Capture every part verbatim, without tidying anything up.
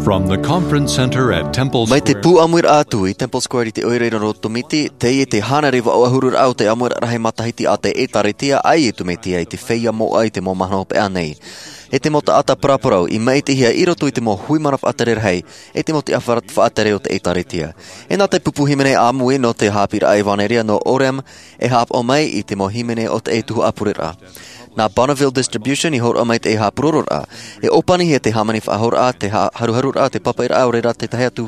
From the conference center at Temple Mai te Square. Pū ʻāmuiraʻa atu i Temple Square i te ʻoire i roto o Miti, teie te hānere vaʻu ʻahururaʻa o te ʻāmuiraʻa rahi matahiti a te ʻĒtārētia a Iesu Mesia i te feiā moʻa i te mau mahana hopeʻa nei. E te mau taʻata paraparau i maʻitihia i roto i te mau hui mana faʻatere rahi, e te mau tiʻa faʻatere o te ʻĒtārētia. E nā te pupu hīmene ʻāmui nō te haʻapiʻiraʻa ʻevanelia nō Orem, e haʻapaʻo mai i te mau hīmene o te tuhaʻa pureraʻa. Nā Bonneville Distribution i hōroʻa mai te haʻapurororaʻa. E ʻōpanihia te hāmani faʻahouraʻa, te ha-, haruharuraʻa, te pāpaʻiraʻa, ʻaore rā te tahi atu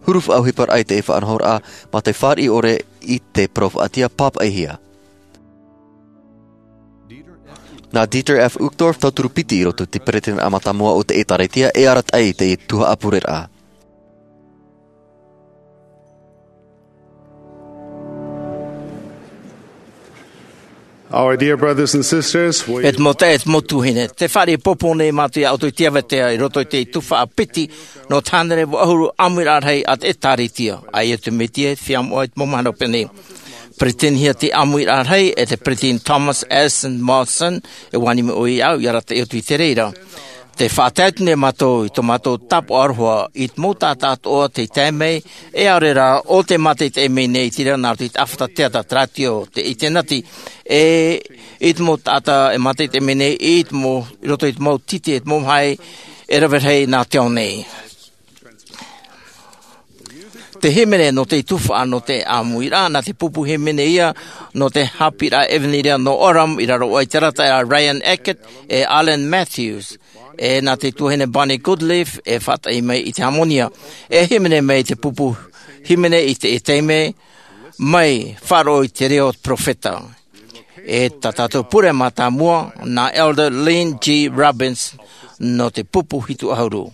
huru faʻaʻohiparaʻa i te faʻanahoraʻa, mā te fāriʻi ʻore i te parau faʻatiʻa pāpaʻihia. Nā Dieter F. Uchtdorf, tauturu piti i roto i te peresideni mātāmua o te ʻĒtārētia, e arataʻi i te tuhaʻa pureraʻa. Our dear brothers and sisters, we E te mau taeaʻe, e te mau tuahine, tē fāriʻi ʻāpōpō nei mātou ia ʻoutou i te ʻāvatea i roto i te tuhaʻa piti nō te hānere vaʻu ʻahuru ʻāmuiraʻa rahi a te ʻĒtārētia a Iesu Mesia i te feiā moʻa i te mau mahana hopeʻa nei. Peresideni hia te ʻāmuiraʻa rahi e te Peresideni Thomas S. Monson, e ʻua ani mai ʻoia iāʻu ia arataʻi atu i te reira. Tē faʻatae atu nei mātou i tō mātou tāpaʻo aroha i te mau taʻata atoʻa tei tae mai, e ʻaore rā ʻo tē mātaʻitaʻi mai nei i te reira nā roto i te ʻāfata teata, te rātio, te ʻinitēneti, e i te mau taʻata e mātaʻitaʻi mai nei i te mau, i roto i te mau tītī, i te mau mahae e rave rahi nā te ao nei. Te hīmene nō te tuhaʻa nō te ʻāmuiraʻa, nā te pupu hīmene ia nō te haʻapiʻiraʻa ʻevanelia nō Orem, i raro aʻe i te arataʻi a Ryan Eckett e Alan Matthews, e nā te tuahine Bonnie Goodleaf e faʻataʻi mai i te hāmani. E hīmene mai te pupu hīmene i te, i te taime mai faʻaroʻo i te reo o te perofeta. E tā tātou pure mātāmua, nā Elder Lynn G. Roberts, nō te pupu hitu ʻahuru.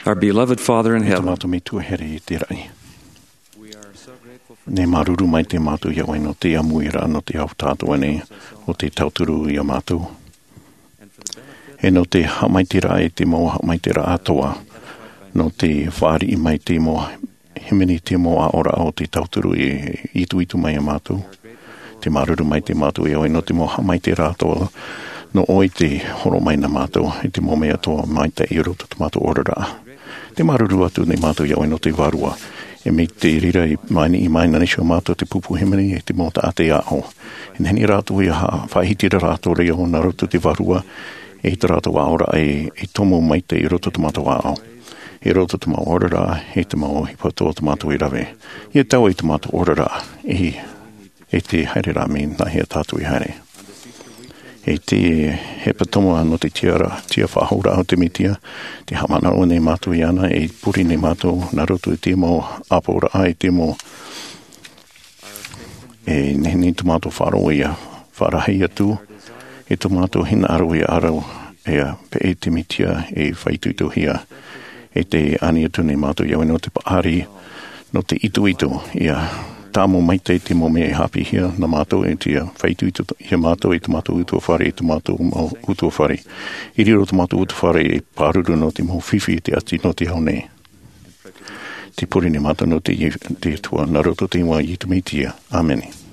Our beloved Father in heaven. Tō mātou Metua here i te raʻi. Nei māuruuru maitaʻi mātou iā ʻoe nō te ʻāmuiraʻa nō te ao tātou nei o te tauturu iā mātou. E nō te haʻamaitaʻiraʻa i te mau haʻamaitaʻiraʻa atoʻa, nō te fāriʻi mai te mau hīmene, te mau aʻoraʻa o te tauturu i ituitu mai iā mātou. Te māuruuru maitaʻi mātou iā ʻoe nō te mau haʻamaitaʻiraʻa atoʻa, nō ʻoe te horo mai nā mātou i te mau mea atoʻa maitaʻi i roto i tō mātou oraraʻa. Te māuruuru atu nei mātou iā ʻoe nō te vārua. E mai te reira i mai nei, i mai nei iā mātou te pupu hīmene, e te mau taʻata aʻo. E nehenehe rātou ia ha-, faʻahiti rātou reo nā roto i te vārua, e tā rātou aʻoraʻa e, e tomo maitaʻi i roto i tō mātou aʻo. I roto i tō mātou oraraʻa, e te mau ʻohipa atoʻa tō mātou e rave. Ia taui tō mātou oraraʻa, e, e te haereraʻa mai nāhea tātou e haere. E te hepetoma nō te tiʻaraʻa, tiʻa faʻahou o te Mesia, te haʻamanaʻo nei mātou iāna, e pure nei mātou nā roto i te mau ʻāpoʻoraʻa, i te mau, e nehenehe tō mātou faʻaroʻo ia faʻarahi atu, e tō mātou hinaʻaro ia aro, e pēʻe te Mesia e faʻaitoitohia. E te ani atu nei mātou iā ʻoe nō te paʻari, nō te itoito, ia tāmau maitaʻi te mau mea e haʻapiʻihia nā mātou, e te faʻaitoito iā mātou, i tō mātou utuafare, i tō mātou mau utuafare. I riro tō mātou utuafare e pāruru nō te mau fifi, te ati nō te ao nei. Te pure nei mātou nō te, te Atua, nā roto i te iʻoa o Iesu Mesia. ʻĀmene.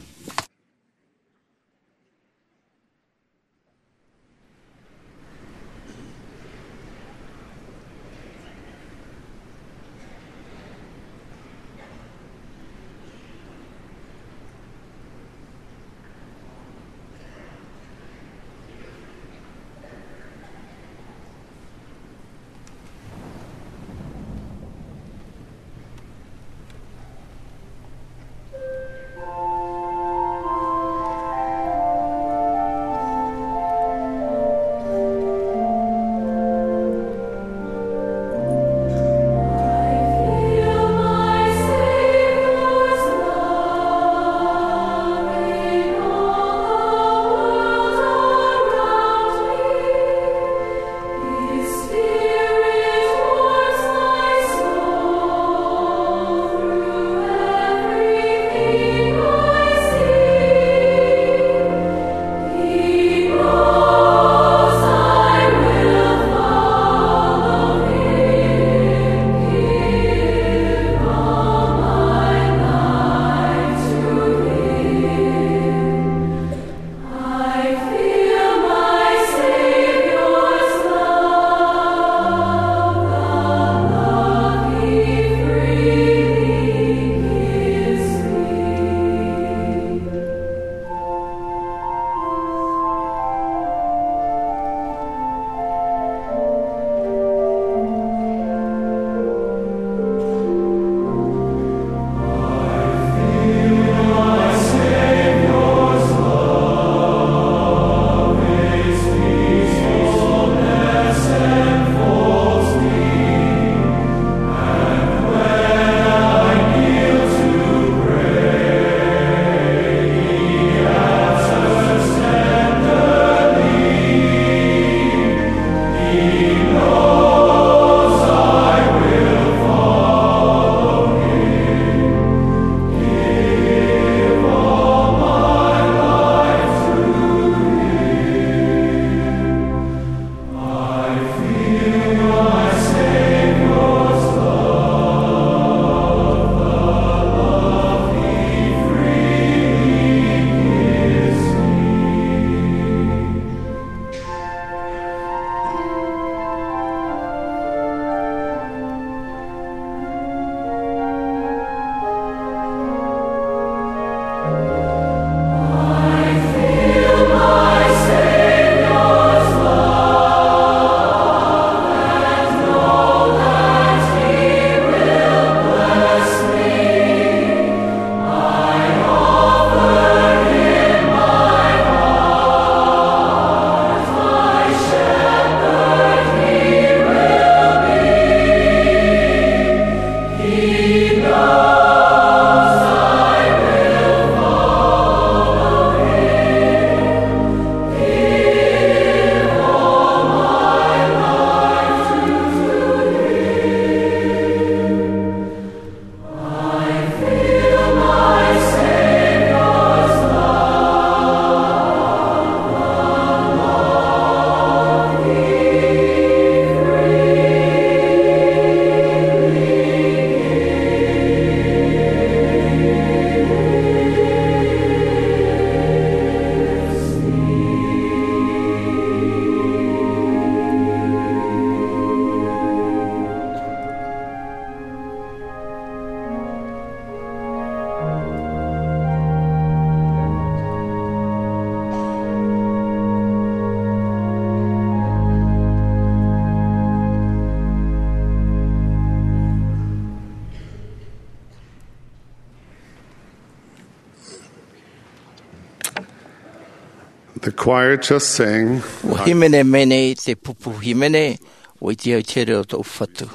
The choir just sang. Ua hīmene mai nei te pupu hīmene, ua ʻite au i te here o tōʻu Fatu.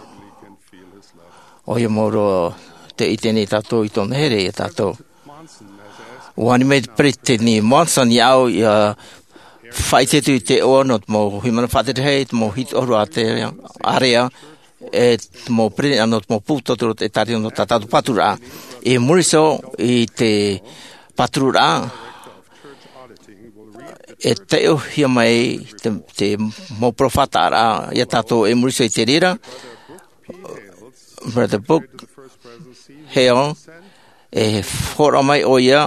ʻOia mau roa tē ʻite nei tātou i tōna here ia tātou. Ua ani mai te Peresideni Monson iāʻu ʻia faʻaʻite atu i te iʻoa nō te mau hīmene faʻaterehia, te mau hitu ʻahuru ātea, ārea, e te mau peresideni nō te mau pupu tauturu o te ʻĒtārētia nō tā tātou pāturaʻa. I muri iho i te pāturaʻa, e taiʻohia mai te, te mau peropheta ra ia tātou i muri iho i te reira. Brother Brooke Hale, e hōroʻa mai ʻoia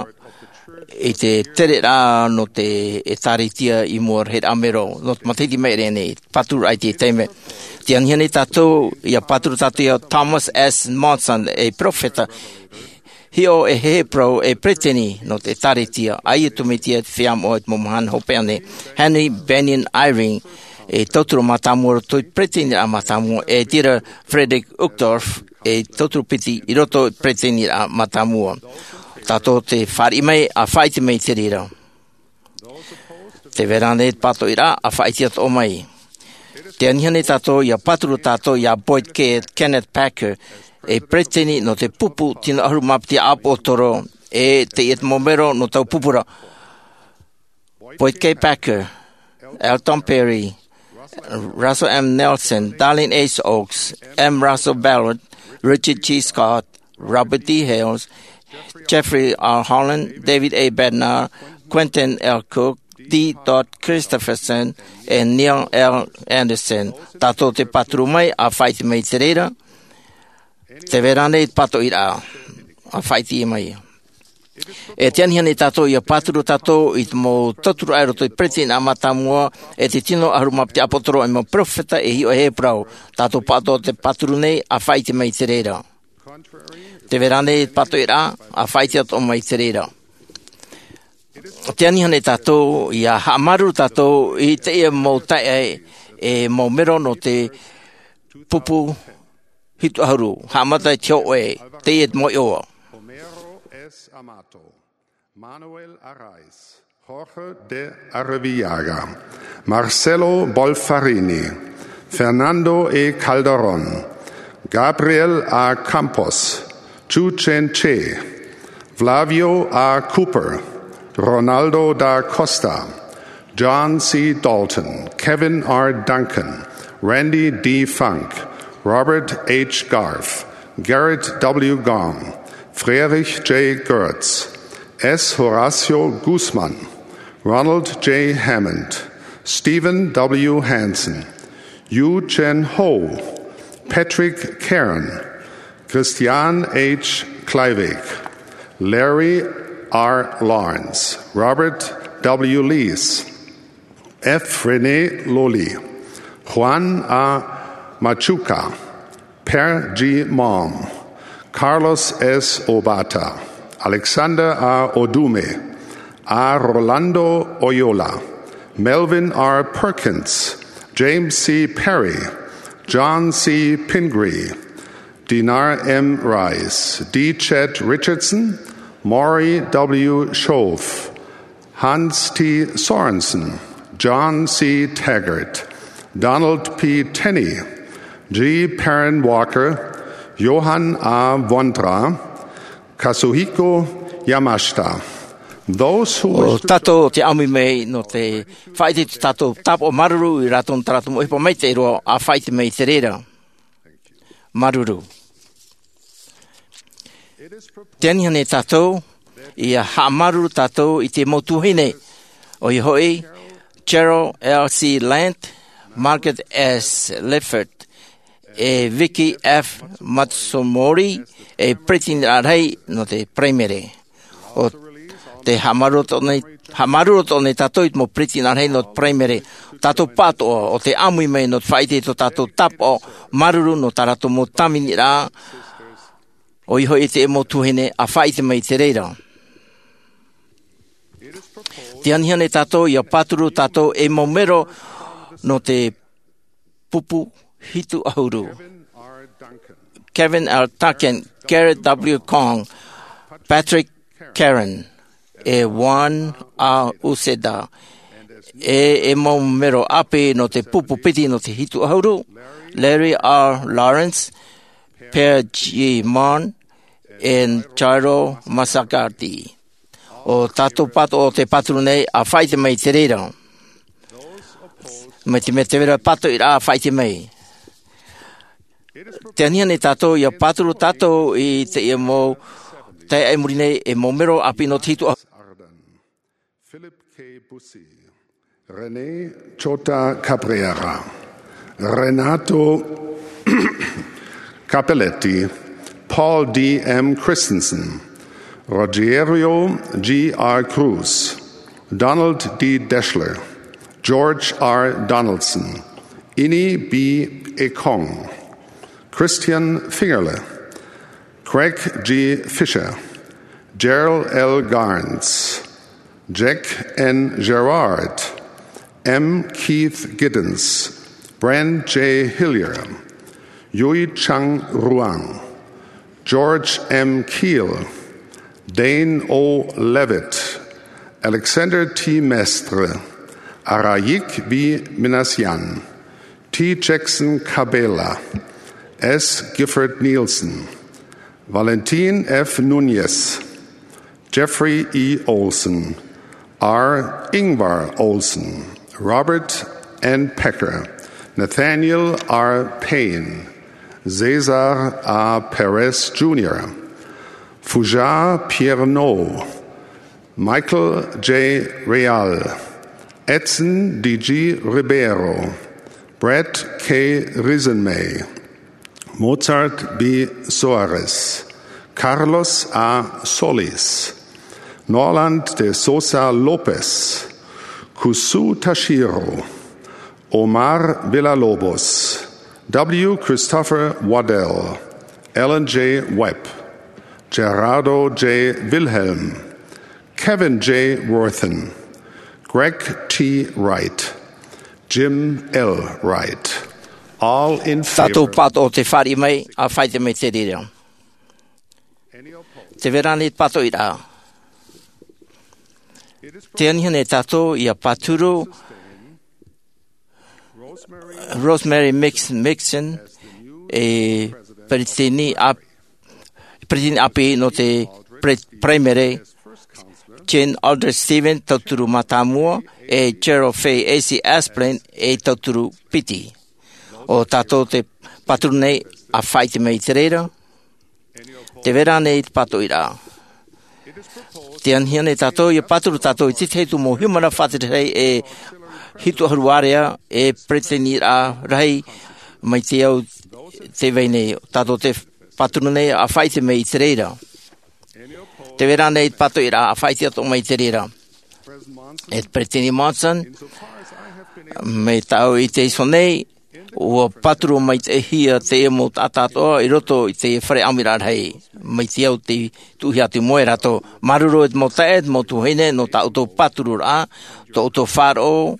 i te tereraʻa nō te ʻĒtārētia i mua i te mero, nō te matahiti i maʻiri aʻe nei, pāturaʻa i te taime. Tē anihia nei tātou, ʻia pāturu tātou ia Thomas S. Monson, e peropheta, hiʻo e heheu parau, e peresideni nō te ʻĒtārētia, ʻaita e tū mai te feiā moʻa i te mau mahana hopeʻa nei. Henry Bennion Eyring, e tauturu mātāmua i roto i te peresideni mātāmua, e Dieter Friedrich Uchtdorf, e tauturu piti i roto i te peresideni mātāmua. Tātou tē fāriʻi mai, ʻa faʻaʻite mai i te reira. Tē vai ra ānei te pātoʻiraʻa, ʻa faʻaʻite atoʻa mai. Tē anihia nei tātou ʻia pāturu tātou ia Boyd K. Kenneth Packer, e peresideni nō te pupu tino ʻahuru mā piti ʻāpōsetolo, e teie te mau mero nō taua pupu ra. Boyd K. Packer, Elton Perry, Russell M. Nelson, Dallin H. Oaks, M. Russell Ballard, Richard G. Scott, Robert D. Hales, Jeffrey R. Holland, David A. Bednar, Quentin L. Cook, D. Todd Christofferson, e Neil L. Andersen. Tātou tē pāturu mai, ʻa faʻaʻite mai i te reira. Tē vai ra ānei te pātoʻiraʻa, ʻa faʻaʻite mai. E tē anihia nei tātou ʻia pāturu tātou i te mau tauturu i roto i te peresideni mātāmua, e te tino ʻahuru mā piti ʻāpōsetolo, e mau peropheta e hiʻo e heheu parau. Tātou pāʻatoʻa tē pāturu nei, ʻa faʻaʻite mai i te reira. Tē vai ra ānei te pātoʻiraʻa, ʻa faʻaʻite atoʻa mai i te reira. Tē anihia nei tātou ʻia haʻamāuruuru tātou i teie mau taeaʻe, e mau mero nō te pupu hitu ʻahuru, haʻamata i te hōʻē, teie te mau iʻoa. Homero S. Amato, Manuel Araiz, Jorge de Arrivillaga, Marcelo Bolfarini, Fernando E. Calderón, Gabriel A. Campos, Chu Chen Che, Flavio A. Cooper, Ronaldo da Costa, John C. Dalton, Kevin R. Duncan, Randy D. Funk, Robert H. Garf, Gerrit W. Gong, Friedrich J. Goertz, S. Horacio Guzmán, Ronald J. Hammond, Stephen W. Hansen, Yu Chen Ho, Patrick Karen, Christian H. Kleiweg, Larry R. Lawrence, Robert W. Lees, F. René Lolli, Juan A. Machuca, Per G. Malm, Carlos S. Obata, Alexander A. Odume, A. Rolando Oyola, Melvin R. Perkins, James C. Perry, John C. Pingree, Dinar M. Rice, D. Chet Richardson, Maury W. Schoaf, Hans T. Sorensen, John C. Taggart, Donald P. Tenney, G. Perrin Walker, Johann A. Vondra, Kazuhiko Yamashita. Those who wish to... Tātou te ʻāmui mai nō te faʻaʻite i tō tātou tāpaʻo māuruuru ia rātou nō tā rātou mau ʻohipa maitaʻi roa, ʻa faʻaʻite mai i te reira. Māuruuru. Tē anihia nei tātou ʻia haʻamāuruuru tātou i te mau tuahine, ʻoia hoʻi, Cheryl L. C. Lant, Margaret S. Lifford, e Vicky F. Matsumori, e peresideni rahi nō te Paraimere. ʻO te haʻamāuruuru atoʻa nei, haʻamāuruuru atoʻa nei tātou i te mau peresideni rahi nō te Paraimere. Tātou pāʻatoʻa, ʻo te ʻāmui mai nō te faʻaʻite i tō tātou tāpaʻo māuruuru nō tā rātou mau tāviniraʻa, ʻoia hoʻi te mau tuahine, ʻa faʻaʻite mai i te reira. Tē anihia nei tātou ʻia pāturu tātou e mau mero nō te pupu hitu ʻahuru. Kevin R. Duncan, Gerrit W. Gong, Patrick Karen, e Juan A. Uceda, e e mau mero ʻāpī nō te pupu piti nō te hitu ʻahuru, Larry R. Lawrence, Per G. Mann, and Jairo Masagardi. ʻO tātou pātoʻi te pāturu nei, ʻa faʻaʻite mai i te reira. Mai te mea tē vai ra te pātoʻiraʻa, ʻa faʻaʻite mai. Tē aniani tātou ʻia pāturu tātou i teie mau taeaʻe i muri nei, e mau mero ʻāpī nō te hitu ʻahuru. Philip K. Busi, René Chota Cabrera, Renato Capelletti, Paul D. M. Christensen, Rogério G. R. Cruz, Donald D. Deshler, George R. Donaldson, Ini B. Ekong, Christian Fingerle, Craig G. Fisher, Gerald L. Garns, Jack N. Gerard, M. Keith Giddens, Brent J. Hillier, Yui Chang Ruang, George M. Keel, Dane O. Levitt, Alexander T. Mestre, Araik B. Minassian, T. Jackson Cabela, S. Gifford Nielsen, Valentin F. Nunez, Jeffrey E. Olsen, R. Ingvar Olsen, Robert N. Pecker, Nathaniel R. Payne, Cesar A. Perez Junior, Fougère Pierre-Nau, Michael J. Real, Edson D. G. Ribeiro, Brett K. Risenmay, Mozart B. Soares, Carlos A. Solis, Norland de Sousa Lopes, Kusu Tashiro, Omar Villalobos, W. Christopher Waddell, Alan J. Webb, Gerardo J. Wilhelm, Kevin J. Worthen, Greg T. Wright, Jim L. Wright. All in favor. Tātou pātoʻi tē fāriʻi mai, ʻa faʻaʻite mai i te reira. Tē vai ra ānei te pātoʻiraʻa? Tē aniani tātou ʻia pāturu Rosemary Mix-, Mixon, e peretiteni ʻāp-, peretiteni ʻāpī nō te pre-, Paraimere, Jane Aldrich Stevens, tauturu mātāmua, e Cheryl Faye A C Asprin, e tauturu piti. ʻO tātou te pāturu nei, ʻa faʻaʻite mai i te reira. Tē vai ra ānei te pātoʻiraʻa? Tē aniani tātou ʻia pāturu tātou i te tahi atu mau haʻamana faʻatereraʻa e hitu ʻahuru ārea, e peretiteniraʻa rahi mai te ao tē vai nei. Tātou te pāturu nei, ʻa faʻaʻite mai i te reira. Tē vai ra ānei te pātoʻiraʻa, ʻa faʻaʻite atoʻa mai i te reira? E te Peretiteni Monson, mai tāʻu i te iho nei, ʻua pāturu maitaʻihia teie mau taʻata atoʻa i roto i te fare ʻāmuiraʻa rahi, mai te ao tei tuʻuhia atu i mua ia rātou. Māuruuru e te mau taeaʻe, e te mau tuahine, nō tā ʻoutou pātururaʻa, tō ʻoutou faʻaroʻo,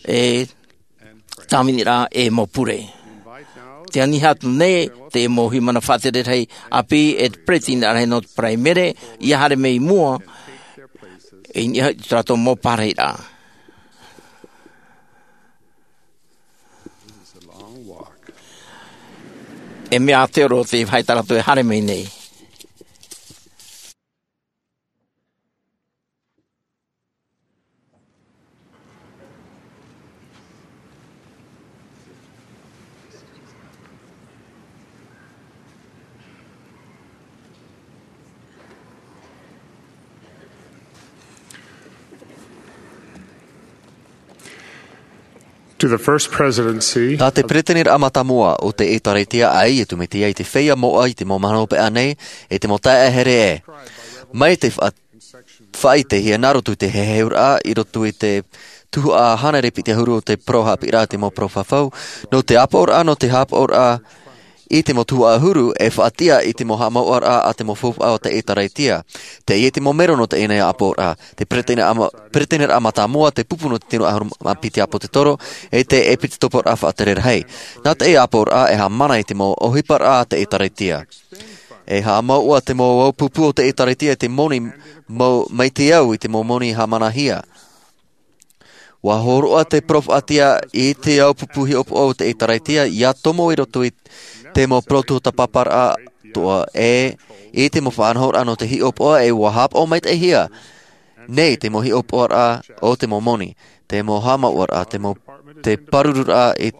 e tāviniraʻa, e mau pure. Tē ani atu nei te mau haʻamana faʻatereraʻa ʻāpī e te peretiteniraʻa rahi nō te Paraimere, ʻia haere mai i mua, i niʻa i tō rātou mau pārahiraʻa. E mea ʻātearo te vāhi tā rātou e haere mai nei. To the First Presidency. Tā te Peretiteniraʻa Mātāmua o te ʻĒtārētia, ʻa Iesu Mesia i te feiā moʻa i te mau mahana hopeʻa nei, e te mau taeaʻe here ē. Mai te fa-, faʻaʻitehia nā roto i te heheuraʻa, i roto i te tuhaʻa hānere piti ʻahuru o te parau haʻapiʻiraʻa a te mau parau fafau, nō te ʻāpooraʻa, nō te haʻapaʻoraʻa, i te mau tuhaʻa ʻahuru e faʻatiʻa i te mau haʻamauʻaraʻa a te mau faufaʻa o te ʻĒtārētia. Teie te mau mero nō teie nei ʻāpooraʻa, te Peretiteniraʻa ma-, Peretiteniraʻa Mātāmua, te pupu nō te tino ʻahuru mā piti ʻāpōsetolo, e te ʻēpīsekoporaʻa faʻatereraʻa. Nā teie ʻāpooraʻa e haʻamana i te mau ʻohiparaʻa a te ʻĒtārētia. E haʻamauʻa te mau ʻāpupu o te ʻĒtārētia i te moni mau, mai te au i te mau moni haʻamanahia. Ua hōroʻa te peropheta i te ʻāupupu hiʻopoʻa o te ʻĒtārētia, ʻia tomo i roto i te mau parau tuatāpaparaʻa atoʻa, ʻe i te mau faʻanahoraʻa nō te hiʻopoʻa, ʻe ua haʻapaʻo maitaʻihia nei te mau hiʻopoʻaraʻa o te mau moni, te mau haʻamāuʻaraʻa, te mau, te pārururaʻa i,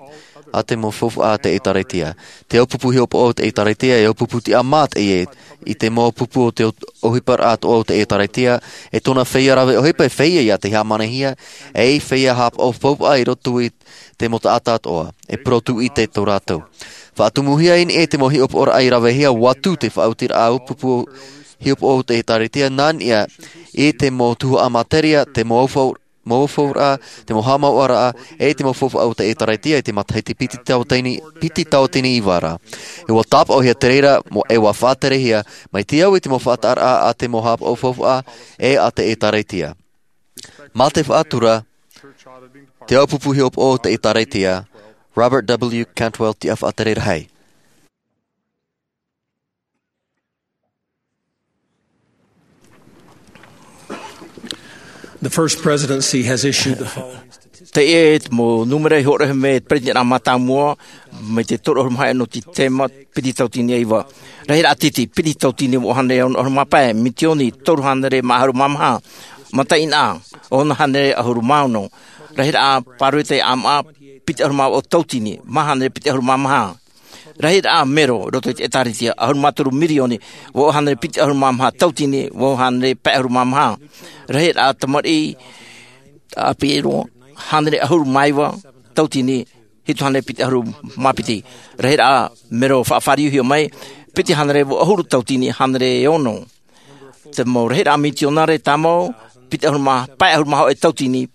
a te mau faufaʻa a te ʻĒtārētia. Te ʻāupupu hiʻopoʻa o te ʻĒtārētia, e ʻāupupu tiʻamā teie i te mau pupu o te ʻo-, ʻohiparaʻa atoʻa o te ʻĒtārētia, e tōna feiā rave ʻohipa e feiā ia te hāmanihia, e feiā haʻapaʻo faufaʻa i roto i te mau taʻata atoʻa, e parau tūʻite tō rātou. Faʻatumuhia i niʻa i te mau hiʻopoʻaraʻa i ravehia, ʻua tū te faʻaotiraʻa ʻāupupu hiʻopoʻa o te ʻĒtārētia, nā niʻa i te mau tuhaʻa materia, te mau aufau-, mau aufauraʻa, te mau haʻamāuʻaraʻa, ʻe te mau faufaʻa o te ʻĒtārētia i te matahiti piti tauatini, piti tauatini iva ra. E ʻua tāpaʻohia te reira, mo-, e ʻua faʻaterehia, mai te au i te mau faʻataʻaraʻa a te mau haʻapaʻo faufaʻa, ʻe a te ʻĒtārētia. Mā te faʻatura, te ʻāupupu hiʻopoʻa o te ʻĒtārētia, Robert W. Cantwell, tiʻa faʻatere rahi. The First Presidency has issued the following statistics. Teie te mau nūmera i hōroʻahia mai e te Peretiteni mātāmua, mai te toru ʻahuru mā hōʻē nō te tēma, piti tauatini e iva. Rahiraʻa tītī, piti tauatini vaʻu hānere ono ʻahuru mā pae, mitioni toru hānere mā ʻahuru mā maha. Mataʻeinaʻa, ono hānere ʻahuru mā ono. Rahiraʻa pāroita ʻāmaʻa, piti ʻahuru mā vaʻu tauatini, maha hānere piti ʻahuru mā maha. Rahiraʻa mero, roto i te ʻĒtārētia, ʻahuru mā toru mirioni, vaʻu hānere piti ʻahuru mā maha tauatini, vaʻu hānere pae ʻahuru mā maha. Rahiraʻa tamariʻi ʻāpī roa, hānere ʻahuru mā iva tauatini, hitu hānere piti ʻahuru mā piti. Rahiraʻa mero faʻafāriuhia mai, piti hānere vaʻu ʻahuru tauatini, hānere e ono. Te mau rahiraʻa mitionare tāmau, piti ʻahuru mā, pae ʻahuru mā hōʻē tauatini,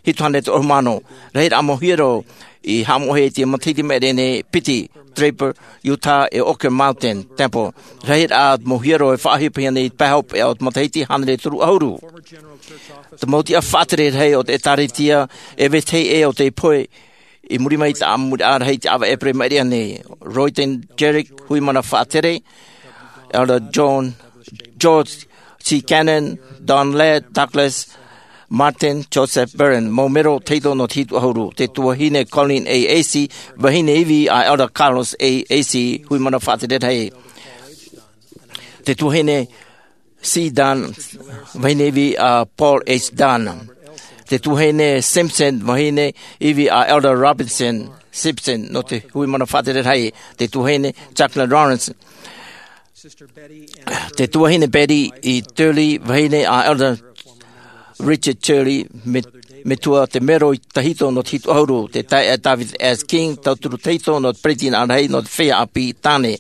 hitu hānere toru ʻahuru mā ono. Rahiraʻa mau hiero i haʻamoʻahia i te matahiti maʻiri nei, piti, Draper, Utah, ʻe Walker Mountain Temple. Rahiraʻa mau hiero e faʻaʻohipahia nei i te pae hopeʻa o te matahiti hānere toru ʻahuru. Te mau tiʻa faʻatere rahi o te ʻĒtārētia, e vetahi ʻē o te pohe, i muri mai i te ʻāmui rahi i te ʻāvaʻe ʻēperēra maʻiri nei. Royden Jerick, hui mana faʻatere, Elder John, George C. Cannon, Don Ladd, Douglas Martin, Joseph Barron, mau mero tahito nō te hitu ʻahuru. Te tuahine Colleen A. Acey, vahine ivi a Elder Carlos A. Acey, hui mana faʻatere rahi. Te tuahine C. Dunn, vahine ivi a Paul H. Dunn. Te tuahine Simpson, vahine ivi a Elder Robinson Simpson, nō te hui mana faʻatere rahi. Te tuahine Jacqueline Lawrence. Te tuahine Betty E. Turley, vahine a Elder Richard Turley, me-, metua te mero tahito nō te hitu ʻahuru. Te taeaʻe David S. King, tauturu tahito nō te peretiteni rahi nō te feiā ʻāpī tāne.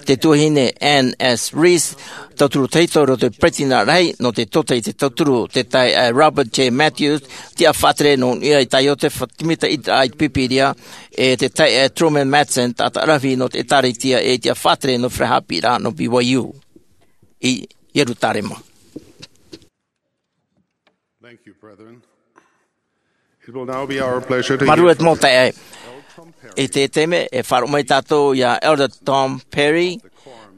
Te tuahine Ann S. Reese, tauturu tahito nō te peretiteni rahi nō te tōtaiete tauturu. Te taeaʻe Robert J. Matthews, tiʻa faʻatere nō niʻa i te taiote fa-, te mita ʻita i te Pīpīria, ʻe te taeaʻe Truman Madsen, taʻata ʻaravihi nō te ʻĒtārētia, ʻe tiʻa faʻatere nō te fare haʻapiʻiraʻa nō B Y U i Ierutarema. Thank you, brethren. It will now be our pleasure to hear Māuruuru e te mau taeaʻe. I te taime, e faʻaroʻo mai tātou ia Elder Tom Perry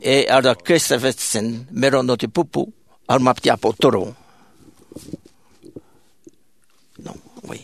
ʻe Elder Christofferson, mero nō te pupu ʻahuru mā piti ʻāpoʻotoro. No, wait.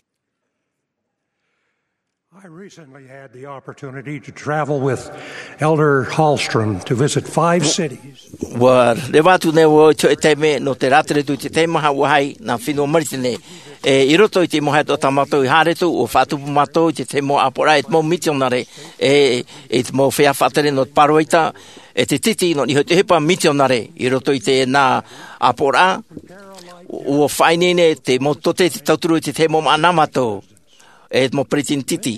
I recently had the opportunity to travel with Elder Hallstrom to visit five cities. ʻUa reva atu nei vau i te taime nō te rātere atu i te taime maha ʻua haere i te fenua Maritini. ʻE i roto i te mau haereʻa tā mātou i haere atu, ʻua faʻatupu mātou i te, te mau ʻāpoʻoraʻa, e te mau mitionare, ʻe, ʻe te mau feiā faʻatere nō te pāroita, ʻe te tītī nō niʻa i te ʻohipa mitionare, i roto i teie ʻāpoʻoraʻa, ʻua faʻaineine te mau tōtaiete tauturu i te, te mau māʻa nā mātou. ʻE te mau peretiteni tītī.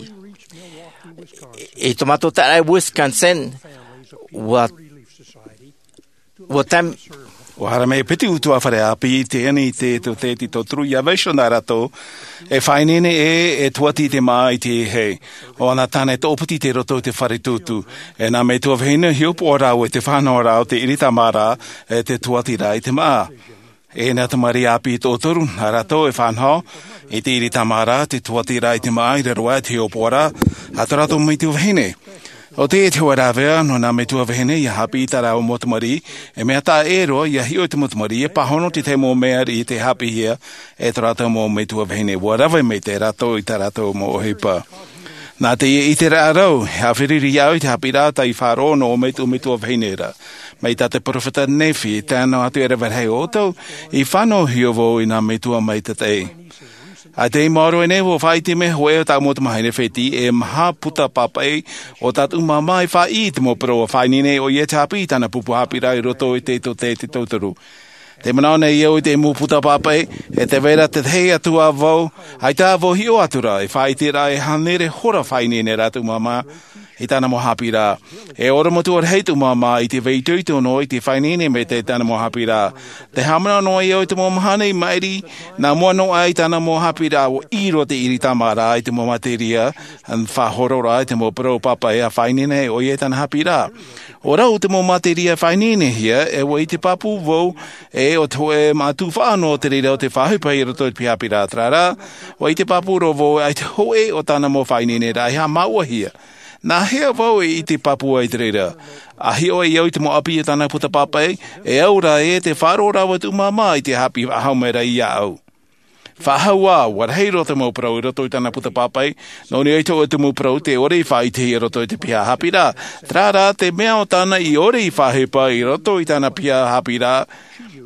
I tō mātou taʻata i Wisconsin, ʻua, ʻua tam- ʻUa haere mai piti ʻutuāfare ʻāpī i teie nei i te tōtaiete tauturu ʻia vaiiho nā rātou, e faʻaineine ē, e tuati te māʻa i te hei. ʻO ʻana tāne e toʻopiti i roto i te fare tūtū. E nā metua vahine hiʻopoʻa rāua i te faʻanahoraʻa o te ʻīriti mārā, ʻe te tuatiraʻa i te māʻa. E nā tamariʻi ʻāpī e toʻotoru, nā rātou e faʻanaho i te ʻīriti mārā, te tuatiraʻa i te māʻa i raro aʻe i te hiʻopoʻaraʻa a tō rātou metua vahine. ʻO teie te hoʻe rāveʻa nō nā metua vahine ia hāpiʻi i tā rāua mau tamariʻi. E mea taʻa ʻē roa ia hiʻo i te mau tamariʻi e pāhono te tahi mau mea riʻi te hāpiʻihia e tō rātou mau metua vahine. Ua rave maitaʻi rātou i tā rātou mau ʻohipa. Nā teie ʻiteraʻa rau e haʻaferuri au i te hāpiʻiraʻa tei faʻaroʻo nō ʻō metua vahine ra. Mai tā te peropheta nephi e tae noa atu e rave rahi ʻoutou i fānauhia vau i nā metua maitaʻi. ʻA tei maoro nei ua faʻaʻite mai hoʻi ʻo tāʻu mau tamahine fētiʻi e maha puta pāpaʻi o tātou māmā i faʻaʻī i te mau parau ua faʻaineine ʻoia te hāpiʻi i tāna pupu hāpiʻiraʻa i roto i te tōtaiete tauturu. Te manaʻo nei au i te mau puta pāpaʻi e te vera tētahi atu ā vau ʻaita vau hiʻo atu rā e faʻaʻite rā e hānere hora faʻaineine rā tōʻu māmā i tāna mau hāpiʻiraʻa. E oromatua rahi tōʻu māmā i te vai itoito noa i te faʻaineine maitaʻi i tāna mau hāpiʻiraʻa. Te haʻamanaʻo noa iho i te mau mahana i maʻiri nā mua noa aʻe i tāna mau hāpiʻiraʻa ua ʻī roa te ʻiri tāmā rā i te mau materia faʻahoro rā i te mau parau pāpaʻi a faʻaineine ʻoia i tāna hāpiʻiraʻa. ʻO rau te mau materia faʻaineinehia e ua ʻite pāpū vau e ʻo te hoʻe mātuʻa faʻaʻano o te reira o te faʻaʻohipa i roto i te piha hāpiʻiraʻa. Terā rā ua ʻite pāpū roa vau ʻaita hoʻi ʻo tāna mau faʻaineineraʻa e haʻamāuʻahia. Nā hea vau e ʻite pāpū ai te reira? ʻA hiʻo ai au i te mau ʻapi o tāna puta pāpaʻi e au rā ē te faʻaroʻo rāua tōʻu māmā i te hāpiʻi faʻahou mai rā iāʻu. Faʻahou ā ua rahi roa te mau parau i roto i tāna puta pāpaʻi. Nō niʻa i te hoʻe tumu parau te ʻore i faʻaʻitehia i roto i te piha hāpiʻiraʻa. Terā rā te mea o tāna i ʻore i faʻaʻohipa i roto i tāna piha hāpiʻiraʻa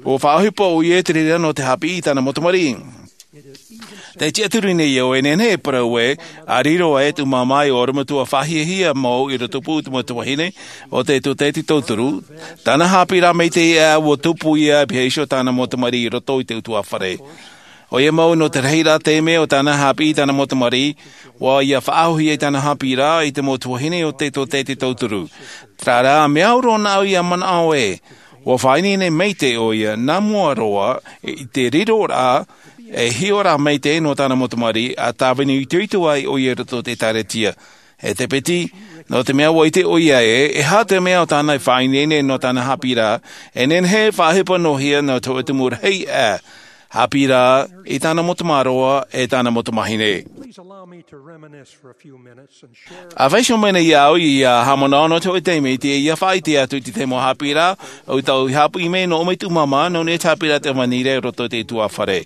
ua faʻaʻohipa ʻoia i te reira nō te hāpiʻi i tāna mau tamariʻi. Te tiʻaturi nei au e nehenehe e parau ē ʻa riro aʻe tōʻu māmā i oromatua faʻahiahia mau i rotopū i te mau tuahine o te tōtaiete tauturu. Tāna hāpiʻiraʻa maitaʻi ʻā ua tupu ia e piha iho tāna mau tamariʻi i roto i te utuāfare. ʻOia mau nō te rahiraʻa taime o tāna hāpiʻi i tāna mau tamariʻi ua ia faʻahoʻihia i tāna hāpiʻiraʻa i te mau tuahine o te tōtaiete tauturu. Terā rā mea au roa nāʻu ia manaʻo ē ua faʻaineine maitaʻi ʻoia nā mua roa i te riroraʻa e hiʻo rā maitaʻi nō tāna mau tamariʻi ʻa tāvini itoito ai ʻoia i roto i te ʻēkālesia. E te piti nō te mea ua ʻite ʻoia ē e aha te mea o tāna e faʻaineine nō tāna hāpiʻiraʻa e nehenehe e faʻaʻohipa noa hia nō te hoʻe tumu rahi ʻā hāpiʻiraʻa i tāna mau tamāroa e tāna mau tamahine. Please allow me to reminisce for a few minutes and share. ʻA vaiiho mai nei au ia haʻamanaʻo nō te hoʻe taime i te ia faʻaʻite atu i te tahi mau hāpiʻiraʻa o tau i hāpiʻi mai nō ʻō mai tōʻu māmā nō niʻa i te hāpiʻiraʻa te ʻavanira i roto i te utuāfare.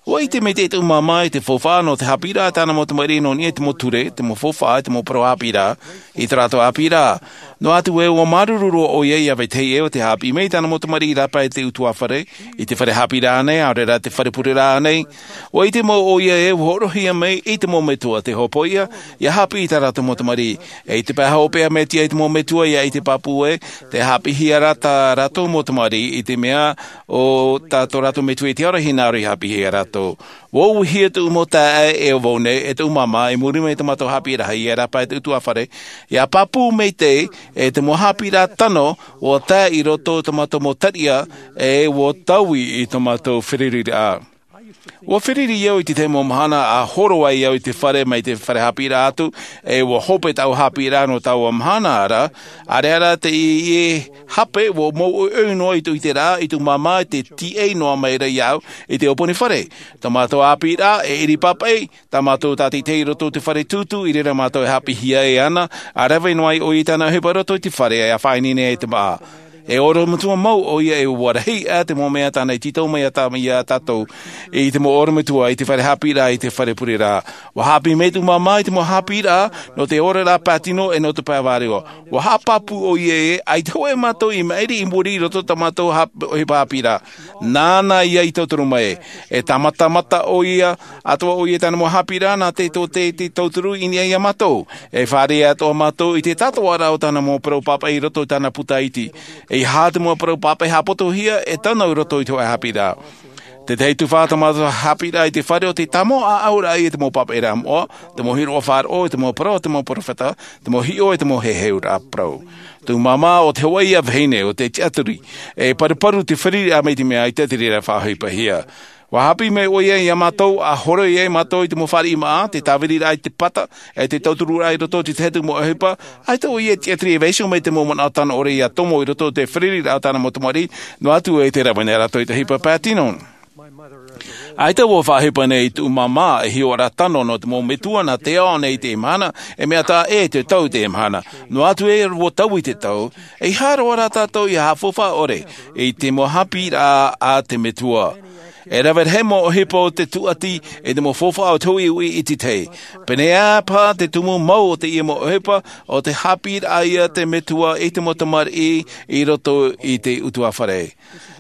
Ua ʻite maitaʻi tōʻu māmā i te faufaʻa nō te hāpiʻiraʻa tāna mau tamariʻi nō niʻa i te mau ture te mau faufaʻa i te mau parau hāpiʻiraʻa i tō rātou hāpiʻiraʻa. Noa atu ē ua māuruuru roa ʻoia ia vetahi ʻē o te hāpiʻi mai i tāna mau tamariʻi i rāpae i te utuāfare i te fare hāpiʻiraʻa nei ʻaore rā te fare pureraʻa nei. Ua ʻite mau ʻoia ē ua hōroʻahia mai i te mau metua te hopoiʻa ia hāpiʻi i tā rātou mau tamariʻi. E i te pae hopeʻa mea tiʻa i te mau metua ia ʻite pāpū ē te hāpiʻihia rā tā rātou mau tamariʻi i te mea o tā tō rātou metua i te aro hinaʻaro i hāpiʻihia rātou. Ua uʻuhia tōʻu mau taeaʻe e ʻo vau nei e tōʻu māmā i muri mai i tō mātou hāpiʻiraʻa ia rāpae i te utuāfare ia pāpū maitaʻi e te mau hāpiʻiraʻa tano ua tae i roto i tō mātou mau tariʻa e ua taui i tō mātou fereriraʻa. Ua fereri au i te tahi mau mahana ʻa horo ai au i te fare mai te fare hāpiʻiraʻa atu e ua hope tāʻu hāpiʻiraʻa nō taua mahana ra. ʻAreʻa rā te ʻie hape ua mau ʻoiʻoi noa i tōʻu ʻiteraʻa i tōʻu māmā i te tiʻai noa mai ra iāʻu i te ʻōpani fare. Tō mātou hāpiʻiraʻa e ʻiri pāpaʻi tā mātou tātaʻitahi i roto i te fare tūtū i reira mātou e hāpiʻihia e ana ʻa rave noa ai ʻoia i tāna ʻohipa i roto i te fare ʻa faʻaineine ai te māʻa. E oromatua mau ʻoia e ua rahi ʻā te mau mea tāna i tītau mai iā tātou i te mau oromatua i te fare hāpiʻiraʻa i te fare pureraʻa. Ua hāpiʻi mai tōʻu māmā i te mau hāpiʻiraʻa nō te oraraʻa pātino e nō te pae vārua. Ua haʻapāpū ʻoia ē ʻaita hoʻi mātou i maʻiri i muri i roto i tā mātou ʻohipa hāpiʻiraʻa. Nāna ia i tauturu mai e tāmatamata ʻoia atoʻa ʻoia i tāna mau hāpiʻiraʻa nā te tōtaiete tauturu i niʻa iā mātou. E fāriʻi atoʻa mātou i te tātōʻaraʻa o tāna mau parau pāpaʻi i roto i tāna puta iti. E aha te mau parau pāpaʻi haʻapotohia e tano i roto i te hoʻe hāpiʻiraʻa. Tētahi tuhaʻa tā mātou hāpiʻiraʻa i te fare o te tāmau ʻāʻauraʻa i te mau pāpaʻiraʻa moʻa te mau hiroʻa faʻaroʻo i te mau parau o te mau peropheta te mau hiʻo e te mau heheuraʻa parau. Tōʻu māmā o te hoʻe ia vahine o te tiʻaturi e paruparu te fereriraʻa mai te mea ʻaita te reira faʻaʻohipahia. Ua hāpiʻi mai ʻoia iā mātou ʻa horoi ai mātou i te mau fāriʻi māʻa te tāviriraʻa i te pata e te tautururaʻa i roto i te tahi atu mau ʻohipa. ʻAita ʻoia e tiʻaturi e vaiiho mai te mau manaʻo tano ʻore ia tomo i roto i te fereriraʻa o tāna mau tamariʻi noa atu e te rave nei rātou i te ʻohipa pātino. ʻAita ua faʻaʻohipa nei i tuʻu māmā e hiʻoraʻa tano nō te mau metua nā te ao nei i teie mahana, e mea taʻa ʻē te tau i teie mahana. Noa atu ē ua tau i te tau, e ʻeiaha roa rā tātou ia haʻafaufaʻa ʻore i te mau haʻapiʻiraʻa a te metua. E rave rahi mau ʻohipa o te tūʻati i te mau faufaʻa o te huʻihuʻi i te tahi. Pēneiaʻe paha te tumu mau o teie mau ʻohipa, o te haʻapiʻiraʻa ia te metua i te mau tamariʻi i roto i te ʻutuāfare.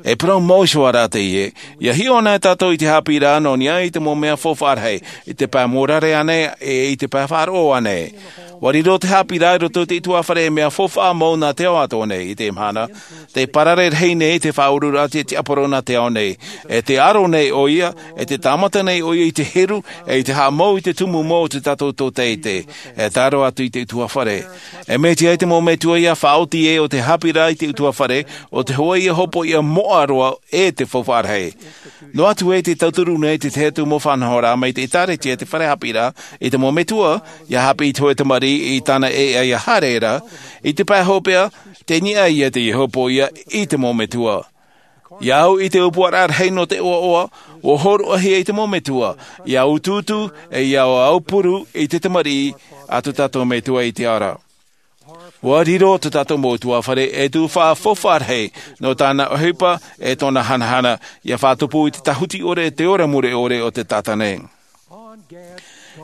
E parau mau iho ā rā teie, ia hiʻo anaʻe tātou i te haʻapiʻiraʻa nō niʻa i te mau mea faufaʻa rahi, i te pae mōrare ānei, e i te pae faʻaroʻo ānei. Ua riro te haʻapiʻiraʻa i roto i te ʻutuāfare e mea faufaʻa mau nā te ao atoʻa nei i teie mahana. Te parare rahi nei te faʻauruuraʻa a te tiaporo nā te ao nei. E te aro nei ʻoia, e te tāmata nei ʻoia i te heru, e i te haʻamau i te tumu mau o te tātou tōtaiete. E tae roa atu i te ʻutuāfare. E mea tiʻa ai te mau metua ia faʻaoti ē o te haʻapiʻiraʻa i te ʻutuāfare, o te hoʻe ia hopoiʻa moʻa roa e te faufaʻa rahi. Noa atu ē te tauturu nei te tahi atu mau faʻanahoraʻa mai te ʻĒtārētia, te fare haʻapiʻiraʻa, i te mau metua, ia haʻapiʻi i te hōʻē tamariʻi i tāna ʻēʻa ia haere ra, i te pae hopeʻa, tei niʻa ia teie hopoiʻa i te mau metua. Ia au i te ʻōpuaraʻa rahi nō te ʻoaʻoa, ua hōroʻahia i te mau metua, ia utuutu, e ia aupuru i te tamariʻi a tō tātou metua i te ao ra. Ua riro tō tātou mau ʻutuāfare e tuhaʻa faufaʻa rahi nō tāna ʻohipa e tōna hanahana, ia faʻatupu i te tāhuti ʻore, te ora mure ʻore o te taʻata nei.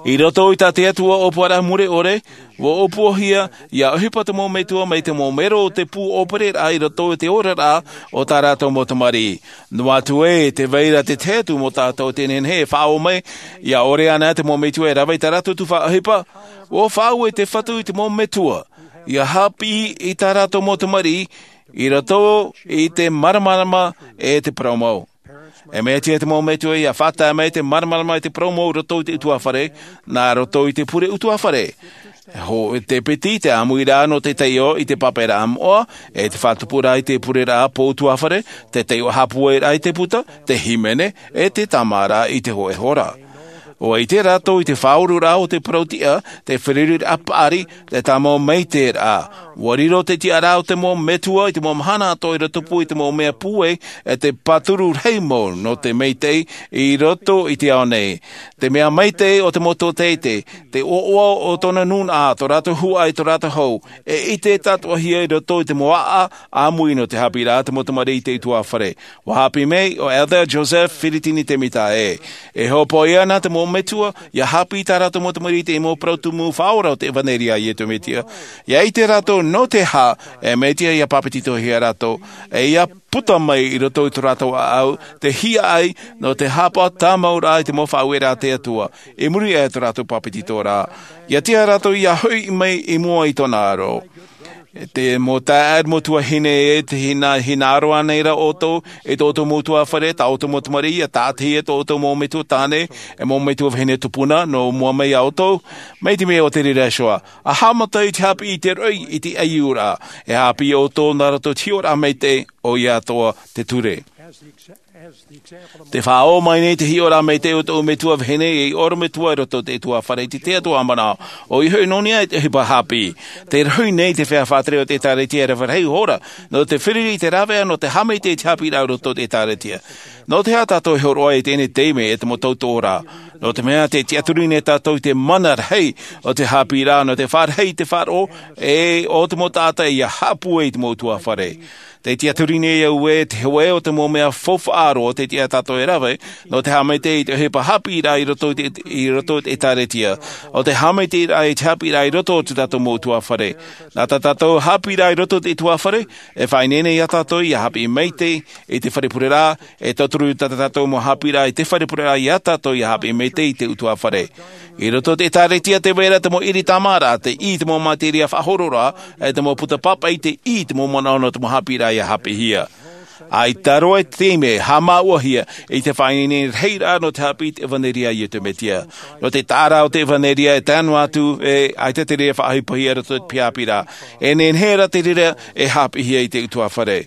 I roto i tā te Atua ʻōpuaraʻa mure ʻore, ua ʻōpuahia ia ʻohipa te mau metua mai te mau mero o te pū ʻōpereraʻa i roto i te oraraʻa o tā rātou mau tamariʻi. Noa atu ē, tē vai ra te tahi atu mau taʻata tē nehenehe e faʻaō mai, ia ʻore anaʻe te mau metua e rave i tā rātou tuhaʻa ʻohipa, ua faʻaue te Fatu i te mau metua, ia haʻapiʻi i tā rātou mau tamariʻi, i roto i te māramarama e te parau mau. E mea tiʻa te mau metua ia faʻatae mai te māramarama e te parau mau i roto i te ʻutuāfare, nā roto i te pure ʻutuāfare. Hōʻē piti te ʻāmuiraʻa nō te taiʻo i te pāpaʻiraʻa moʻa, e te faʻatupuraʻa i te pureraʻa pō ʻutuāfare, te taiʻo haʻapūairaʻa i te puta, te hīmene, e te tāmāraʻa i te hōʻē hora. ʻUa ʻite rātou i te faʻauruuraʻa o te parau tiʻa, te feruriraʻa paʻari, te tāmau maitaʻiraʻa. ʻUa riro te tiʻaraʻa o te mau metua i te mau mahana atoʻa i rotopū i te mau mea pūai, e te pāturu rahi mau nō te maitaʻi i roto i te ao nei. Te mea maitaʻi o te mau tōtaiete, te ʻoaʻoa o tōna nūnaʻa, tō rātou huaʻai, tō rātou hau, e ʻite tātoʻahia i roto i te mau aʻa ʻāmui nō te haʻapiʻiraʻa te mau tamariʻi i te ʻutuāfare. ʻUa haʻapiʻi mai ʻo Elder Joseph Firitini Temita ē, e hopoiʻa ana te mau metua ia haʻapiʻi i tā rātou mau tamariʻi i te mau parau tumu faʻaora o te ʻevanelia a Iesu Mesia. Ia ʻite rātou nō te aha e mea tiʻa ia pāpetitohia rātou, e ia puta mai i roto i tō rātou ʻāʻau te hiaʻai nō te haʻapaʻo tāmauraʻa i te mau faʻaueraʻa a te Atua, i muri aʻe i tō rātou pāpetitoraʻa. Ia tiʻa rātou ia hoʻi mai i mua i tōna aro. Te mau taeaʻe, mau tuahine ē, tē hina, hinaʻaro ānei ra ʻoutou i tō ʻoutou mau ʻutuāfare, tā ʻoutou mau tamariʻi, ʻia tāʻatihia tō ʻoutou mau metua tāne, e mau metua vahine tupuna, nō mua mai iā ʻoutou, mai te mea o te reira iho ā, ʻa haʻamata i te haʻapiʻi i te roʻi, i te ʻaiūraʻa, e haʻapiʻi ʻoutou nā roto i te hiʻoraʻa maitaʻi, ʻoia atoʻa te ture. Te faʻaō mai nei te hiʻoraʻa maitaʻi o tōʻu metua vahine, ei ʻorometua i roto i te ʻutuāfare i te tahi atu ā manaʻo, ʻoia hoʻi nō niʻa i te ʻohipa haʻapiʻi. Tē rohi nei te feiā faʻatere o te ʻĒtārētia e rave rahi ihora, nō te feruri i te rāveʻa nō te haʻamaitaʻi i te haʻapiʻiraʻa i roto i te ʻĒtārētia. Nō te aha tātou e hōroʻa i teie taime e te mau tautooraʻa? Nō te mea tē tiʻaturi nei tātou i te mana rahi o te haʻapiʻiraʻa, nō te faʻarahi i te faʻaroʻo, e ʻo te mau taʻata ia haʻapūai i te mau ʻutuāfare. Tē tiʻaturi nei au ē te hoʻē o te mau mea faufaʻa roa tē tiʻa tātou e rave, nō te haʻamaitaʻi i te ʻohipa haʻapiʻiraʻa i roto i te, i roto i te ʻĒtārētia, ʻo te haʻamaitaʻiraʻa i te haʻapiʻiraʻa i roto o tō tātou mau ʻutuāfare. Nā tā tātou haʻapiʻiraʻa i roto i te ʻutuāfare, e faʻaineine iā tātou ia haʻapiʻi maitaʻi i te fare pureraʻa, e tauturu tā tātou mau haʻapiʻiraʻa i te fare pureraʻa iā tātou ia haʻapiʻi maitaʻi i te ʻutuāfare. I roto i te ʻĒtārētia tē vai ra te mau ʻiri tāmāraʻa, tē ʻī te mau materia faʻahororaʻa, e te mau puta pāpaʻi, tē ʻī te mau manaʻo nō te mau haʻapiʻiraʻa ia haʻapiʻihia. ʻAita roa te taime e haʻamāuʻahia i te faʻaineine rahiraʻa nō te haʻapiʻi i te ʻevanelia a Iesu Mesia. Nō te taʻa ra o te ʻevanelia e tae noa atu, e ʻaita te reira e faʻaʻohipahia i roto i te haʻapiʻiraʻa. E nehenehe ra te reira e haʻapiʻihia i te ʻutuāfare.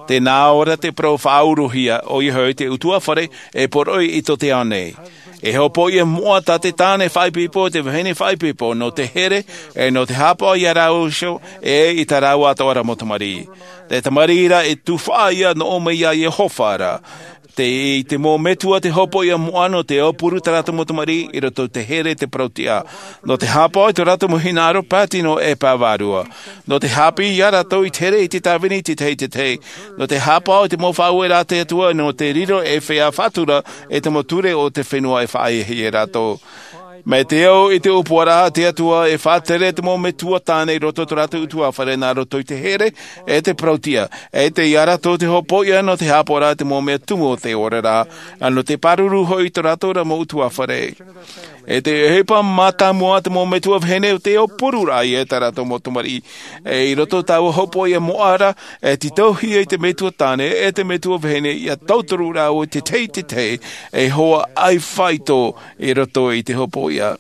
Tē nā ʻō ra te parau faʻauruhia, ʻoia hoʻi te ʻutuāfare e poroʻi i tō te ao nei. E hopoiʻa moʻa tā te tāne faʻaipoipo, te vahine faʻaipoipo, nō te here, e nō te haʻapaʻo iā rāua iho, e i tā rāua atoʻa ra mau tamariʻi. Te tamariʻi ra e tufaʻa ia nō ʻō mai iā Iehova ra. Te, i te mau metua te hopoiʻa moʻa nō te aupuru tā rātou mau tamariʻi i roto i te here te parauʻtiʻa. Nō te haʻapaʻo i tō rātou mau hinaʻaro pātino e pāvārua. Nō te haʻapiʻi iā rātou i te here i te tāvini i te tahi i te tahi. Nō te haʻapaʻo i te mau faʻaueraʻa a te Atua nō te riro e feiā faʻatura e te mau ture o te fenua e faʻahiahia rātou. Mai te au i te ʻōpuaraʻa a te Atua e faʻatere te mau metua tāne i roto i tō rātou ʻutuāfare nā roto i te here e te parauʻtiʻa. E te iā rātou te hopoiʻa nō te haʻapaʻoraʻa i te mau mea tumu o te oraraʻa, ʻa nō te pāruru hoʻi i tō rātou ra mau ʻutuāfare. E te ʻohipa mātāmua te mau metua vahine o te aupururaʻa iā tā rātou mau tamariʻi. E i roto i taua hopoiʻa moʻa ra, e tītauhia i te metua tāne e te metua vahine ia tauturu rāua i te tahi i te tahi, e hoa ʻai faito i roto i te hopoiʻa.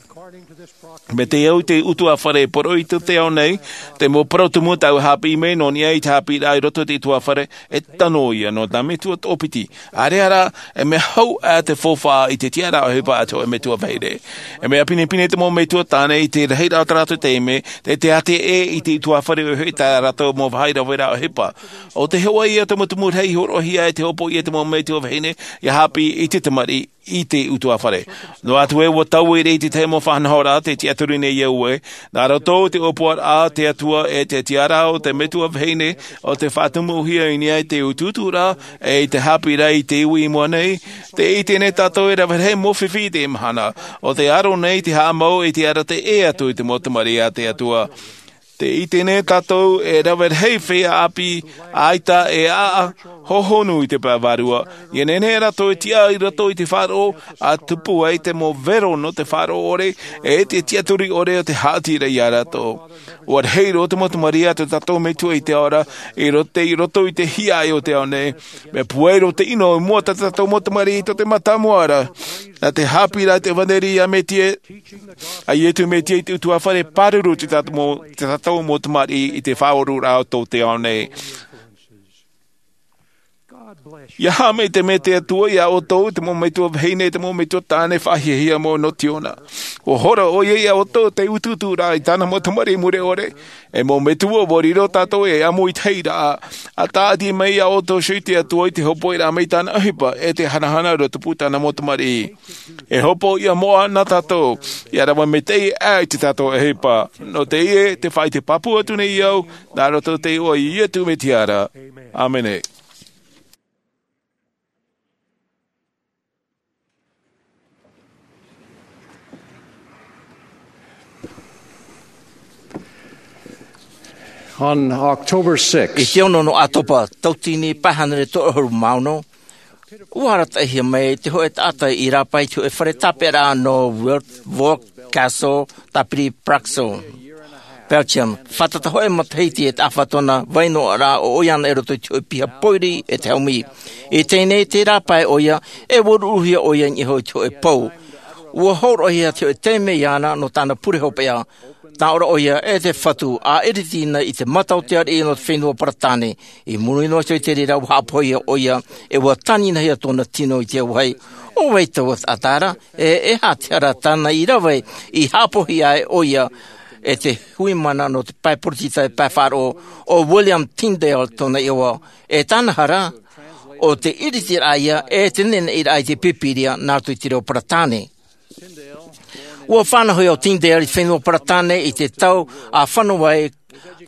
Mai te au i te ʻutuāfare e poroʻi i tō te ao nei, te mau parau tumu tāua haʻapiʻi mai nō niʻa i te haʻapiʻiraʻa i roto i te ʻutuāfare, e tano ia nō tā metua toʻopiti. ʻAreʻa rā, e mea hau ʻā te faufaʻa i te tiʻaraʻa ʻohipa a te hōʻē metua vahine. E mea pinepine te mau metua tāne i te rahiraʻa o tā rātou taime, te teatea ʻē i te ʻutuāfare ʻohipa i tā rātou mau vāhi raveraʻa ʻohipa. ʻO te hoʻi ia te mau tumu rahi i hōroʻahia e te hopoiʻa te mau metua vahine, ia haʻapiʻi i te tamariʻi i te ʻutuāfare. Noa atu ē ʻua taui i te tahi mau faʻanahoraʻa te tiʻaturi nei au ē, nā roto i te ʻōpuaraʻa a te Atua e te tiʻaraʻa o te metua vahine, ʻo te faʻatumuhia i niʻa i te utuuturaʻa, e i te haʻapiʻiraʻa i te iwi i mua nei, te ʻite nei tātou e rave rahi mau fifi i te mahana, ʻo te aro nei te haʻamau e te arataʻi atu i te mau tamariʻi a te Atua. Te ʻite nei tātou e rave rahi feiā ʻāpī ʻaita e ʻaʻa hohonu i te pae vārua. Ia nehenehe rātou e tiʻa i roto i te faʻaroʻo, ʻa tupu ai te mau vero nō te faʻaroʻo ʻore, e te tiʻaturi ʻore o te haʻati ra iā rātou. ʻUa rahi roa te mau tamariʻi a tō tātou Metua i te ao ra, i roto, i roto i te hiaʻai o te ao nei. Mea pūai roa te ʻino i mua tā tātou mau tamariʻi i tō te mātāmua ra. Nā te haʻapiʻiraʻa i te ʻevanelia a Mesia, a Iesu Mesia i te ʻutuāfare pāruru te tātou mau, te tātou mau tamariʻi i te faʻaoraraʻa o tō te ao nei. Ia haʻamaitaʻi mai te Atua iā ʻoutou, te mau metua vahine, te mau metua tāne faʻahiahia mau nō Ziona. ʻUa hora ʻoia iā ʻoutou te utuuturaʻa i tāna mau tamariʻi mure ʻore. E mau metua, ʻua riro tātou e amo i te rahiraʻa. ʻA tāʻati mai iā ʻoutou hoʻi te Atua i te hopoiraʻa mai tāna ʻohipa, e te hanahana roa tupu tāna mau tamariʻi. E hopoiʻa moʻa nā tātou, ia rave maitaʻi ʻā i tā tātou ʻohipa. Nō teie, te faʻaʻite pāpū atu nei au, nā roto i te iʻoa o Iesu Mesia ra. ʻĀmene. On October sixth, i te ono nō ʻĀtopa, tauatini pae hānere toru ʻahuru mā ono, ʻua arataʻihia mai te hōʻē taʻata i rāpae i te hōʻē fare tāpeʻaraʻa nō Wildwolf Castle, tāpiri Praxel, Belgium. Fātata hōʻē matahiti e taʻa fā tōna vai noaʻa ra, ʻo ʻoia anaʻe i roto i te hōʻē piha pōiri e te haumi. I teie nei, tē rāpae ʻoia, e ʻua ruruhia ʻoia i niʻa iho i te hōʻē pou. ʻUa hōroʻahia te hōʻē taime iāna nō tāna pure hopeʻa. Tāʻō ra ʻoia, e te Fatu, ʻa ʻiriti na i te mata o te ariʻi nō te fenua Paratane. I muri noa iho i te reira, ʻua haʻapohia ʻoia, e ʻua tāninahia tōna tino i te auahi. ʻO vai taua taʻata ra? E, e aha te hara tāna i rave i haʻapohia ai ʻoia e te hui mana nō te pae poritita e pae faʻaroʻo, ʻo William Tyndale tōna iʻoa. E tāna hara, ʻo te ʻiritiraʻa ïa e te neneʻiraʻa i te Pīpīria nā roto i te reo Paratāne. ʻUa fānauhia ʻo Tyndale i te fenua Paratāne i te tau ʻa fano ai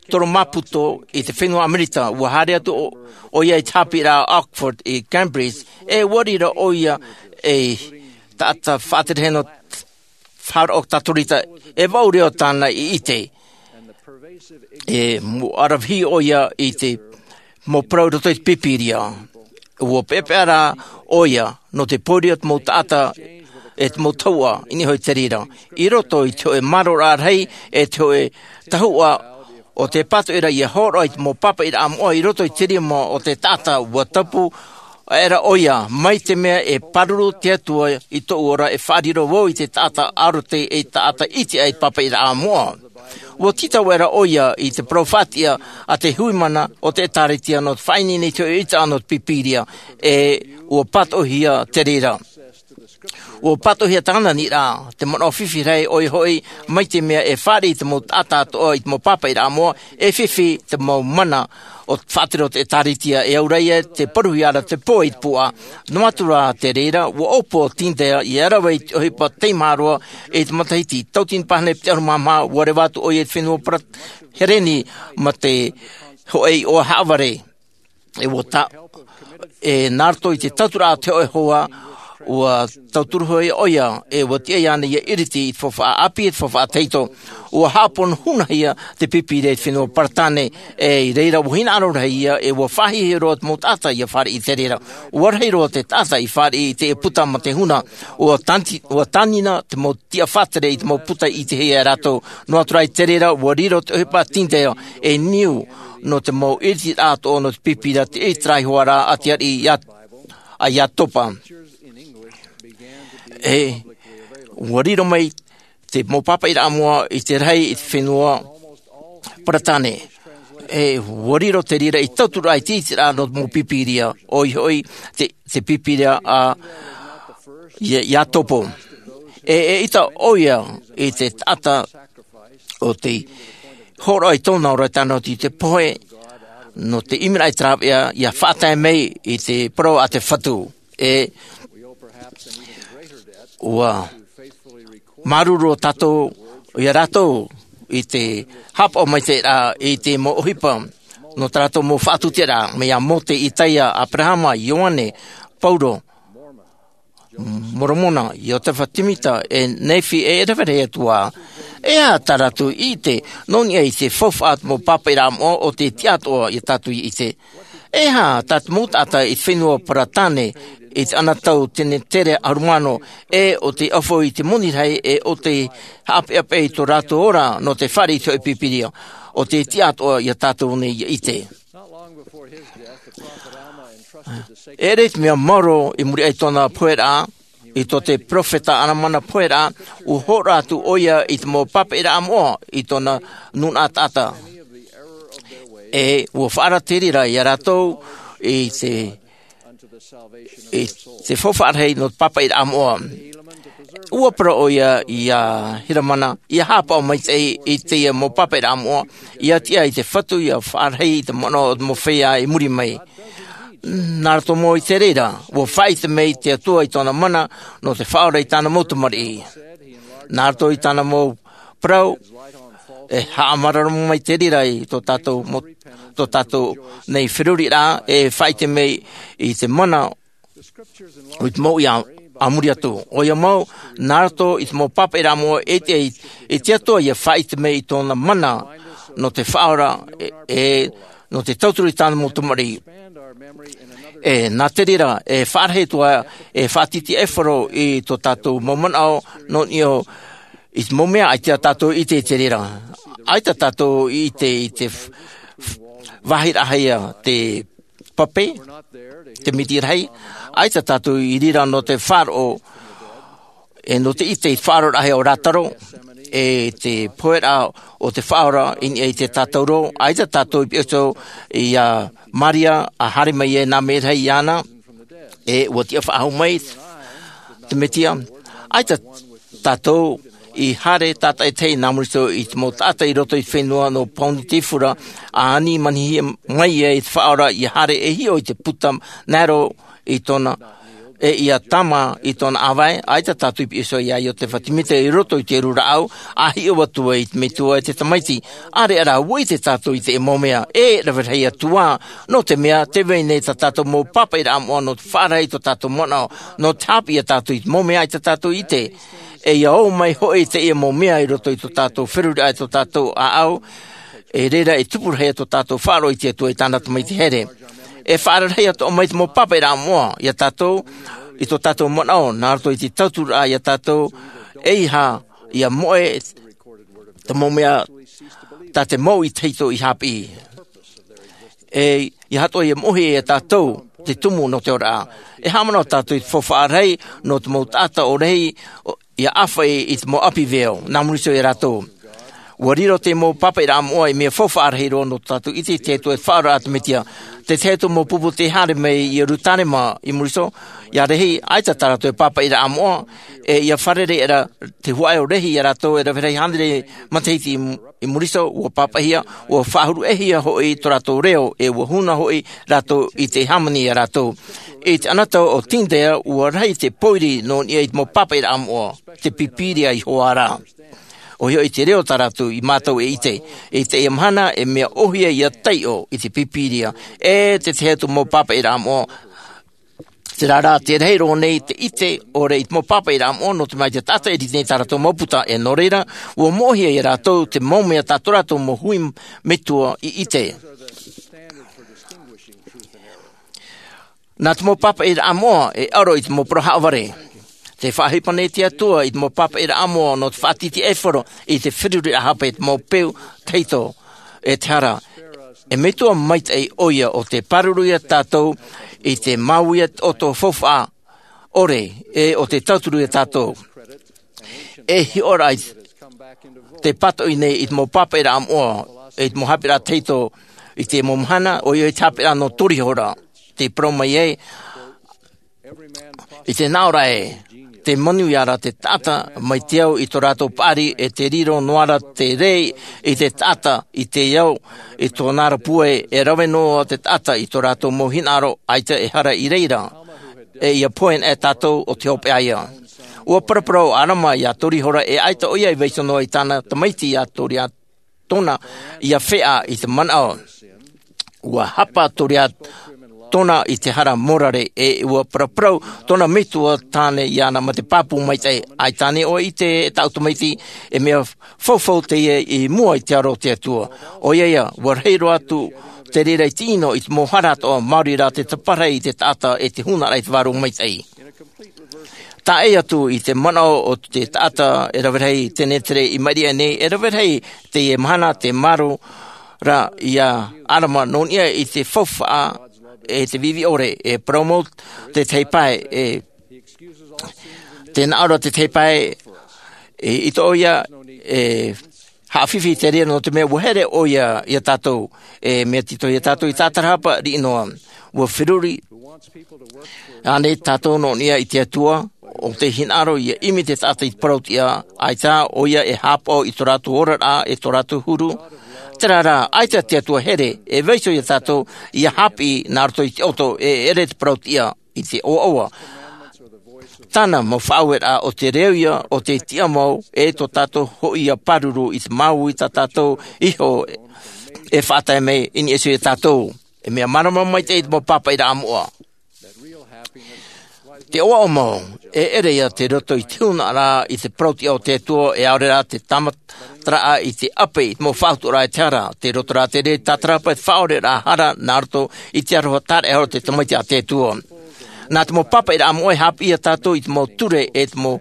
Toro Maputo i te fenua Amerika. ʻUa haere atu ʻo, ʻoia i te haʻapiʻiraʻa Oxford i Cambridge, e ʻua riro ʻoia ei taʻata faʻaterehene faʻaroʻo Katorika, e vaʻu reo tāna i ʻite. E ʻua ʻaravihi ʻoia i te mau parau i roto i te Pīpīria. ʻUa peʻapeʻa rā ʻoia nō te pōiri o te mau taʻata, e te mau tahuʻa i niʻa iho i te reira. I roto i te hōʻē māroraʻa rahi, e te hōʻē tahuʻa o te pātoʻi ra ʻia hōroʻa i te mau pāpaʻiraʻa moʻa i roto i te rima o te taʻata, ʻua tapu aʻera ʻoia, mai te mea e pāruru te Atua i tōʻu ora, e faʻariro vau i te taʻata arataʻi, e taʻata ʻite aʻe i te pāpaʻiraʻa moʻa. ʻUa tītau aʻera ʻoia i te parau faʻatiʻa a te hui mana o te ʻĒtārētia nō te faʻaineine i te hōʻē ʻītaʻa nō te Pīpīria, e ʻua pātoʻihia te reira. ua pātoʻihia tāna nīʻa te manaʻo fifi rahi ʻoia hoʻi mai te mea e fāriʻi te mau taʻata atoʻa i te mau pāpaʻiraʻa moʻa e fifi te mau mana o te faʻatere o te ʻēkālesia e auraʻa ia te paruhia ra te pō i te puaʻa. Noa atu rā te reira ua ʻōpū ʻo tindaia ia rave i te ʻohipa tei maharoa i te matahiti tautini pāhana e piti ʻahuru mā maha ua reva atu ʻoia i te fenua parata hereni ma te hoʻi ʻoa haʻavare e ua ta e nā roto i te tauturu a te hoʻe hoa ua tauturu hoʻi ʻoia e ua tiʻa iāna ia iriti i te faufaʻa ʻāpī e te faufaʻa tahito. Ua haʻapono hunahia te pīpīria i te fenua paratane e i reira ua hinaʻaro rahi ia e ua faʻahiahia roa te mau taʻata ia fāriʻi i te reira. Ua rahi roa te taʻata i fāriʻi i te puta ma te huna ua tanti ua tanina te mau tiʻa faʻatere i te mau puta i te hea e rātou. Noa atu rā i te reira ua riro te ʻohipa tindaia e niu nō te mau iritiraʻa atoʻa nō te pīpīria te ʻiteraʻa iho ā rā a te ariʻi a iatopa. E ua riro mai te mau pāpaʻiraʻa moʻa i te rahi i te fenua paratane. E ua riro te reira i tauturu ai te ʻiteraʻa nō te mau pīpīria ʻoia hoʻi te pīpīria a iatopa. E ʻaita ʻoia i te taʻata o te hōroʻa i tōna ora i tāna oti i te pohe nō te ʻimiraʻa i te rāveʻa ia faʻatae mai i te parau a te fatu. E ua māuruuru ʻo tātou ia rātou i te haʻapaʻo maitaʻi raʻa i te mau ʻohipa nō tā rātou mau faʻatupu raʻa mai iā mōte, itaia, aperahama, ioane, paulo, moromona, iotefa timita, e nefi e rave rahi atu ā. E aha tā rātou i ʻite nō niʻa i te faufaʻa mau pāpaʻiraʻa moʻa o te tiʻa atoʻa iā tātou i ʻite? E aha tā te mau taʻata i te fenua paratane i te ana tau tene tere ʻahuru mā ono e o te ʻaufau i te moni rahi e o te haʻapeʻapeʻa i tō rātou ora nō te fāriʻi i te hoʻe pīpīria o te tiʻa atoʻa iā tātou nei ia ʻite? E ʻere i te mea maoro i muri aʻe i tōna poheraʻa i tō te peropheta alamana poheraʻa ua hōroʻa atu ʻoia i te mau pāpaʻiraʻa moʻa i tōna nūnaʻa taʻata. E ua faʻaara te reira iā rātou i te i te faufaʻa rahi nō te pāpaʻiraʻa moʻa. Ua parau ʻoia iā helamana ia haʻapaʻo maitaʻi i teie mau pāpaʻiraʻa moʻa ia tiʻa i te fatu ia faʻarahi i te manaʻo o te mau feiā i muri mai. Nā roto mau i te reira ua faʻaʻite mai te atua i tōna mana nō te faʻaora i tāna mau tamariʻi. Nā roto i tāna mau parau e haʻamāramarama mai te reira i tō tātou mau tō tātou nei feruriraʻa e faʻaʻite mai i te mana o te mau ia a muri atu ʻoia mau nā roto i te mau pāpaʻiraʻa moʻa e te atua ia faʻaʻite mai i tōna mana nō te faʻaora e nō te tauturu i tāna mau tamariʻi. E nā te reira e faʻarahi atu ā e faʻatītīʻaifaro i tō tātou mau manaʻo nō niʻa i te mau mea ʻaita tātou i ʻite i te reira. ʻAita tātou i ʻite i te vāhi rahi a te pape te miti rahi. ʻAita tātou i reira nō te faʻaroʻo e nō te ʻite i te faʻaroʻo rahi o rātaro e te poheraʻa o te faʻaora i niʻa i te tātauro. ʻAita tātou i piʻoto iā maria a haere mai e nā mea rahi iāna e ua tiʻa faʻahou mai te mesia. ʻAita tātou i haere tātaʻitahi nā muri iho i te mau taʻata i roto i te fenua nō pauni te fura a ani manihia mai ia i te faʻaora ia haere e hiʻo i te puta naero i tōna e ia tama i tōna ʻāvae. ʻAita tātou i piʻoto iā iotefa timita i roto i te rūraʻau a hiʻo atu ai i te metua e te tamaiti. ʻAreʻa rā ua ʻite tātou i te mau mea e rave rahi atu ā nō te mea te vai nei tā tātou mau pāpaʻiraʻa moʻa nō te faʻarahi i tō tātou manaʻo nō te haʻapiʻi iā tātou i te mau mea ʻaita tātou i ʻite. E ia ō mai hoʻi teie mau mea i roto i tō tātou feruriraʻa i tō tātou ʻāʻau. E reira e tupu rahi tō tātou faʻaroʻo i te atua i tāna tamaiti here. E faʻaara rahi atoʻa mai te mau pāpaʻiraʻa moʻa iā tātou i tō tātou manaʻo nā roto i te tauturu raʻa iā tātou e iha ia moʻe te mau mea tā te mau i tahito i haʻapiʻi. E ia hatoʻa ia moʻe iā tātou te tumu nō te ora. E haʻamanaʻo tātou i te faufaʻa rahi nō te mau taʻata ʻo rahi ia ʻāfaʻi i te mau ʻapi veo nā muri iho iā rātou. Ua riro te mau pāpaʻiraʻa moʻa i mea faufaʻa rahi roa nō tātou ʻite i te Atua e faʻaora atu te Mesia. Te tahi atu mau pupu tei haere mai i Ierusalema i muri iho, ʻia rahi, ʻaita tā rātou e pāpaʻiraʻa moʻa, e ʻia fārerei ra te huaʻai rahi iā rātou e rave rahi hānere matahiti i, i muri iho, ua pāpaʻihia, ua faʻahuruʻehia hoʻi tō rātou reo, e ua huna hoʻi rātou i te hāmani iā rātou. I te ʻanata o Tyndale, ua rahi te pōiri nō niʻa i te mau pāpaʻiraʻa moʻa, te Pīpīria iho ā rā. ʻOia hoʻi te reo tā rātou i mātau e ʻite. I teie mahana, e mea ʻōhie ʻia taiʻo i te Pīpīria, e te tahi atu mau pāpaʻiraʻa moʻa. Terā rā, te rahi roa nei te ʻite ʻore i te mau pāpaʻiraʻa moʻa nō te mea te taʻata e rite nei tā rātou mau puta, e nō reira, ua moʻehia iā rātou te mau mea tā tō rātou mau hui metua i ʻite. Nā te mau pāpaʻiraʻa moʻa e aro i te mau parau haʻavare. Tē faʻaʻohipa nei te Atua i te mau pāpaʻiraʻa moʻa nō te faʻatītīʻaifaro i te feruriraʻa hape i te mau peu tahito e te hara. E Metua maitaʻi ʻoia ʻo tē pāruru iā tātou i te māuiui ʻoto faufaʻa ʻore, e ʻo tē tauturu iā tātou. E hiʻo ra i te pātoʻi nei i te mau pāpaʻiraʻa moʻa, i te mau haʻapiʻiraʻa tahito i te mau mahana, ʻoia i te haʻapiʻiraʻa nō Torihora, tē parau mai ai, i te nā ʻō ra ē, tē manuia ra te taʻata mai te au i tō rātou paʻari, e tē riro noa ra te rē i te taʻata i te ao, i tōna ra pūai, e rave noa te taʻata i tō rātou mau hinaʻaro, ʻaita e hara i reira. E ʻia pohe anaʻe tātou ʻo tē hopeʻa ïa. Ua paraparau ʻo ʻĀrama iā Torihora e ʻaita ʻoia i vaiiho noa i tāna tamaiti iā Toriatona ʻia feʻa i te manaʻo. Ua hapa Toriatona i te hara morare, e ua paraparau tōna metua tāne iāna mā te pāpū maitaʻi, ʻaita ānei ʻoe e ʻite, e tāʻu tamaiti, e mea faufau teie i mua i te aro o te Atua. ʻOia ïa, ua rahi roa atu te reira i te ʻino i te mau hara atoʻa, maori rā te taparahi i te taʻata e te huna ra i te Vārua Maitaʻi. Tae atu i te manaʻo o te taʻata e rave rahi, tenetere i maʻiri aʻe nei, e rave rahi teie mahana tē marō ra iā ʻĀrama nō niʻa i te faufaʻa e te viʻiviʻi ʻore, e parau mau te tahi pae, e tē nā ʻō ra te tahi pae, e ʻite ʻoia, e haʻafifi te reira nō te mea ua here ʻoia iā tātou, e mea tito iā tātou i tātarahapa riʻi noa. Ua feruri ānei tātou nō niʻa i te Atua, ʻo tē hinaʻaro ʻia ʻimi te taʻata i te parau-tiʻa, ʻaita ʻoia e haʻapaʻo i tō rātou oraraʻa, e tō rātou huru? Terā rā, ʻaita te Atua here e vaiiho iā tātou ʻia haʻapiʻi nā roto i te ʻoto, e ʻere te parau-tiʻa i te ʻoaʻoa. Tāna mau faʻaueraʻa ʻo te reo ïa o te tiʻamau, e tō tātou hoʻi ïa pāruru i te māuiui tā tātou iho e faʻatae mai i niʻa iho iā tātou. E mea mārama maitaʻi te mau pāpaʻiraʻa moʻa. Te ʻoaʻoa mau, e ʻere ïa tei roto i te huna ra i te parau-tiʻa o te Atua, e ʻaore rā te tāmataraʻa i te ʻape i te mau faʻahotuaraʻa e te hara, tei roto rā te reira tātarahapa i te faʻaoreraʻa hara nā roto i te aroha tāraʻehara o te tamaiti a te Atua. Nā te mau pāpaʻiraʻa moʻa e haʻapiʻi iā tātou i te mau ture e te mau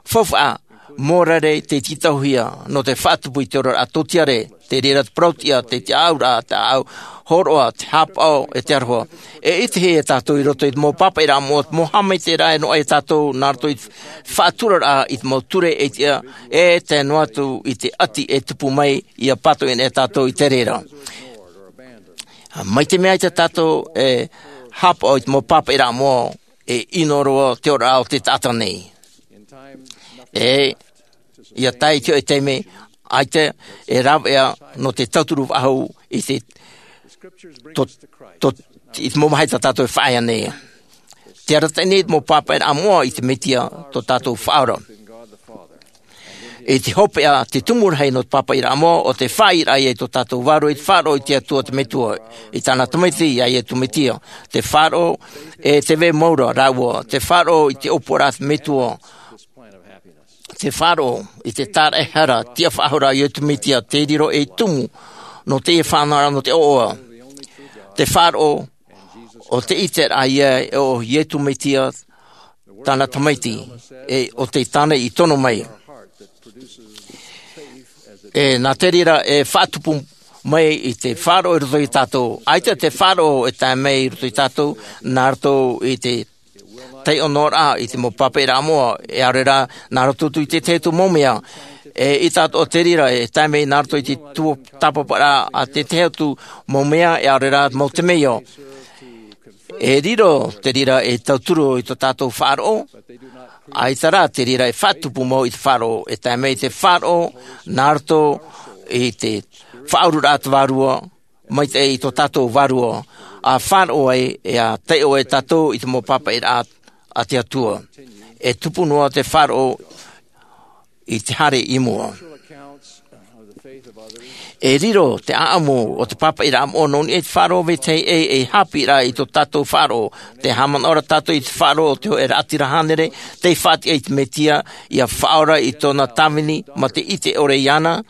faufaʻa morare tei tītauhia nō te faʻatupu i te oraraʻa tōtiare, te reira te parau-tiʻa, te tiʻaʻauraʻa, te ʻāʻau hōroʻa, te haʻapaʻo, e te aroha. E ʻitehia tātou i roto i te mau pāpaʻiraʻa moʻa, te mau haʻamaitaʻiraʻa e noaʻa iā tātou nā roto i te faʻaturaraʻa i te mau ture e tiʻa, e tae noa atu i te ʻati e tupu mai, ʻia pātoʻi anaʻe tātou i te reira. Mai te mea ʻaita tātou e haʻapaʻo i te mau pāpaʻiraʻa moʻa, e ʻino roa te oraraʻa o te taʻata nei. E ʻia tae i te hōʻē taime, ʻaita e rāveʻa nō te tauturu faʻahou i te, tō, tō, i te mau vāhi tā tātou e faʻaea nei. Tē arataʻi nei te mau pāpaʻiraʻa moʻa i te Mesia tō tātou Faʻaora. I te hopeʻa, te tumu rahi nō te pāpaʻiraʻa moʻa, ʻo te faʻaʻiteraʻa ïa i tō tātou vārua i te faʻaroʻo i te Atua te Metua, i tāna Tamaiti, iā Iesu Mesia. Te faʻaroʻo e tē vai mau ra rāua, te faʻaroʻo i te ʻōpuaraʻa a te Metua, te faʻaroʻo i te tāraʻehara tiʻafaʻahou ra a Iesu Mesia, tei riro ei tumu nō teie faʻanahoraʻa nō te ʻoaʻoa. Te faʻaroʻo ʻo te ʻiteraʻa ïa ʻo Iesu Mesia, tāna Tamaiti, e ʻo tei tāna i tono mai. E nā te reira e faʻatupu mai i te faʻaroʻo i roto iā tātou. ʻAita te faʻaroʻo e tae mai i roto iā tātou, nā roto i te taiʻo noa ra i te mau pāpaʻiraʻa moʻa, e ʻaore rā, nā roto atu i te tahi atu mau mea, E ʻite atoʻa te reira, e tae mai nā roto i te tuatāpaparaʻa a te tahi atu mau mea, e ʻaore rā mau temeio. E riro te reira ei tauturu i tō tātou faʻaroʻo, ʻaita rā te reira e faʻatupu mau i te faʻaroʻo, e tae mai te faʻaroʻo, nā roto i te faʻaururaʻa a te Vārua Maitaʻi i tō tātou vārua, ʻa faʻaroʻo ai, e ʻa taiʻo ai tātou i te mau pāpaʻiraʻa a te Atua. E tupu noa te faʻaroʻo i te haere i mua. E riro te ʻāʻamu o te pāpaʻiraʻa moʻa nō niʻa i te faʻaroʻo vetahi ʻē, ei haʻapiʻiraʻa i tō tātou faʻaroʻo. Tē haʻamanaʻo ra tātou i te faʻaroʻo o te hōʻē raʻatira hānere, tei faʻatiʻa i te Mesia, ʻia faʻaora i tōna tāvini, mā te ʻite ʻore iāna,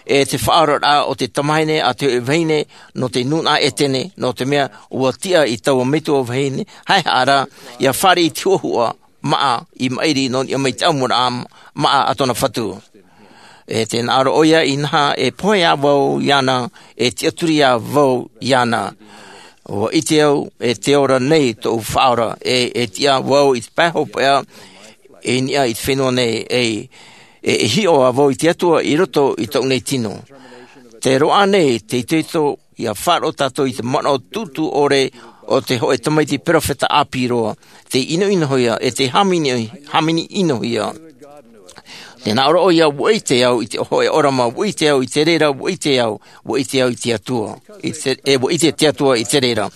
e te faʻaoraraʻa o te tamahine a te hōʻē vahine nō te nūnaʻa ʻētene, nō te mea ʻua tiʻa i taua metua vahine haʻehaʻa ra, ʻia fāriʻi i te huʻahuʻa maʻa i maʻiri nō niʻa mai i te ʻamuraʻa maʻa a tōna Fatu. E tē nā ʻō ra ʻoia, inaha, e pohe ā vau iāna, e tiʻaturi ā vau iāna. ʻUa ʻite au, e tē ora nei tōʻu Faʻaora, e, e tiʻa vau i te pae hopeʻa, i niʻa i te fenua nei, e, e, e hiʻo ā vau i te Atua i roto i tōʻu nei tino. Tē roaʻa nei te itoito ʻia faʻaroʻo tātou i te manaʻo tūtū ʻore o te hōʻē tamaiti peropheta ʻāpī roa, tei ʻinoʻinohia, e tei hāmani, hāmani ʻinohia. Tē nā ʻō ra ʻoia, ʻua ʻite au i te hōʻē ʻōrama, ʻua ʻite au i te reira, ʻua ʻite au, ʻua ʻite au i te Atua. I te, e ʻua ʻite te Atua i te reira.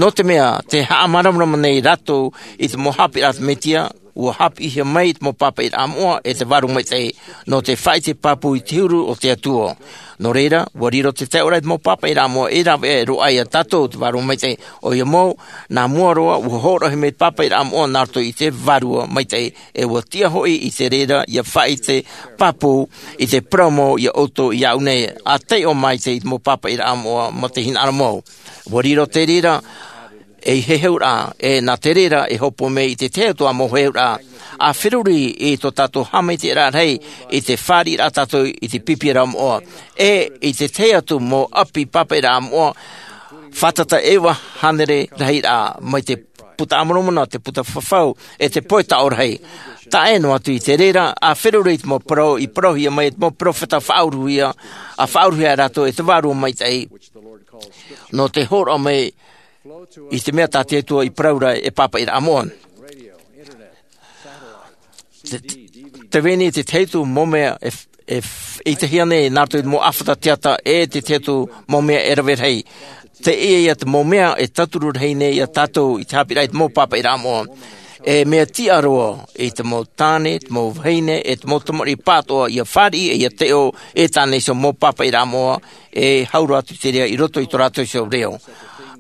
Nō te mea, tē haʻamāramarama nei rātou i te mau haʻapiʻiraʻa a te Mesia, ʻua haʻapiʻihia mai i te mau pāpaʻiraʻa moʻa e te Vārua Maitaʻi, nō te faʻaʻite pāpū i te huru o te Atua. Nō reira, ʻua riro te taiʻoraʻa i te mau pāpaʻiraʻa moʻa e rave roa ai ia tātou te Vārua Maitaʻi. ʻOia mau, nā mua roa, ʻua hōroʻahia mai te pāpaʻiraʻa moʻa nā roto i te Vārua Maitaʻi, e ʻua tiʻa hoʻi i te reira ʻia faʻaʻite pāpū i te parau mau ia ʻoutou iāʻu nei, ʻa taiʻo maitaʻi i te mau pāpaʻiraʻa moʻa mā te hinaʻaro mau. ʻUa riro te reira ei heheuraʻa, e nā te reira e hōpoi mai i te tahi atu ā mau heheuraʻa, ʻa feruri i tō tātou haʻamaitaʻiraʻa rahi i te fāriʻiraʻa tātou i te pipiʻiraʻa moʻa, e i te tahi atu mau ʻapi pāpaʻiraʻa moʻa, fātata e iva hānere rahiraʻa, mai te Buka a Moromona, te Buka Fafau, e te Pohe Taʻo Rahi. Tae noa atu i te reira, ʻa feruri i te mau parau i parauhia mai e te mau peropheta faʻauruhia, ʻa faʻauruhia rātou e te Vārua Maitaʻi, nō te hōroʻa mai i te mea tā te Atua i parau ra e pāpaʻiraʻa moʻa. Te, te, te veni, te tahi atu mau mea e, e, e ʻitehia nei nā roto i te mau ʻāfata teata, e te tahi atu mau mea e rave rahi. Teie ia te mau mea e tauturu rahi nei ia tātou i te haʻapiʻiraʻa i te mau pāpaʻiraʻa moʻa. E mea tiʻa roa i te mau tāne, te mau vahine, e te mau tamariʻi pāʻatoʻa ʻia fāriʻi, e ʻia taiʻo, e tāne iho mau pāpaʻiraʻa moʻa, e hau roa atu te reira i roto i tō rātou iho reo.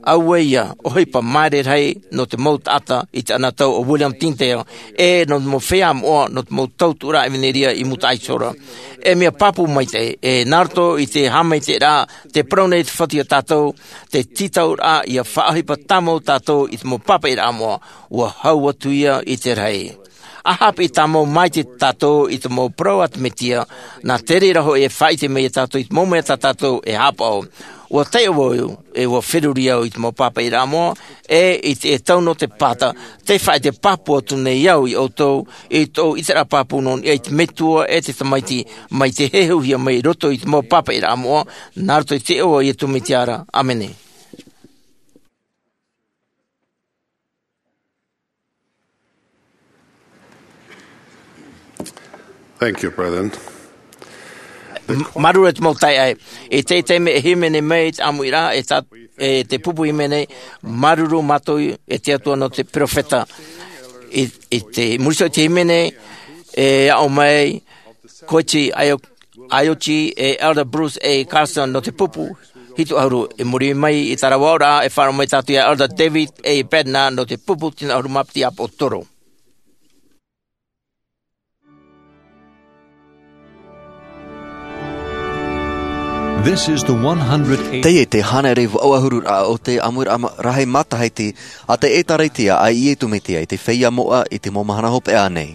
Auē ia, ʻohipa māere rahi nō te mau taʻata i te anotau o William Tyndale, e nō te mau feiā moʻa, nō te mau tautuʻaraʻa ʻevaneria i mūtaʻa iho ra. E mea pāpū maitaʻi, e nā roto i te haʻamaitaʻiraʻa, tē parau nei te Fatu ia tātou, te tītauraʻa ʻia faʻaʻohipa tāmau tātou i te mau pāpaʻiraʻa moʻa, ʻua hau atu ia i te rahi. ʻA haʻapiʻi tāmau maitaʻi tātou i te mau parau a te Mesia, nā te reira hoʻi e faʻaʻite mai ia tātou i te mau mea tā tātou e haʻapaʻo. ʻUa taiʻo vau, e ʻua feruri au i te mau pāpaʻiraʻa moʻa, e i te, e tau nō te pāta, tē faʻaʻite pāpū atu nei au ia ʻoutou, i tōʻu ʻiteraʻa pāpū nō niʻa i te Metua e te Tamaiti, mai te heheuhia mai i roto i te mau pāpaʻiraʻa moʻa, nā roto i te iʻoa o Iesu Mesia ra. ʻĀmene. Thank you, President. M-, māuruuru e te mau taeaʻe. I teie taime e hīmene mai te ʻāmuiraʻa, e tā, e te pupu hīmene, māuruuru mātou e te Atua nō te peropheta. I, i te muri iho i te hīmene, e aʻo mai Koichi Ayo-, Ayochi, e Elder Bruce A. Carson nō te pupu hitu ʻahuru, i muri mai i terā aʻoraʻa, e faʻaroʻo mai tātou ia Elder David A. Bednar nō te pupu tino ʻahuru mā piti ʻāpōsetolo. This is the one hundred eight. Teie te hānere vaʻu ʻahuru ra o te ʻāmuiraʻa ma-, rahi matahiti a te ʻĒtārētia a Iesu Mesia i te feiā moʻa i te mau mahana hopeʻa nei.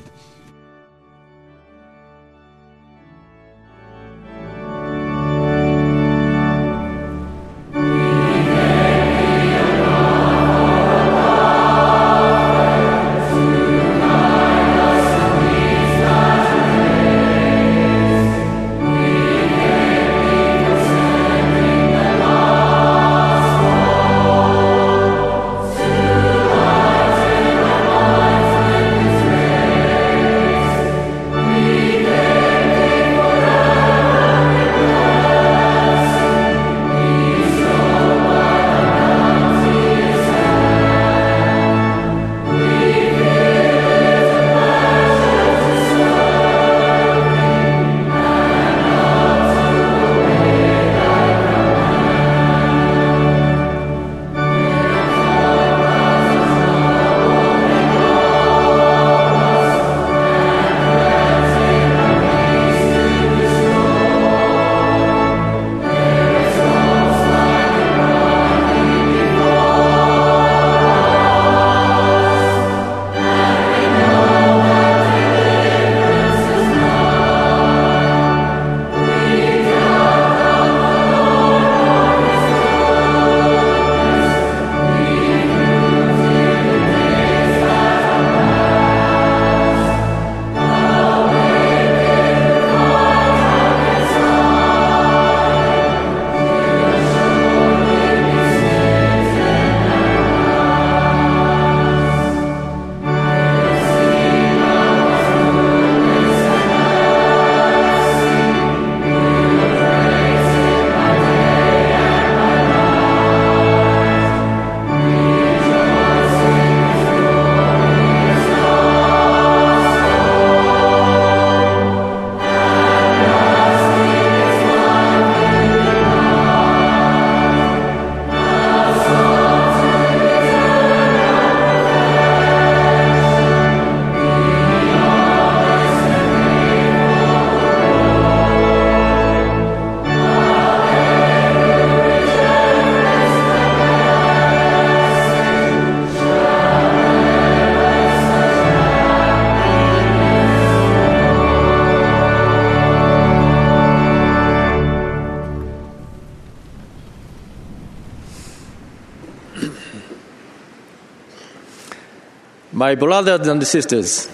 My brothers and sisters,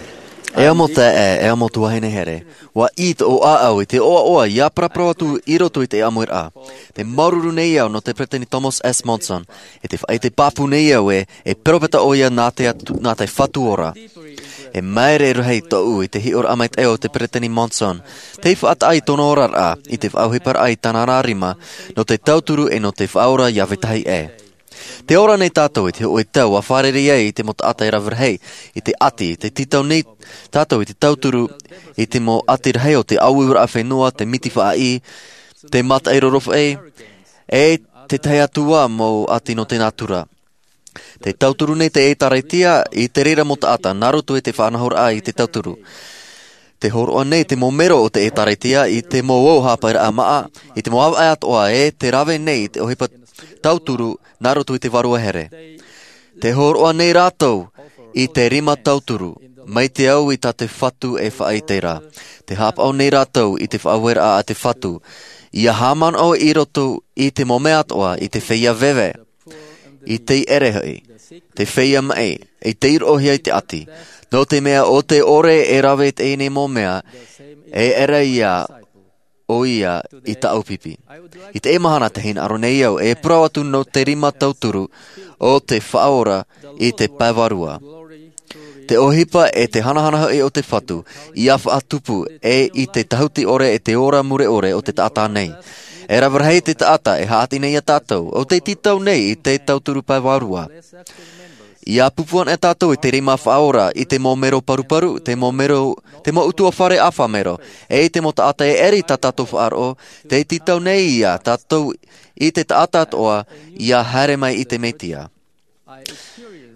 e amo taeaʻe, e amo tuahine here, ua ʻī tōʻu ʻāʻau i te ʻoaʻoa ia paraparau atu i roto i te ʻāmuiraʻa. Te māuruuru nei au nō te peresideni Thomas S Monson. E te faʻaʻite pāpū nei au ē, e peropheta ʻoia nā te atu nā te Fatu ora. E māere rahi tōʻu i te hiʻoraʻa maitaʻi o te peresideni Monson, tei faʻataʻa i tōna oraraʻa i te faʻaʻohiparaʻa i tāna rima nō te tauturu e nō te faʻaora ia vetahi ʻē. Te ora nei tātou i te hoʻē tau ua fārerei ai i te mau taʻata e rave rahi i te ʻati. Te tītau nei tātou i te tauturu i te mau ʻati rahi o te ʻāueuraʻa fenua, te miti faʻaʻī, te mataʻi rorofaʻi, e tētahi atu ā mau ʻati nō te nātura. Te tauturu nei te ʻēkālesia i te reira mau taʻata nā roto i te faʻanahoraʻa i te tauturu. Te hōroʻa nei te mau mero o te ʻēkālesia i te mau ʻō haʻapaʻiraʻa māʻa, i te mau ʻāvaʻe atoʻa ē, te rave nei i te ʻohipa tauturu nā roto i te vārua here. Te hōroʻa nei rātou i te rima tauturu, mai te au i tā te Fatu e faʻaʻite ra. Te haʻapaʻo nei rātou i te faʻaueraʻa a te Fatu, ia haʻamanaʻo i roto i te mau mea atoʻa, i te feiā veve, i te ʻere hoʻi, te feiā maʻi, i te iroʻohia i te ʻati. Nō te mea ʻo te ʻore e rave i teie nei mau mea, e ʻere ia ʻoia i tāʻu pipi. I teie mahana te hinaʻaro nei au e parau atu nō te rima tauturu o te Faʻaora i te pae vārua. Te ʻohipa e te hanahana hoʻi o te Fatu, ia faʻatupu e i te tahuti ʻore e te ora mure ʻore o te taʻata nei. E rave rahi te taʻata e haʻati nei ia tātou, ʻo tei tītau nei i te tauturu pae vārua. Ia pupu ana tātou i te rima Faʻaora, i te mau mero paruparu, te mau mero, te mau ʻutuāfare ʻāfa mero, e i te mau taʻata e ʻere i tā tātou faʻaroʻo, tei tītau nei ia tātou i te taʻata atoʻa ia haere mai i te Mesia.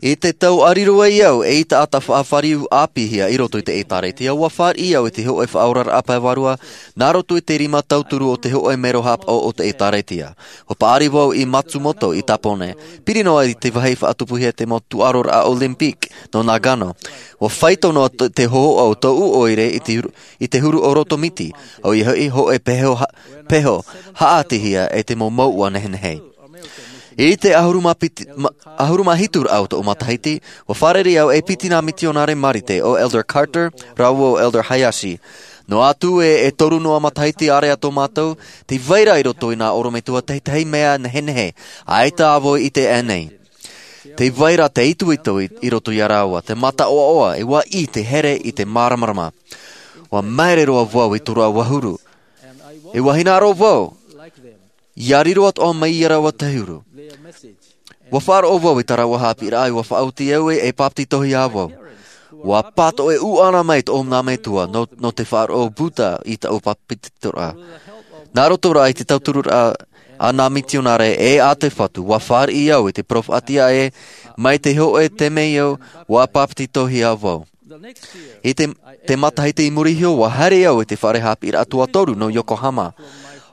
I te tau ʻāriru ai au ei taʻata faʻafāriu ʻāpīhia i roto i te ʻēkālesia, ua fāriʻi au i te hōʻē faʻaoraraʻa pae vārua nā roto i te rima tauturu o te hōʻē mero haʻapaʻo o te ʻēkālesia. Ua paʻari vau i Matsumoto i Tāpōnē. Piri noa i te vāhi faʻatupuhia te mau tūʻaroraʻa Olympic nō Nagano. Ua faito noa te, te hōhoʻa o tōʻu ʻoire i te huru, i te huru o roto miti, ʻoia hoʻi hōʻē peho ha-, peho haʻatihia e te mau mouʻa nehenehe. I te ʻahuru mā piti, ma-, ʻahuru mā hitu raʻa o tōʻu matahiti, ua fārerei au e piti nā mitionare Marite, ʻo Elder Carter, rāua ʻo Elder Hayashi. Noa atu ē, e toru noa matahiti ārea tō mātou, tē vai ra i roto i nā ʻorometua tētahi mea nehenehe, ʻaita ā vau i ʻite aʻenei. Tē vai ra te itoito i, i roto ia rāua, te mataʻoaʻoa, e ua ʻī te here i te māramarama. Ua māere roa vau i tō rāua huru. E ua hinaʻaro vau, ia riro atoʻa mai ia rāua te huru. Ua faʻaroʻo vau i tā rāua haʻapiʻiraʻa, ua faʻaoti au ē, e bāpetizohia vau. Ua pātoʻi ʻuʻana mai tōʻu nā metua nō, nō te faʻaroʻo Buddha i tāʻu bāpetizoraʻa. Nā roto rā i te tautururaʻa a nā mitionare e a te Fatu, ua fāriʻi au i te peropheta ē, mai te hōʻē temeio, ua bāpetizohia vau. I te, te matahiti i muri iho, ua haere au i te fare haʻapiʻiraʻa tuatoru nō Yokohama.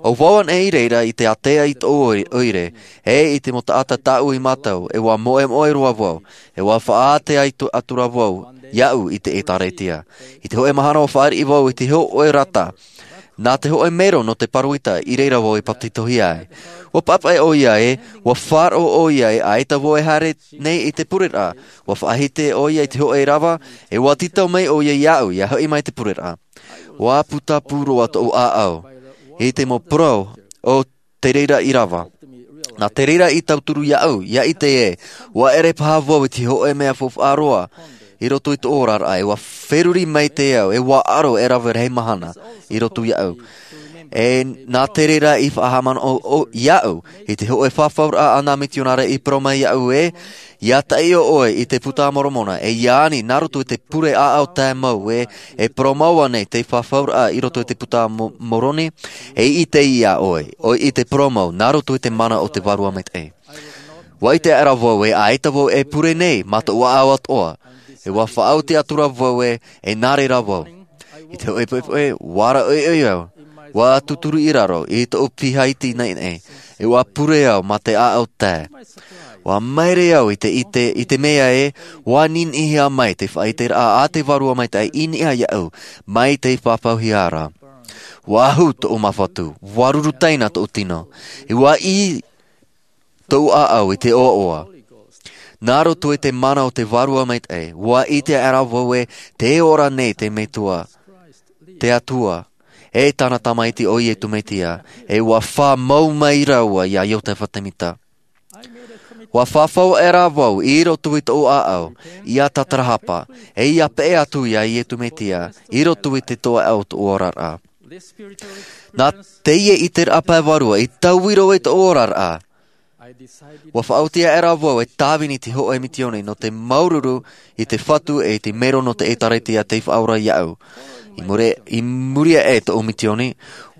ʻO vau anaʻe i reira i te ātea i tōʻu ʻoi-, ʻoire, e i te mau taʻata tāʻu i mātau, e ua moemoe roa vau, e ua faʻaātea atu, atu ra vau, iaʻu i te ʻēkālesia. I te hōʻē mahana ua fāriʻi vau i te hōʻē rata. Nā te hōʻē mero nō te Paravita i reira vau i bāpetizohia ai. Ua papaʻi ʻoia ē, ua faʻaroʻo ʻoia ē, ʻaita vau e haere nei i te pureraʻa, ua faʻahiti ʻoia i te hōʻē rava, e ua tītau mai ʻoia iāʻu, ia hoʻi mai te pureraʻa. Ua putapū roa tōʻu ʻāʻau, i te mau parau o te reira i rava. Nā te reira i tauturu iāʻu, ia ʻite ē, ua ʻere paha vau i te hōʻē mea faufaʻa roa, i roto i tō oraraʻa, e ua feruri maitaʻi au, e ua aro e rave rahi mahana, i roto iāʻu. E nā te reira i faʻahaʻamanaʻo ʻo, ʻo, iāʻu, i te hōʻē fafauraʻa a nā mitionare i parau mai iāʻu ē, ia taʻi ʻoe i te Buka a Moromona, e ia ani nā roto i te pure ʻāʻau tae mau ē, e parau mau ānei te fafauraʻa i roto i te Buka a Mo-, Moromona, e ʻite ia ʻoe, ʻoe i te parau mau, nā roto i te mana o te Vārua Maitaʻi. Ua ʻite aʻera vau ē, ʻaita vau e pure nei, mā tōʻu ʻāʻau atoʻa, e ua faʻaoti atu ra vau ē, e nā reira vau. I te hōʻē poʻipoʻi, ua rāʻoiʻoi au, ua tūturu i raro, i tōʻu piha iti naʻinaʻi, e ua pure au mā te ʻāʻau tae. Ua māere au i te, i te, i te mea ē, ua niniʻihia mai te faʻaiteraʻa a te Vārua Maitaʻi i niʻa iāʻu, mai te pāpūhia ra. Ua ahu tōʻu māfatu, ua ruru taina tōʻu tino, e ua ʻī tōʻu ʻāʻau i te ʻoaʻoa. Nā roto i te mana o te Vārua Maitaʻi, ʻua ʻite aʻera vau ē, tē ora nei te Metua, te Atua, e tāna Tamaiti ʻo Iesu Mesia, e ʻua faʻamau mai rāua iā Iosefa Semita. ʻUa faʻafau aʻera vau i roto i tōʻu ʻāʻau, ʻia tātarahapa, e ʻia peʻe atu iā Iesu Mesia, i roto i te toeʻa o tōʻu oraraʻa. Nā teie ʻiteraʻa pae vārua i taui roa i tōʻu oraraʻa, ʻua faʻaoti aʻera vau e tāvini te hōʻē misioni nō te māuruuru i te Fatu e i te mero nō te ʻĒtārētia tei faʻaora iāʻu. I muri, i muri aʻe i tōʻu misioni,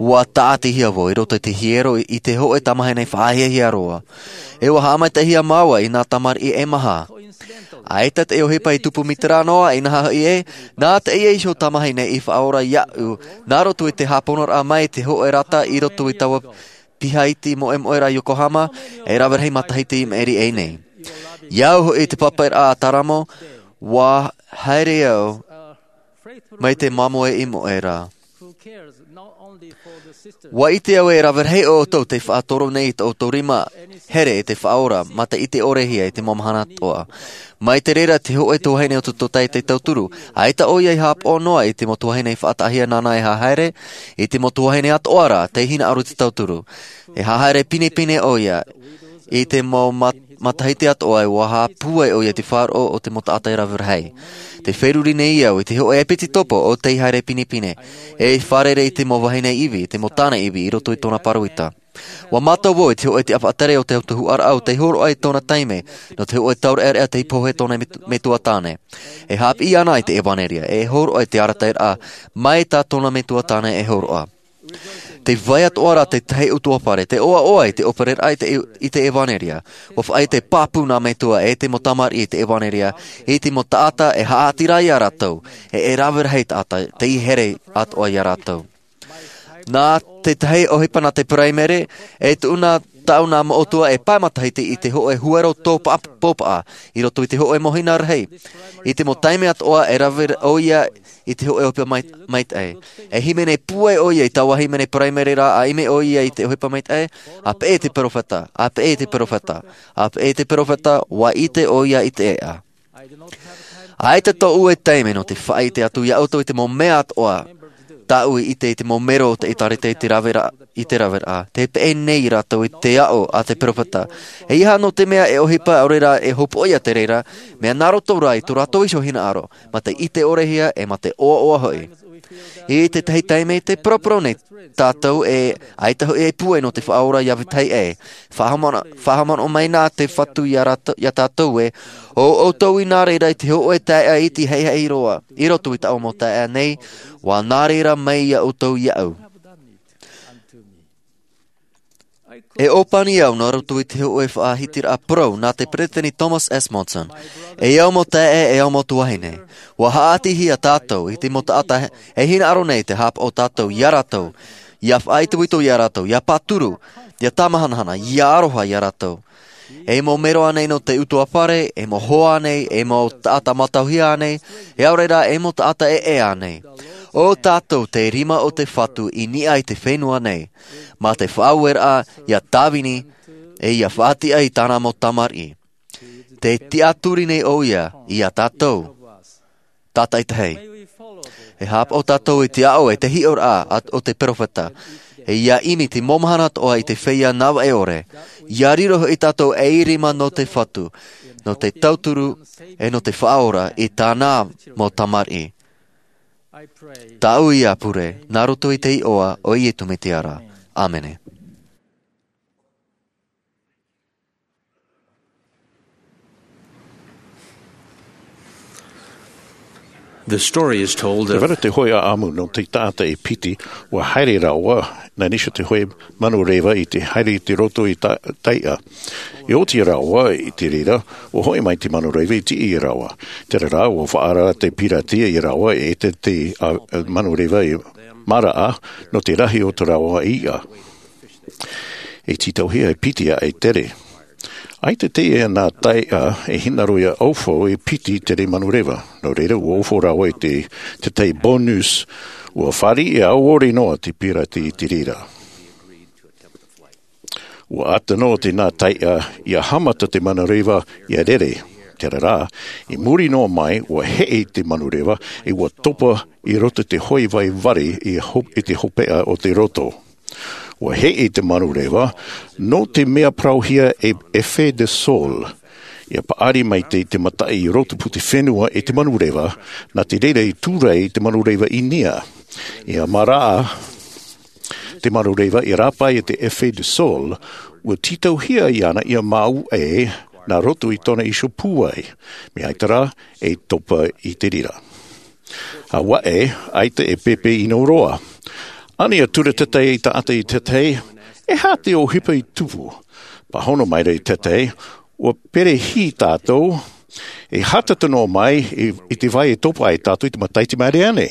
ʻua tāʻatihia vau i roto i te hiero i te hōʻē tamāhine faʻahiahia roa. E ʻua haʻamaitaʻihia māua i nā tamariʻi e maha. ʻAita te ʻohipa i tupu mai terā noa, inaha hoʻi ē, nā teie iho tamāhine i faʻaora iāʻu, nā roto i te hāponoraʻa mai te hōʻē rata i roto i taua piha iti moʻemoʻe ra Yokohama, e rave rahi matahiti i maʻiri aʻe nei. I au hoʻi i te pāpaʻiraʻa a Taramo, ʻua haere au mai te māmoe i moʻe ra. ʻUa ʻite au e rave rahi ʻoutou tei faʻatoro nei i tō ʻoutou rima here i te Faʻaora, mā te ʻite ʻore hia i te mau mahana atoʻa. Mai te reira te hōʻē tuahine o tō Totai tei tauturu, ʻaita ʻoia i haʻapaʻo noa i te mau tuahine i faʻataʻahia nāna e hahaere, i te mau tuahine atoʻa ra tei hinaʻaro i te tauturu. E hahaere pinepine ʻoia, i te mau mat-, matahiti atoʻa e ʻua haʻapūai ʻoia i te faʻaroʻo o te mau taʻata e rave rahi. Tē feruri nei au i te hōʻē ʻepitopo o tei haere pinepine, e fārerei i te mau vahine ivi, i te mau tāne ivi, i roto i tōna pāroita. ʻUa mātau vau i te hōʻē tiʻafaʻatere o te autahuʻaraʻa o tei hōroʻa i tōna taime, nō te hōʻē taureʻareʻa tei pohe tōna met-, metua tāne. E haʻapiʻi ana i te ʻevanelia, e hōroʻa i te arataʻiraʻa, mai tā tōna metua tāne e hōroʻa. Tē vai atoʻa ra te tahi ʻutuāfare, tē ʻoaʻoa i te ʻōpereraʻa i te, i te ʻevanelia. ʻUa faʻaʻite pāpū nā metua e te mau tamariʻi i te ʻevanelia, i te mau taʻata e haʻaʻati ra iā rātou, e, e rave rahi taʻata, tei here atoʻa iā rātou. Nā te tahi ʻohipa nā te Peraimere, e tuʻu nā tāʻu nā moʻotua e pae matahiti i te hōʻē huero tō pāpaʻa, i roto i te hōʻē mōhina rahi. I te mau taime atoʻa e rave ʻoia i te hōʻē ʻohipa mai-, maitaʻi. E hīmene pūai ʻoia i taua hīmene Peraimere ra, ʻa ʻimi ʻoia i te ʻohipa maitaʻi, ʻa peʻe i te perofeta, ʻa peʻe i te perofeta, ʻa peʻe i te perofeta, ʻua ʻite ʻoia i te ʻēʻa. ʻAita tōʻu e taime nō te faʻaʻite atu iā ʻoutou i te mau mea atoʻa, tāʻu i ʻite i te mau mero o te ʻĒtārētia i te raveraʻa, i te raveraʻa, tē peʻe nei rātou i te aʻo a te perofeta. ʻEiaha nō te mea e ʻohipa, ʻaore rā e hopoiʻa te reira, mea nā roto rā i tō rātou iho hinaʻaro, mā te ʻite ʻore hia, e mā te ʻoaʻoa hoʻi. I te tahi taime, tē paraparau nei tātou e ʻaita hoʻi e pūai nō te Faʻaora iā vetahi ʻē. Faʻahaʻamana-, faʻahaʻamanaʻo mai nā te Fatu iā rātou, iā tātou ē, ʻo ʻoutou i nā reira i te hōʻē taeaʻe iti haʻihaʻi roa, i roto i tāʻu mau taeaʻe nei, ʻua nā reira mai iā ʻoutou iāʻu. E ʻōpani au nā roto i te hōʻē faʻahitiraʻa parau nā te Peresideni Thomas S. Monson, e au mau taeaʻe, e au mau tuahine, ʻua haʻaʻatihia tātou i te mau taʻata e hinaʻaro nei te haʻapaʻo tātou iā rātou, ʻia faʻaitoito iā rātou, ʻia pāturu, ʻia tāmahanahana, ʻia aroha iā rātou. E mau mero ānei nō te ʻutuāfare, e mau hoa ānei, e mau taʻata mātauhia ānei, e ʻaore rā, e mau taʻata ʻē ānei. ʻO tātou te rima o te Fatu i niʻa i te fenua nei, mā te faʻaueraʻa ʻia tāvini, e ʻia faʻatiʻa i tāna mau tamariʻi. Tē tiʻaturi nei ʻoia iā tātou tātaʻitahi. E haʻapaʻo tātou i te aʻo e te hiʻoraʻa a, o te perofeta, e ʻia ʻimi te mau mahana atoʻa i te feiā navaʻe ʻore, ʻia riro hoʻi tātou ei rima nō te Fatu, nō te tauturu, e nō te faʻaora i tāna mau tamariʻi. Tāʻu ïa pure, nā roto i te iʻoa o Iesu Mesia ra. ʻĀmene. The story is told of Te vara te hōʻē ʻāʻamu nō te taʻata e piti, ʻua haere rāua, nā Nīsio te hōʻē manu reva i te haere i te roto i te, taiʻa. I oti rāua i te reira, ʻua hoʻi mai te manu reva i tiʻi ia rāua. Terā rā, ʻua faʻaara te pirati ia rāua e ʻite te, a, manu reva i maraʻa, nō te rahi o tō rāua iʻa. E tītauhia e piti aʻe tere. ʻAita teie nā taiʻa e hinaʻaro ʻia ʻaufau e piti tere manu reva. Nō reira, ʻua ʻaufau rāua i te, te taiʻa bonus, ʻua fāriʻi ʻore noa te pirati i te reira. Ua ʻata noa te nā taiʻa ia haʻamata te manureva ia rere. Terā rā, i muri noa mai, ua heʻe te manureva, e ua topa i roto te hoʻi vai vari i ho-, i te hopeʻa o te roto. Ua heʻe te manureva, nō te mea parauhia e effet de sol. Ia paʻari mai te, te mataʻi i roto pū te fenua e te manureva, nā te reira i tūrai te manureva i nia. Ia maraʻa te manureva i rāpae i te effet de sol, ua tītauhia iāna ia māuʻe nā roto i tōna iho pūai, mea ʻaita rā, e topa i te reira. Auaʻe, ʻaita e pēpē ʻino roa. Ani a tura tētahi taʻata i tētahi, e aha te ʻohipa i tupu? Pāhono maira i tētahi, ua perehī tātou, e hātata noa mai i, i te vai e topa ai tātou i te matahiti mai reira nei.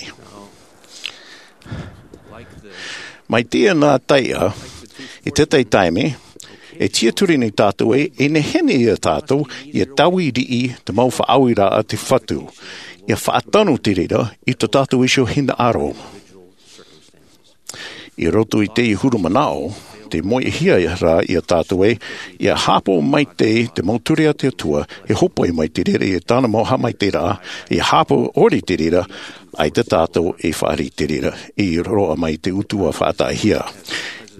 Mai te nā taiʻa, i tētahi taime, e tiaturi nei tātou e, e nehenehe ia tātou, ia taui riʻi te mau faʻaʻoiraʻa a te Fatu, ia faʻatano te reira i tō tātou iho hinaʻaro. I roto i te huru manaʻo, te moʻehia rā ia tātou e, ia hāpaʻo maitaʻi te mau ture a te Atua, e hōpoi mai te reira i tāna mau haʻamaitaʻiraʻa, ia hāpaʻo ʻore te reira, ʻaita tātou e fāriʻi te reira, i roaʻa mai te utuafātahia.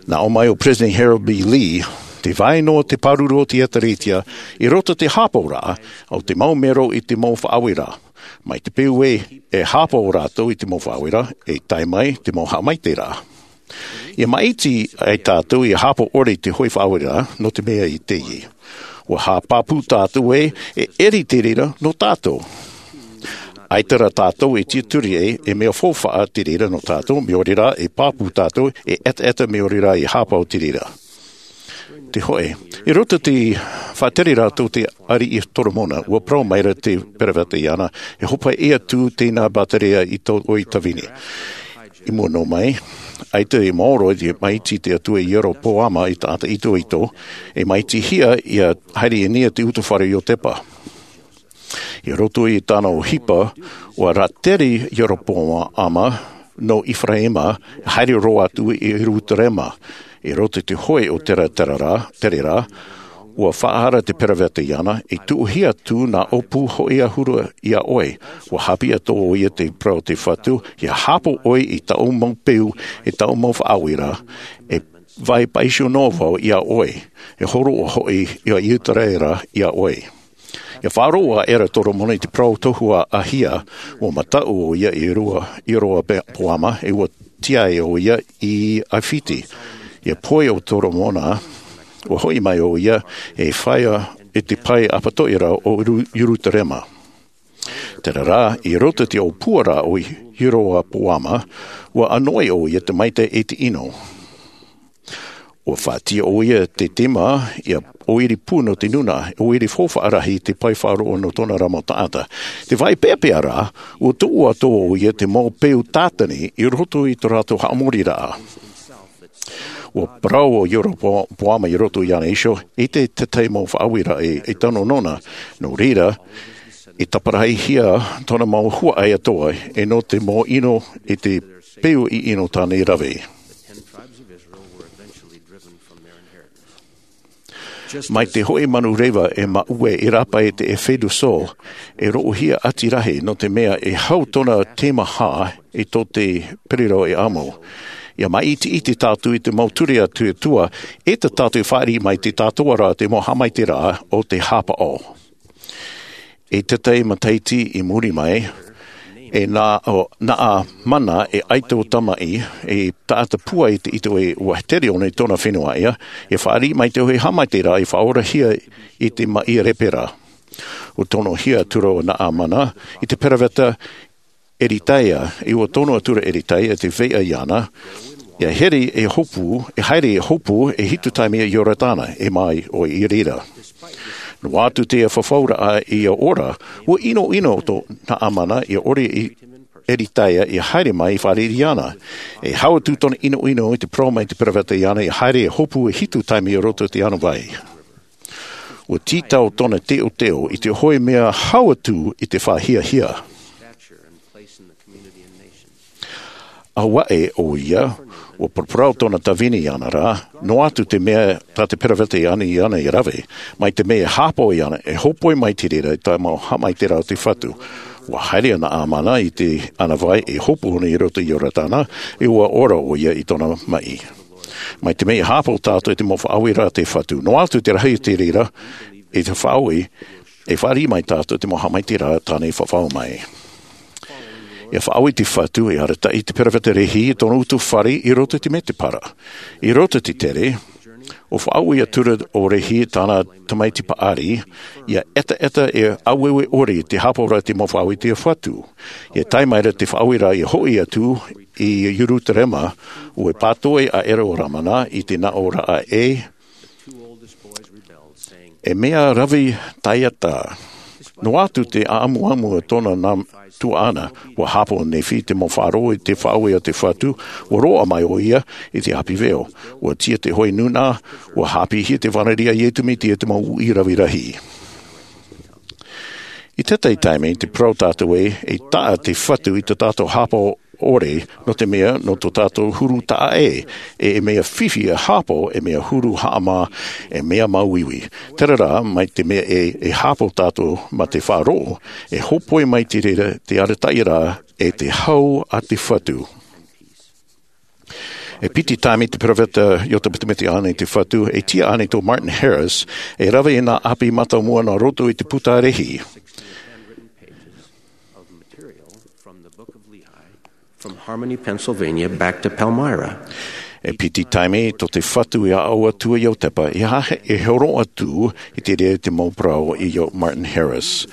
Nā ʻō mai ʻo President Harold B. Lee, te vai noa te pāruru o te ʻĒtārētia, i roto te hāpaʻoraʻa, o te mau mero i te mau faʻaʻoiraʻa. Mai te peu e, e hāpaʻo rātou i te mau faʻaʻoiraʻa, e tae mai te mau haʻamaitaʻiraʻa. Ia māʻiti ai tātou ia hāpaʻo ʻore i te hoʻi faʻaʻoiraʻa, nō te mea i teie. Ua haʻapāpū tātou e, e ʻere te reira nō tātou. ʻAita rā tātou e tiaturi e, e mea faufaʻa te reira nō tātou, mea ʻore rā e pāpū tātou, e ʻetaʻeta mea ʻore rā e hāpaʻo te reira. Te hoʻi, i roto te faʻatere rātou te ariʻi Toromona, ua parau maira te peroveta iāna, e hopoiʻa atu tēnā bāteria i tō ʻoe tāvini. I mua noa mai, ʻaita i maoro i te māʻiti te Atua Ieropoama i taʻata itoito, e māʻitihia ia haere i nia te utuafare o Iotepa. I roto i tāna ʻohipa, ua rātere Ieropoama nō Efaraima, haere roa atu i Ierutarema. I roto i te hoʻi o terā, terā rā, terā rā, ua faʻaara te peroveta iāna, e tuʻuhia atu nā ʻōpū hoʻi ʻahuru iā ʻoe. Ua haʻapiʻi atoʻa ʻoia te parau o te Fatu, ia hāpaʻo ʻoe i tāʻu mau peu, i tāʻu mau faʻaʻoiraʻa, e vai pāʻiho noa vau iā ʻoe, e hōroʻa hoʻi ia Iseraela iā ʻoe. Ia faʻaroʻo aʻera Toromona i te parau tohu a Ahia, ua mataʻu ʻoia i rua, i Ieropoama, e ua tiaʻi ʻoia i ʻAifiti. Ia pohe ʻo Toromona, ua hoʻi mai ʻoia e fāʻia i te pae ʻapatoʻi ra o Ieru-, Ierutarema. Terā rā, i roto i te ʻōpuaraʻa o Ieropoama, ua ʻānoʻi ʻoia te maitaʻi e te ʻino. Ua faʻatiʻa ʻoia te tema, ia ʻoire pū nō te nūnaʻa, ʻoire faufaʻa rahi i te pae faʻaroʻo nō tōna ra mau taʻata. Te vai peʻapeʻa rā, ua tuʻu atoʻa ʻoia te mau peu tātani i roto i tō rātou haʻamoriraʻa. Ua parau ʻo Ieropoama i roto iāna iho, ʻaita tētahi mau faʻaueraʻa e, e tano nōna. Nō reira, i taparaʻihia tōna mau huaʻai atoʻa, e nō te mau ʻino i te peu i ʻino tāna i rave. Mai te hoʻi manureva e māuʻe i rāpae i te effet de sol, e roʻohia ʻati rahi, nō te mea e hau tōna teimaha i tō te pererau e amo. Ia māʻitiʻiti tātou i te mau ture a te Atua, e tā tātou e fāriʻi mai te tātou ra te mau haʻamaitaʻiraʻa o te hāpaʻo. I tētahi matahiti i muri mai, e nā, ʻo, Naamana e ʻaito tamaʻi, e taʻata pūai i te itoito, ua tere ʻōna i tōna fenua ʻaʻe, e fāriʻi mai te hoʻi haʻamaitaʻiraʻa i faʻaorahia i te maʻi lepera. Ua tonohia atu ra ʻo Naamana i te peroveta Eritaia, e ua tono atu ra Eritaia i te feiā iāna, ia haere e hopu, e haere e hopu, e hitu taime i Iorodana, e mā ʻoe i reira. Noa atu te fafauraʻa ia ora, ua ʻinoʻino tō Naamana ia ʻore i Eritaia ia haere mai i fāriʻi iāna. E hau atu tōna ʻinoʻino i te parau mai te peroveta iāna ia haere e hopu e hitu taime i roto i te ano vai. Ua tītau tōna teʻoteʻo i te hoʻi mea hau atu i te faʻahiahia. Auaʻe ʻoia, Ua paraparau tōna tāvini iāna rā, noa atu te mea tā te peropheta i ani iāna e rave, mai te mea e hāpaʻo iāna, e hōpoi mai te reira i te mau haʻamaitaʻiraʻa o te Fatu. Ua haere ana ʻĀmana i te ʻānāvai e hopu ʻōna i roto i Iorodana, e ua ora ʻoia i tōna maʻi. Mai te mea e hāpaʻo tātou i te mau faʻaueraʻa a te Fatu, noa atu te rahi o te reira, i te faʻaue, e fāriʻi mai tātou i te mau haʻamaitaʻiraʻa tāna i faʻaau mai. ʻIa faʻaue te Fatu, e arataʻi te peropheta Lehi i tōna utu fare i roto i te Medebara. I roto i te tere, ʻua faʻaue atura ʻo Lehi i tāna tamaiti paʻari, ʻia ʻetaʻeta e aueue ʻore i te hāpaʻoraʻa i te mau faʻaue a te Fatu. ʻIa tae mai ra te faʻaueraʻa ʻia hoʻi atu i Ierutarema, ʻua pātoʻi aʻera ʻo Lamana i te naʻo raʻa ē, e mea rave taiata. Noa atu te ʻāmuamu o tōna nā tuaʻana, ʻua hāpaʻo Nephi te mau faʻaroʻo i te faʻaue a te Fatu, ʻua roaʻa mai ʻoia i te ʻāpī veo. ʻUa tiʻa te hōʻē nūnaʻa, ʻua haʻapiʻihia te vānaʻa a Iesu Mesia i te mau uʻi rave rahi. I teie taime, te parau tātou ē, e taʻa te Fatu i tō tātou hāpaʻo ʻore, nō te mea, nō tō tātou huru taʻa ʻē, e, e mea fifi e hāpaʻo, e mea huru haʻamā, e mea māuiui. Terā rā, mai te mea e, e hāpaʻo tātou mā te faʻaroʻo, e hōpoi mai te reira te arataʻiraʻa, e te hau a te Fatu. E piti taime te peropheta Iotepa Tūmite i ani i te Fatu, e tiʻa ʻānei tō Martin Harris, e rave i nā ʻāpī mātāmua nā roto i te puta Lehi. From Harmony, Pennsylvania, back to Palmyra. E piti taime tō te Fatu i aʻo atu i Iotepa, e aha e hōroʻa atu i te reira te mau parau i ʻo Martin Harris.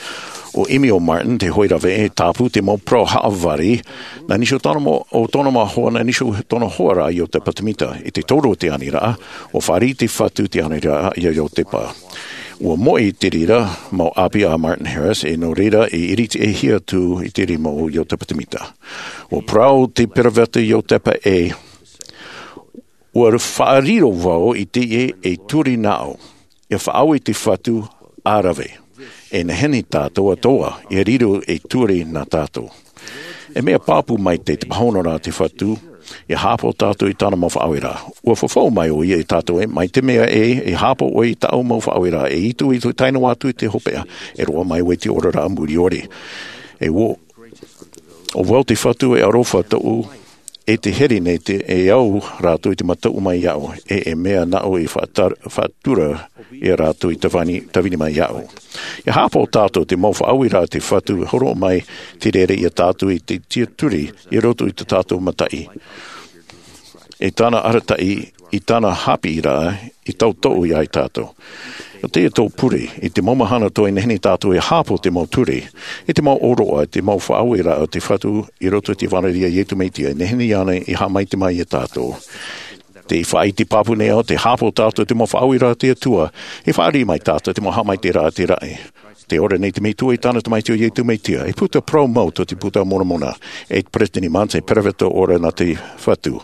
ʻUa ʻimi ʻo Martin te hōʻē rave e tāpū te mau parau haʻavari, nā nisi o tōna mau, o tōna mau hoa, nā nisi o tōna hoa ra a Iotepa Tūmite. I te toru o te aniraʻa, ʻua fāriʻi te Fatu te aniraʻa ia Iotepa. ʻUa moʻe i te reira mau ʻāpī a Martin Harris, e nō reira e iritiʻihia atu i te rima o Iotepa Tūmite. ʻUa parau te peropheta Iotepa ē, ʻua faʻariro vau i teie e turi naʻo, ʻia faʻaue te Fatu ʻa rave. E nehenehe tātou atoʻa, ʻia riro e turi nā tātou. E mea pāpū maitaʻi te pāhonoraʻa a te Fatu, ʻia hāpaʻo tātou i tāna mau faʻaueraʻa. ʻUa fafau mai ʻoia ia tātou ē, mai te mea ē, e hāpaʻo ʻoe i tāʻu mau faʻaueraʻa, e itoito tae noa atu i te hopeʻa, e roaʻa mai ʻoe i te oraraʻa mure ʻore. E ʻo, ʻo vau te Fatu e aroha tōʻu, e te here nei te, e au rātou i te mataʻu mai iāʻu, e, e mea naʻu i faʻatar-, faʻatura ia rātou i tāvini, tāvini mai iāʻu. ʻIa hāpaʻo tātou te mau faʻaueraʻa a te Fatu e hōroʻa mai te reira ia tātou i te tiʻaturi i roto i tō tātou mataʻi. I tāna arataʻi, i tāna haʻapiʻiraʻa, i tauturu ia tātou. ʻO teie tō pure, i te mau mahana tō e nehenehe tātou e hāpaʻo te mau ture, i te mau ʻōroʻa, i te mau faʻaueraʻa a te Fatu i roto i te vānaʻa a Iesu Mesia, e nehenehe ānei e haʻamaitaʻi mai ia tātou. Tē faʻaʻite pāpū nei au, tē hāpaʻo tātou i te mau faʻaueraʻa a te Atua, e fāriʻi mai tātou i te mau haʻamaitaʻiraʻa a te raʻi. Tē ora nei te Metua i tāna Tamaiti ʻo Iesu Mesia, e puta parau mau tō te Puta a Moromona, e te Peresideni Monson, e peropheta ora nā te Fatu,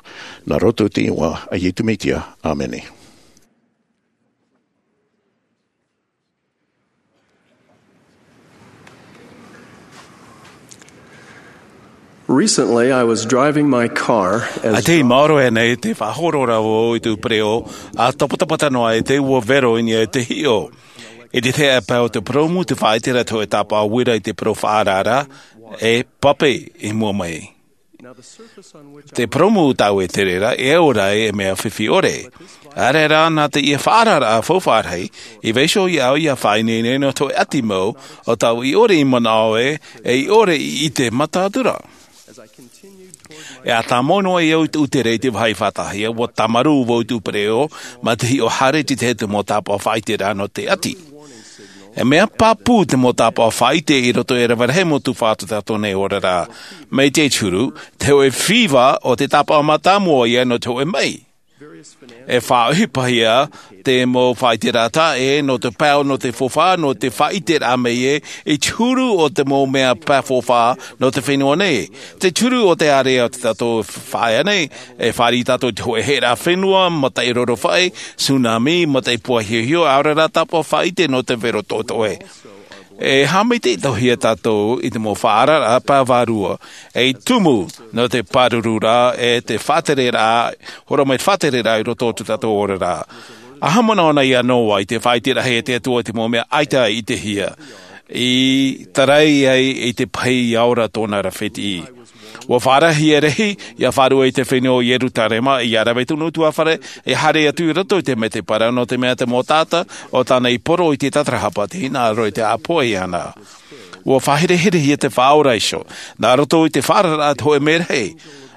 nā roto i te iʻoa a Iesu Mesia. ʻĀmene. Recently, I was driving my car as ʻAita i maoro aʻe nei te faʻahoro ra vau i tōʻu pereʻoʻo, ʻa tapatapa tano ai te ua vero i niʻa i te hiʻo. I te tahi pae o te purōmu, tē faʻaʻite ra te hōʻē tāpaʻo uira i te parau faʻaararaʻa, e pape i mua mai. Te purōmu tāʻu e tere ra, e ora ai e mea fifi ʻore. ʻAore rā, nā te ʻia faʻaararaʻa faufaʻa rahi, i vaiiho iāʻu ʻia faʻaineine nō te hōʻē ʻati mau, ʻo tāʻu i ʻore i manaʻo ē, e i ʻore i ʻite mataʻu atu ra. E ʻa tāmau noa ai au i tōʻu tere i te vāhi faʻataʻahia, ʻua tāmarū vau i tōʻu pereʻoʻo, mā te hiʻo haere i te tahi mau tāpaʻo faʻaʻiteraʻa nō te ʻati. E mea pāpū te mau tāpaʻo faʻaʻite i roto i te rave rahi mau tuhaʻa o tō tātou nei oraraʻa. Mai te huru, te hōʻē fifi o te tāpaʻo mātāmua ïa nō te hōʻē maʻi. E faʻaʻohipahia te mau faʻaʻiteraʻa taʻa ʻē, nō te pae, nō te faufaʻa, nō te faʻaʻiteraʻa mai ē, i te huru o te mau mea pae faufaʻa nō te fenua nei. Te huru o te ārea o tō tātou faʻaea nei, e fāriʻi tātou i te hōʻē hēʻeraʻa fenua, mataʻi rorofaʻi, tsunami, mataʻi pua hiʻohiʻo, ʻaore rā tāpaʻo faʻaʻite nō te vero toʻetoʻe. E haʻamaitaʻihia tātou i te mau faʻaararaʻa pae vārua ei tumu nō te pāruru rā e te faʻatereraʻa, horo mai te faʻatereraʻa i roto o tō tātou oraraʻa. A haʻamanaʻo na ia noa i te faʻaite rahi e te atua i te mau mea ʻaita i ʻitehia i tarai ai i te pahi ia ora tōna ra fētiʻi. Ua faʻarahi e rahi ia faʻaruʻe i te fenua o ierutarema ia rave tonu utuafare e haere atu i roto i te mete parau nō te mea te mau taʻata o tāna i poro i te tatarahapa te hinaʻaro i te ʻāpoʻi ana. Ua faʻahereherehia te faʻaora iho nā roto i te faʻaararaʻa te hoʻe merahi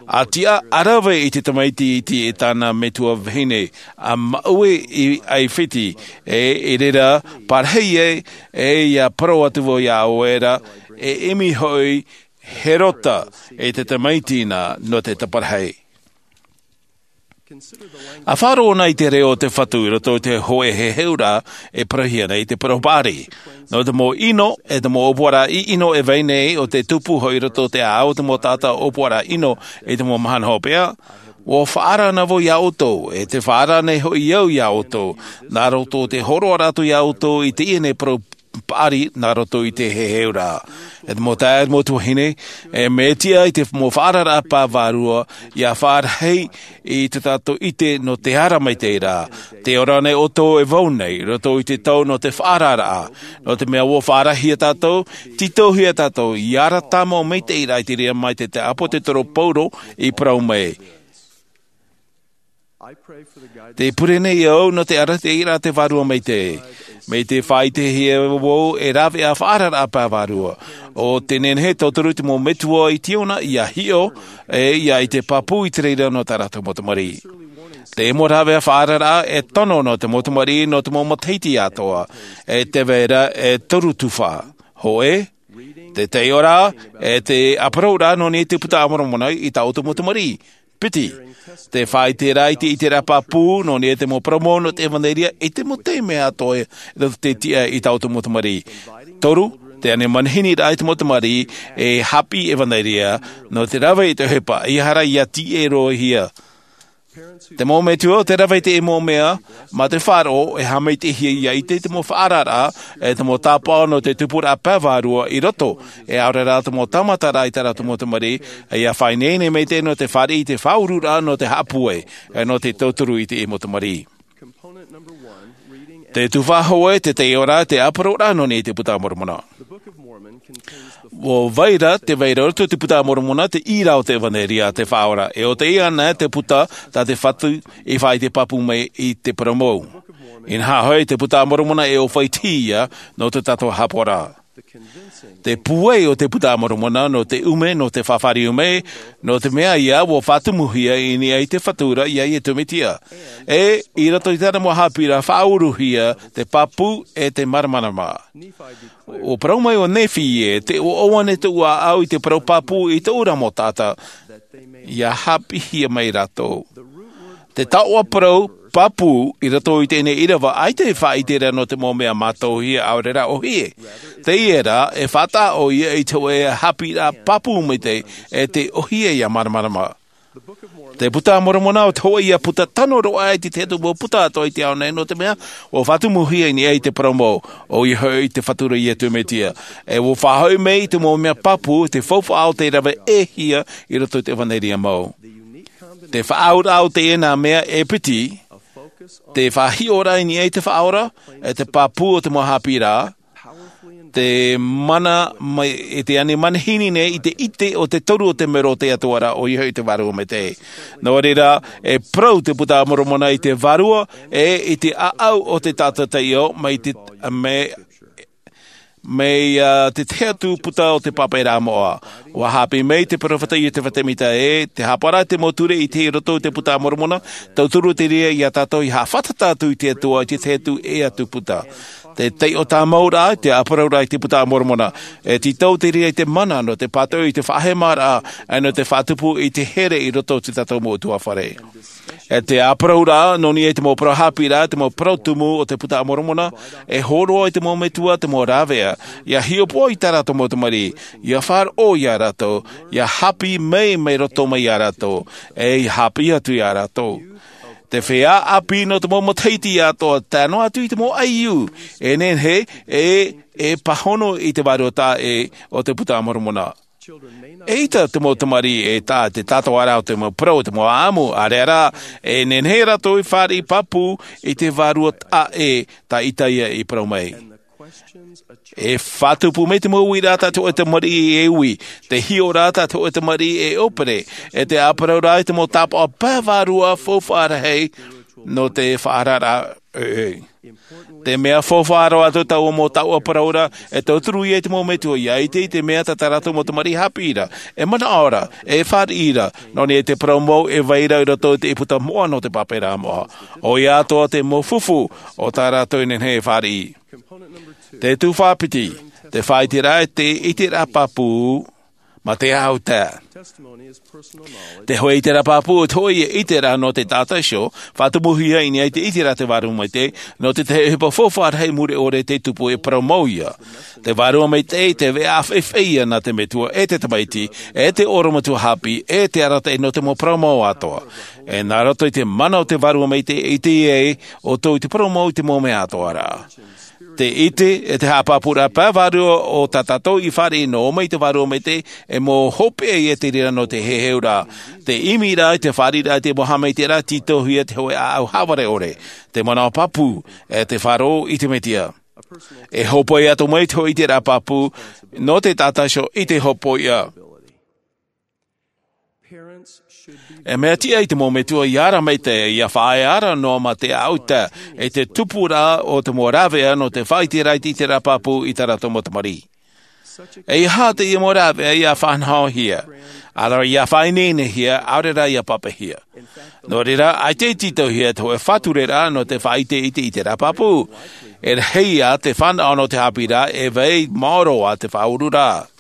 a tiʻa a rave i te tamaiti iti e tāna metua vahine a maʻue i aifiti e i reira parahi ai e ia parau atu vau ia ʻoe ra e ʻimi hoʻi herota e te tamaiti na nō te taparahi. A faʻaroʻo na i te reo o te fatu i roto i te hoʻe heheuraʻa e parauhia nei te parau paʻari nō te mau ʻino e te mau ʻōpuaraʻa ʻino e vai nei o te tupu hoʻi i roto o te ʻāʻau o te mau taʻata ʻōpuaraʻa ʻino i te mau mahana hopeʻa. Ua faʻaara na vau ia ʻoutou e te faʻaara nei hoʻi au ia ʻoutou nā roto o te horoʻa rātou ia ʻoutou i teie nei parau paʻari nā roto i te heheuraʻa. E te mau taeaʻe e te mau tuahine, e mea tiʻa i te mau faʻaararaʻa pae vārua ia faʻarahi i tō tātou ʻite nō te ara mai te reira. Te ora nei ʻoutou e vau nei roto i te tau nō te faʻaararaʻa nō te mea ua faʻarahi ia tātou, tītauhia tātou i ara tāmau mai te reira i te reira mai te te ʻāpōsetolo paulo i parau mai. Te pure nei au nō te arataʻiraʻa te vārua maitaʻi mai te faʻaitehia vau e rāveʻa faʻaararaʻa pae vārua. O te nehenehe tauturu te mau metua i tiona ia hiʻo e ia i te pāpū i te reira nō tā rātou mau tamariʻi. Te mau rāveʻa faʻaararaʻa e tono nō te mau tamariʻi nō te mau matahiti atoʻa e te vera e toru tufa. Hoʻe te taiʻoraʻa e te aparauraʻa nō nei te puta a moromona i tā ʻoutou mau tamariʻi. Piti, te faʻaiteraʻa i te ʻiteraʻa pāpū nō nei te mau parau mau nō te evanelia i te mau taime atoʻa e te tiʻa i tā ʻoutou mau tamariʻi. Toru, te ani manahini raʻa i te mau tamariʻi e haʻapiʻi evanelia nō te rave i te ʻohipa ia hara ia tiʻa roa hia. Te mau metua o te rave i te mau mea mā te faʻaroʻo e haʻamaitaʻihia ia ʻite te mau faʻaararaʻa e te mau tāpaʻo nō te tupuraʻa pae vārua i roto e ʻaore rā te mau tāmataraʻa i tā rātou mau tamariʻi. Ia faʻaineine maitaʻi nō te fāriʻi i te faʻaururaʻa nō te haʻapūai e nō te tauturu i te mau tamariʻi. Te tufa hoʻe te taiʻoraʻa te aparauraʻa nō nei te puta a moromona. Ua vai ra te vai ra roto te puta a moromona te ʻīrava o te evanelia a te faʻaora e o te ia ana te puta tā te fatu i faʻaite pāpū mai i te parau mau. Inaha hoʻi te puta a moromona e ʻōfaʻi tiʻa nō tō tātou hāpaʻoraʻa. Te pūai o te puta a moromona nō te ʻume nō te faʻafāriu mai nō te mea ia ua faʻatumuhia i niʻa i te fatu ra ia iesu mesia. E i roto i tāna mau haʻapiʻiraʻa faʻauruhia te pāpū e te māramarama. Ua parau mai o nephi e te ʻoaʻoa nei tōʻu ʻāʻau i te parau pāpū i tōʻu ra mau taʻata ia haʻapiʻihia mai rātou. Te taoʻa parau pāpū i roto i teie ʻīrava ʻaita e faʻaite ra nō te mau mea mātauhia ʻaore rā ʻōhie. Teie rā e faʻataʻa ʻoia i te hoʻe haʻapiʻiraʻa pāpū maitaʻi e te ʻōhie ia māramarama. Te puta a moromona o te hoʻe ia puta tano roa ai te te atu mau puta atoʻa i te ao nei nō te mea ua faʻatumuhia i niʻa i te parau mau ʻoia hoʻi te fatu ra iesu mesia. E ua faʻahoʻi mai i te mau mea pāpū te faufaʻa o te rave ʻē hia i roto i te evanelia mau. Te faʻaauraʻa o teie nā mea e piti te faʻahiʻoraʻa i niʻa i te faʻaora e te pāpū o te mau haʻapiʻiraʻa te mana mai e te ani manahini nei i te ʻite o te toru o te mero o te atua ra ʻoia hoʻi te vārua maitaʻi. Nō reira e parau te puta a moromona i te vārua e i te ʻāʻau o te taʻata taiʻo mai te mai mai te te atu puta o te pāpaʻiraʻa moʻa. Ua haʻapiʻi mai te peropheta iosefa semita e te hāpaʻo ra te mau ture i te roto i te puta a moromona. Tauturu te reira ia tātou i haʻafātata atu i te atua i te te atu e atu puta te taiʻo tāmau ra te aparauraʻa i te puta a moromona. E tītau te reira i te mana nō te pātoʻi i te faʻahemaraʻa e nō te faʻatupu i te here i roto i tō tātou mau utuafare. E te aparauraʻa nō niʻa i te mau parau haʻapiʻiraʻa te mau parau tumu o te puta a moromona e hōroʻa i te mau metua te mau rāveʻa ia hiʻopoʻa i tā rātou mau tamariʻi ia faʻaroʻo ia rātou ia haʻapiʻi mai mai roto mai ia rātou e ia haʻapiʻi atu ia rātou. Te feiā ʻāpī nō te mau matahiti atoʻa, tae noa atu i te mau ʻaiū, e nehenehe e pāhono i te vārua taʻa ʻē o te Buka a Moromona. E ʻita te mau tamariʻi e taʻa te tātau ra o te mau parau o te mau ʻāʻamu, ʻaore rā, e nehenehe rātou e fāriʻi pāpū i te vārua taʻa ʻē tā Isaia i parau mai. E faʻatupu mai te mau uiraʻa tā te hōʻē tamariʻi e ui, te hiʻoraʻa tā te hōʻē tamariʻi e ʻōpere, e te ʻāparauraʻa i te mau tāpaʻo pae vārua faufaʻa rahi nō te faʻaararaʻa ʻoiʻoi. Te mea faufaʻa roa atu, taua mau taoʻa parau ra, e tauturu ia i te mau metua ʻia ʻite i te mea tā tā rātou mau tamariʻi haʻapiʻi ra, e manaʻo ra, e fāriʻi ra, nō niʻa i te parau mau e vai ra i roto i te ʻīputa moʻa nō te pāpā ra moʻa. ʻOia atoʻa te mau fufu o tā rātou e nehenehe e fāriʻi. Te tuhaʻa piti, te faʻaʻiteraʻa e te ʻiteraʻa pāpū, mā te ʻāʻau tae. Te hōʻē ʻiteraʻa pāpū, te hōʻē ʻiteraʻa nō te taʻata iho, faʻatumuhia i niʻa i te ʻiteraʻa te Vārua Maitaʻi, nō te tahi ʻohipa faufaʻa rahi mure ʻore tei tupu e parau mau ia. Te Vārua Maitaʻi, te veʻa faʻaʻite ia nā te metua e te tamaiti, e te orometua haʻapiʻi, e te arataʻi nō te mau parau mau atoʻa. E nā roto i te mana o te Vārua Maitaʻi e ʻite ai ʻoutou i te parau mau i te mau mea atoʻa ra. Te ʻite, e te haʻapāpūraʻa pae vārua o tā tātou i fāriʻi nō ʻō mai i te Vārua Maitaʻi, e mau hopeʻa ia te reira nō te heheuraʻa. Te ʻimiraʻa i te fāriʻiraʻa i te mau haʻamaitaʻiraʻa, tītauhia te hōʻē ʻāʻau haʻavare ʻore, te manaʻo pāpū, e te faʻaroʻo i te Mesia. E hōpoi atu mai te hōʻē ʻiteraʻa pāpū, nō te taʻata iho i te hōpoiʻa. E mea tiʻa i te mau metua ʻia ara maitaʻi, ʻia faʻaea ara noa mā te ʻāʻau tae, e te tupuraʻa o te mau rāveʻa nō te faʻaʻiteraʻa i te ʻiteraʻa pāpū i tā rātou mau tamariʻi. E ʻeiaha teie mau rāveʻa ʻia faʻanahohia, ʻaore rā ʻia faʻaineinehia, ʻaore rā ʻia pāpaʻihia. Nō reira, ʻaita i tītauhia te hōʻē faʻatureraʻa nō te faʻaʻite i te ʻiteraʻa pāpū. E rahi ā te fānaʻo nō te haʻapiʻiraʻa, e vai maoro ā te faʻaururaʻa.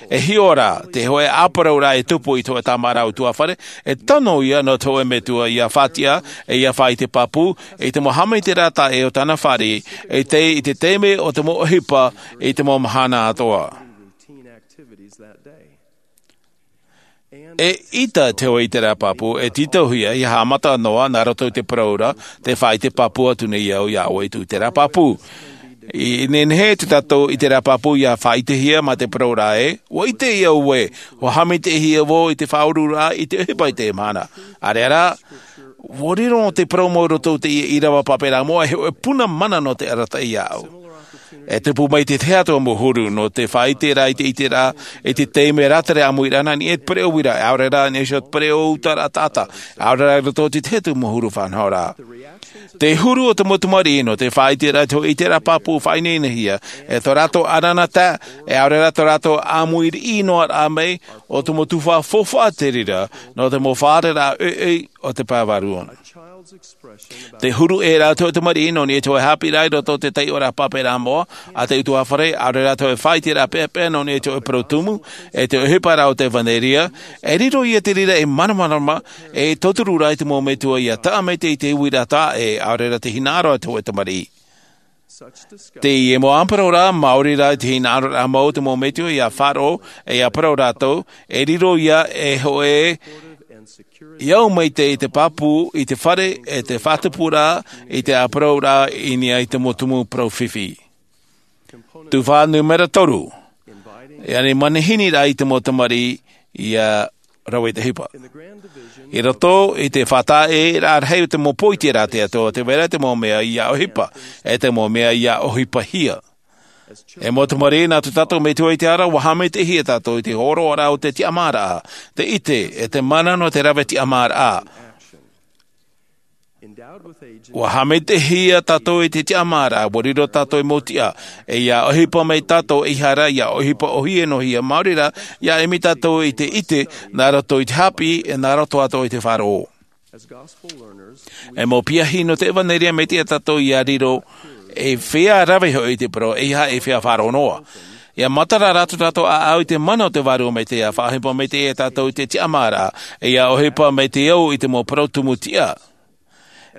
E hiʻo ra, te hōʻē ʻāparauraʻa e tupu i te hōʻē tāmāraʻa ʻutuāfare, e tano ia nō te hōʻē metua ʻia faʻatiʻa, e ʻia faʻaʻite pāpū i te mau haʻamaitaʻiraʻa taʻa ʻē o tāna fāriʻi, e tei i te taime o te mau ʻohipa i te mau mahana atoʻa. E ʻita te hōʻē ʻiteraʻa pāpū e tītauhia ʻia haʻamata noa nā roto i te parau ra, te faʻaʻite pāpū atu nei au iā ʻoe i tō ʻiteraʻa pāpū. I nehenehe tō tātou ʻiteraʻa pāpū ʻia faʻaʻitehia mā te parau ra ē, ʻua ʻite ïa ʻoe, ʻua haʻamaitaʻihia vau i te faʻaururaʻa i te ʻohipa i teie mahana. ʻAore rā, ʻua riro te parau mau i roto i teie ʻīrava pāpā ra moʻa e hōʻē puna mana nō te arataʻi iāʻu. E tupu mai te tahi atu mau huru nō te faʻaʻiteraʻa i te ʻiteraʻa, i te taime rātere ʻāmui ra nā niʻa i te pereʻoʻo uiraʻa, ʻaore rā nā niʻa iho i te pereʻoʻo utaraʻa taʻata, ʻaore rā i roto i te tahi atu mau huru faʻanahoraʻa. Te huru o te mau tamariʻi nō te faʻaʻiteraʻa i te hōʻē ʻiteraʻa pāpū faʻaineinehia, e tō rātou ʻananaʻa tae, e ʻaore rā tō rātou ʻāmui riʻi noa ra mai, ʻo te mau tuhaʻa faufaʻa te reira, nō te mau fārereiraʻa ʻoiʻoi o te pae vārua. Te huru ʻē ra te hōʻē tamariʻi nō niʻa i te hōʻē haʻapiʻiraʻa i roto i te taiʻoraʻa pāpā ra moʻa a te ʻutuāfare, ʻaore rā te hōʻē faʻaʻiteraʻa peʻapeʻa nō niʻa i te hōʻē parau tumu, e te ʻohipa ra o te ʻevanelia, e riro ïa te reira ei māramarama, e tauturu ra i te mau metua ʻia taʻa maitaʻi i te uiraʻa taʻa ʻē, ʻaore rā te hinaʻaro a te hōʻē tamariʻi. Teie mau ʻāparauraʻa, maori rā i te hinaʻaroraʻa mau o te mau metua ʻia faʻaroʻo, e ʻia parau rātou, e riro ïa ei hōʻē ʻia au maitaʻi i te pāpū, i te fare, e te faʻatupuraʻa, i te ʻāparauraʻa i niʻa i te mau tumu parau fifi. Tuhaʻa nūmera toru, e ani manihini ra i te mau tamariʻi ʻia rave i te ʻohipa. I roto i te faʻataʻeraʻa rahi o te mau pō i te reira atoʻa, tē vai ra te mau mea ʻia ʻohipa, e te mau mea ʻia ʻohipahia. E mau tamariʻi, nā tō tātou Metua i te ara, ʻua haʻamaitaʻihia tātou i te hōroʻaraʻa o te tiʻamāraʻa, te ʻite, e te mana nō te rave tiʻamāraʻa. ʻUa haʻamaitaʻihia tātou i te tiʻamāraʻa, ʻua riro tātou ei mau tiʻa, e ʻia ʻohipa mai tātou, ʻeiaha ra ʻia ʻohipa ʻōhie noa hia, maori rā, ʻia ʻimi tātou i te ʻite, nā roto i te haʻapiʻi, e nā roto atoʻa i te faʻaroʻo. E mau piahi nō te ʻevanelia, mea tiʻa tātou ʻia riro, e feiā rave hoʻi i te parau, ʻeiaha e feiā faʻaroʻo noa. ʻIa matara rā tō tātou ʻāʻau i te mana o te Vārua Maitaʻi, ʻia faʻaʻohipa maitaʻi ia tātou i te tiʻamāraʻa, e ʻia ʻohipa maitaʻi au i te mau parau tumu tiʻa.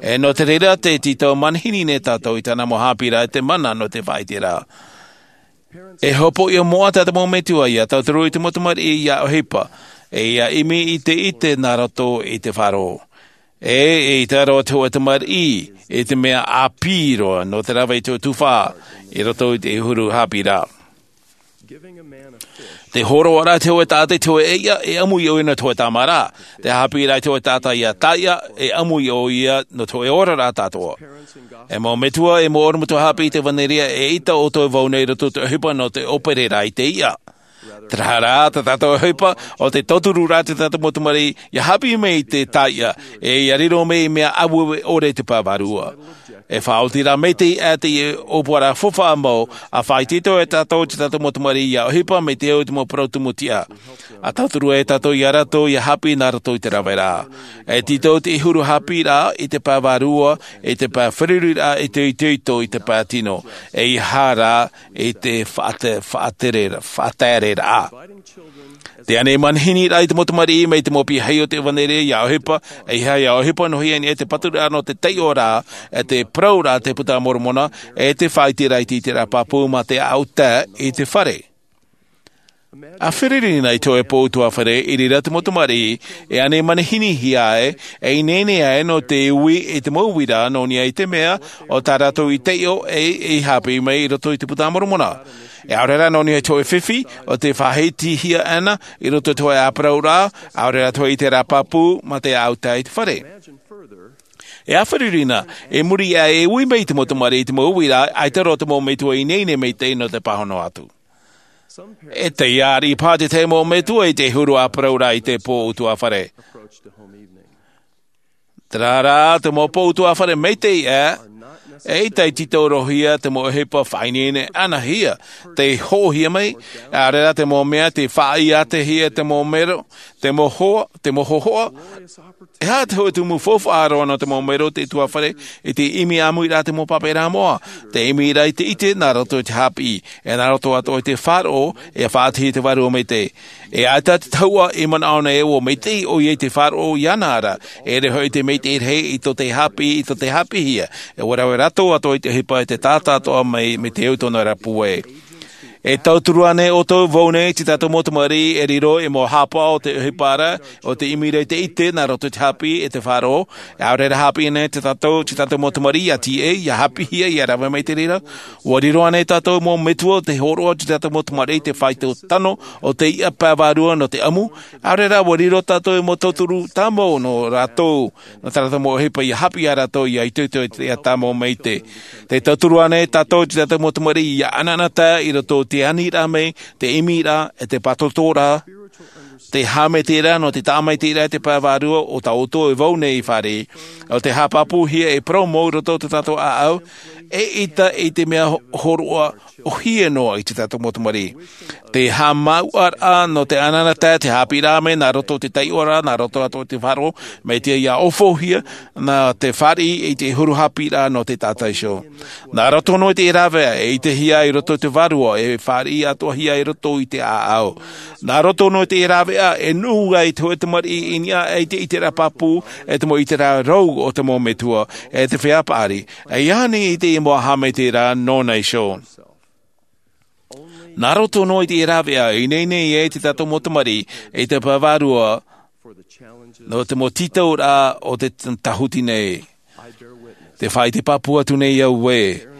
E nō te reira tē tītau manihini nei tātou i tāna mau haʻapiʻiraʻa i te mana nō te faʻaʻiteraʻa. E hopoiʻa moʻa tā te mau metua ʻia tauturu i te mau tamariʻi ʻia ʻohipa, e ʻia ʻimi i te ʻite nā roto i te faʻaroʻo. E, e ʻite roa te hōʻē tamariʻi i te mea ʻāpī roa nō te rave i te tufa i roto i te huru haʻapiʻiraʻa. Te hōroʻaraʻa i te hōʻē taʻata i te hōʻē ʻeiʻa, e ʻamu iho ʻoia nō te hōʻē tāmāraʻa. Te haʻapiʻiraʻa i te hōʻē taʻata ia taʻata, e ʻamu iho ʻoia nō te hōʻē oraraʻa atoʻa. E mau metua, e mau ʻorometua haʻapiʻi i te ʻevanelia, e ʻaita ʻoutou e vau nei i roto i te ʻohipa nō te ʻōpereraʻa i te ʻeiʻa. Terā rā, tā tātou ʻohipa, ʻo te tautururaʻa i tā tātou mau tamariʻi, ʻia haʻapiʻi mai i te taʻata, e ʻia riro mai i mea aueue ʻore i te pae vārua. E faʻaoti rā maitaʻi atu i te ʻōpuaraʻa faufaʻa mau, ʻa faʻaitoito e tātou i tā tātou mau tamariʻi ʻia ʻohipa mai te au i te mau parau tumu tiʻa. ʻA tauturu e tātou ia rātou ʻia haʻapiʻi nā roto i te raveraʻa. E tītau te huru haʻapiʻiraʻa i te pae vārua, i te pae feruriraʻa, i te itoito, i te pae tino. E ʻeiaha rā, i te faʻate-, faʻatere-, faʻatereraʻa. Te ani manihini rā i te mau tamariʻi mai te mau piahi o te ʻevanelia ʻia ʻohipa, ʻeiaha ʻia ʻohipa noa hia i niʻa i te paturaʻa nō te taiʻoraʻa, e te parauraʻa a te Buka a Moromona, e te faʻaʻiteraʻa i te ʻiteraʻa pāpū mā te ʻāʻau tae i te fare. ʻA feruri na i te hōʻē pō ʻutuāfare i reira te mau tamariʻi, e ani manihini hia ai, e ineine ai nō te ui i te mau uiraʻa nō niʻa i te mea, ʻo tā rātou i taiʻo e, e haʻapiʻi mai i roto i te Buka a Moromona. E ʻaore rā nō niʻa i te hōʻē fifi, ʻo tē faʻaitehia ana, i roto i te hōʻē parauraʻa, ʻaore rā te hōʻē ʻiteraʻa pāpū, mā te ʻāʻau tae i te fare. E ʻa feruri na, i muri iho e ui mai te mau tamariʻi i te mau uiraʻa, ʻaita roa te mau metua i ineine maitaʻi nō te pāhono atu. E taiā ariʻi paha te tahi mau metua i te huru ʻa parauraʻa i te pō ʻutuāfare. Terā rā, te mau pō ʻutuāfare maitaʻi ā, e ʻaita i tītau roa hia te mau ʻohipa faʻaineine ānāhia, tei hoʻohia mai, ʻaore rā te mau mea tei faʻaʻite hia te mau mero, te mau hoa, te mau hōhoʻa. E aha te hōʻē tumu faufaʻa roa nō te mau mero o te ʻutuāfare, i te ʻimi ʻāmui rā te mau pāpaʻiraʻa moʻa, te ʻimi rā i te ʻite nā roto i te haʻapiʻi, e nā roto atoʻa i te faʻaroʻo, e faʻaʻitehia te Vārua Maitaʻi. E ʻaita te tahuʻa i manaʻo nei ē ʻua maitaʻi ʻoia i te faʻaroʻo iāna ra, e ʻere hoʻi te maitaʻi rahi i tō te haʻapiʻi, i tō te haʻapiʻihia, e ʻua rave rātou atoʻa i te ʻohipa e te taʻata atoʻa mai, mai te au i tōna ra pūai. E tauturu ānei ʻoutou vau nei i tā tātou mau tamariʻi e riro ei mau haʻapaʻo o te ʻohipa ra, ʻo te ʻimi ra i te ʻite nā roto i te haʻapiʻi e te faʻaroʻo, e ʻaore rā haʻapiʻi nei tā tātou, tā tātou mau tamariʻi ʻia tīaʻi, ʻia haʻapiʻihia, ʻia rave mai i te reira. ʻUa riro ānei tā tātou mau metua ʻo tē hōroʻa i tā tātou mau tamariʻi i te faito tano o teie pae vārua nō te ʻamu, ʻaore rā ʻua riro tātou ei mau tauturu tāmau nō rātou, nō tā rātou mau ʻohipa ʻia haʻapiʻi ia rātou ʻia itoito i te ʻētahi mau maitaʻi. Tē tauturu ānei tātou i tā tātou mau tamariʻi ʻia ʻanaʻanatae i roto i te aniraʻa mai, te ʻimiraʻa, e te pātōtōraʻa, te haʻamaitaʻiraʻa nō te tāʻamaitaʻiraʻa i te pae vārua o tā ʻoutou e vau nei i fāriʻi, ʻo tē haʻapāpūhia ei parau mau i roto i tō tātou ʻāʻau, eʻita i te mea hōroʻa ʻōhie noa i tā tātou mau tamariʻi. Te haʻamāuʻaraʻa nō te ʻanaʻanatae, te haʻapiʻiraʻa mai nā roto i te taiʻoraʻa, nā roto atoʻa i te faʻaroʻo, mai te ia ʻōfaʻihia, nā te fāriʻi i te huru haʻapiʻiraʻa nō te taʻata iho. Nā roto noa i te rāveʻa, e ʻitehia i roto i te vārua, e fāriʻi atoʻahia i roto i te ʻāʻau. Nā roto noa i te rāveʻa, e nuʻu ai te hōʻē tamariʻi i niʻa i te ʻiteraʻa pāpū, e te mau ʻiteraʻa rau o te mau metua, e te feiā paʻari, e ʻia ani i te mau haʻamaitaʻiraʻa nōna iho. Nā roto noa i te rāveʻa, e ineine ai tā tātou mau tamariʻi, i te pae vārua, nō te mau tītauraʻa o te t-, tāhuti nei. Tē faʻaʻite pāpū atu nei au ē,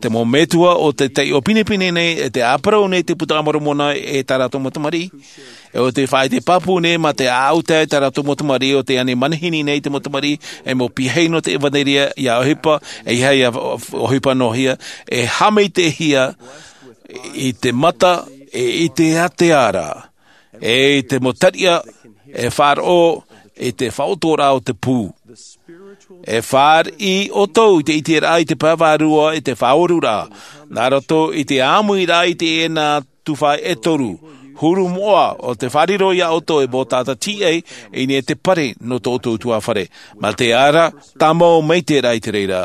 te mau metua ʻo tē taiʻo pinepine nei, e tē ʻāparau nei te Buka a Moromona e tā rātou mau tamariʻi. E ʻo tē faʻaʻite pāpū nei mā te ʻāʻau tae tā rātou mau tamariʻi ʻo tē ani manihini nei te mau tamariʻi, ei mau piahi nō te ʻevanelia ʻia ʻohipa, ʻeiaha ʻia ʻohipa noa hia, e haʻamaitaʻihia i te mata, e i te ʻātea ra, e i te mau tariʻa, e faʻaroʻo i te faʻaotooraʻa o te pū. E fāriʻi ʻoutou i te ʻiteraʻa i te pae vārua, i te faʻaoruraʻa, nā roto i te ʻāmuiraʻa i teie nā tuhaʻa e toru, huru moʻa ʻo tē fārerei iā ʻoutou e mau taʻata tīaʻi, i niʻa i te pare nō tō ʻoutou ʻutuāfare, mā te ara tāmau maitaʻi i te reira,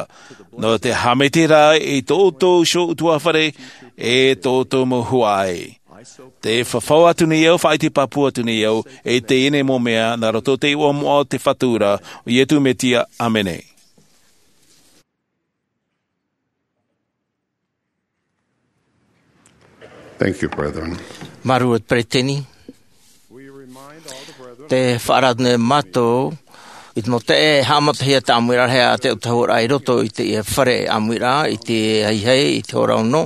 nō te haʻamaitaʻiraʻa i tō ʻoutou iho ʻutuāfare, e tō ʻoutou mau huaʻai. Tē fafau atu nei au, faʻaʻite pāpū atu nei au, e teie nei mau mea, nā roto i te iʻoa moʻa o te Fatu ra, ʻo Iesu Mesia, ʻāmene. Thank you, brethren. Māuruuru, peretiteni. Tē faʻaara nei mātou I te mau taeaʻe, e haʻamatahia te ʻāmuiraʻa rahi a te autahuʻaraʻa i roto i teie fare ʻāmuiraʻa, i te haihai, i te hora ono,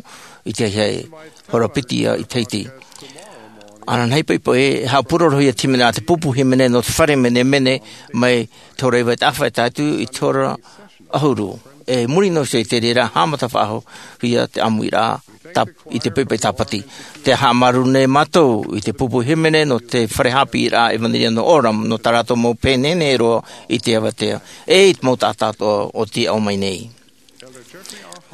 i te haihai, hora piti ia i te iti. Ananahi poʻipoʻi, e haʻapurorohia te hīmene a te pupu hīmene nō te fare menemene mai te hora iva i te ʻāfa e tae atu i te hora ʻahuru. E muri noa iho i te reira, haʻamata faʻahou ia te ʻāmuiraʻa tā-, i te poʻipoʻi tāpati. Te haʻamāuruuru nei mātou i te pupu hīmene nō te fare haʻapiʻiraʻa ʻEvanelia nō Orem, nō tā rātou mau pēnene roa i te avatea, e i te mau taʻata atoʻa o tei ʻō mai nei.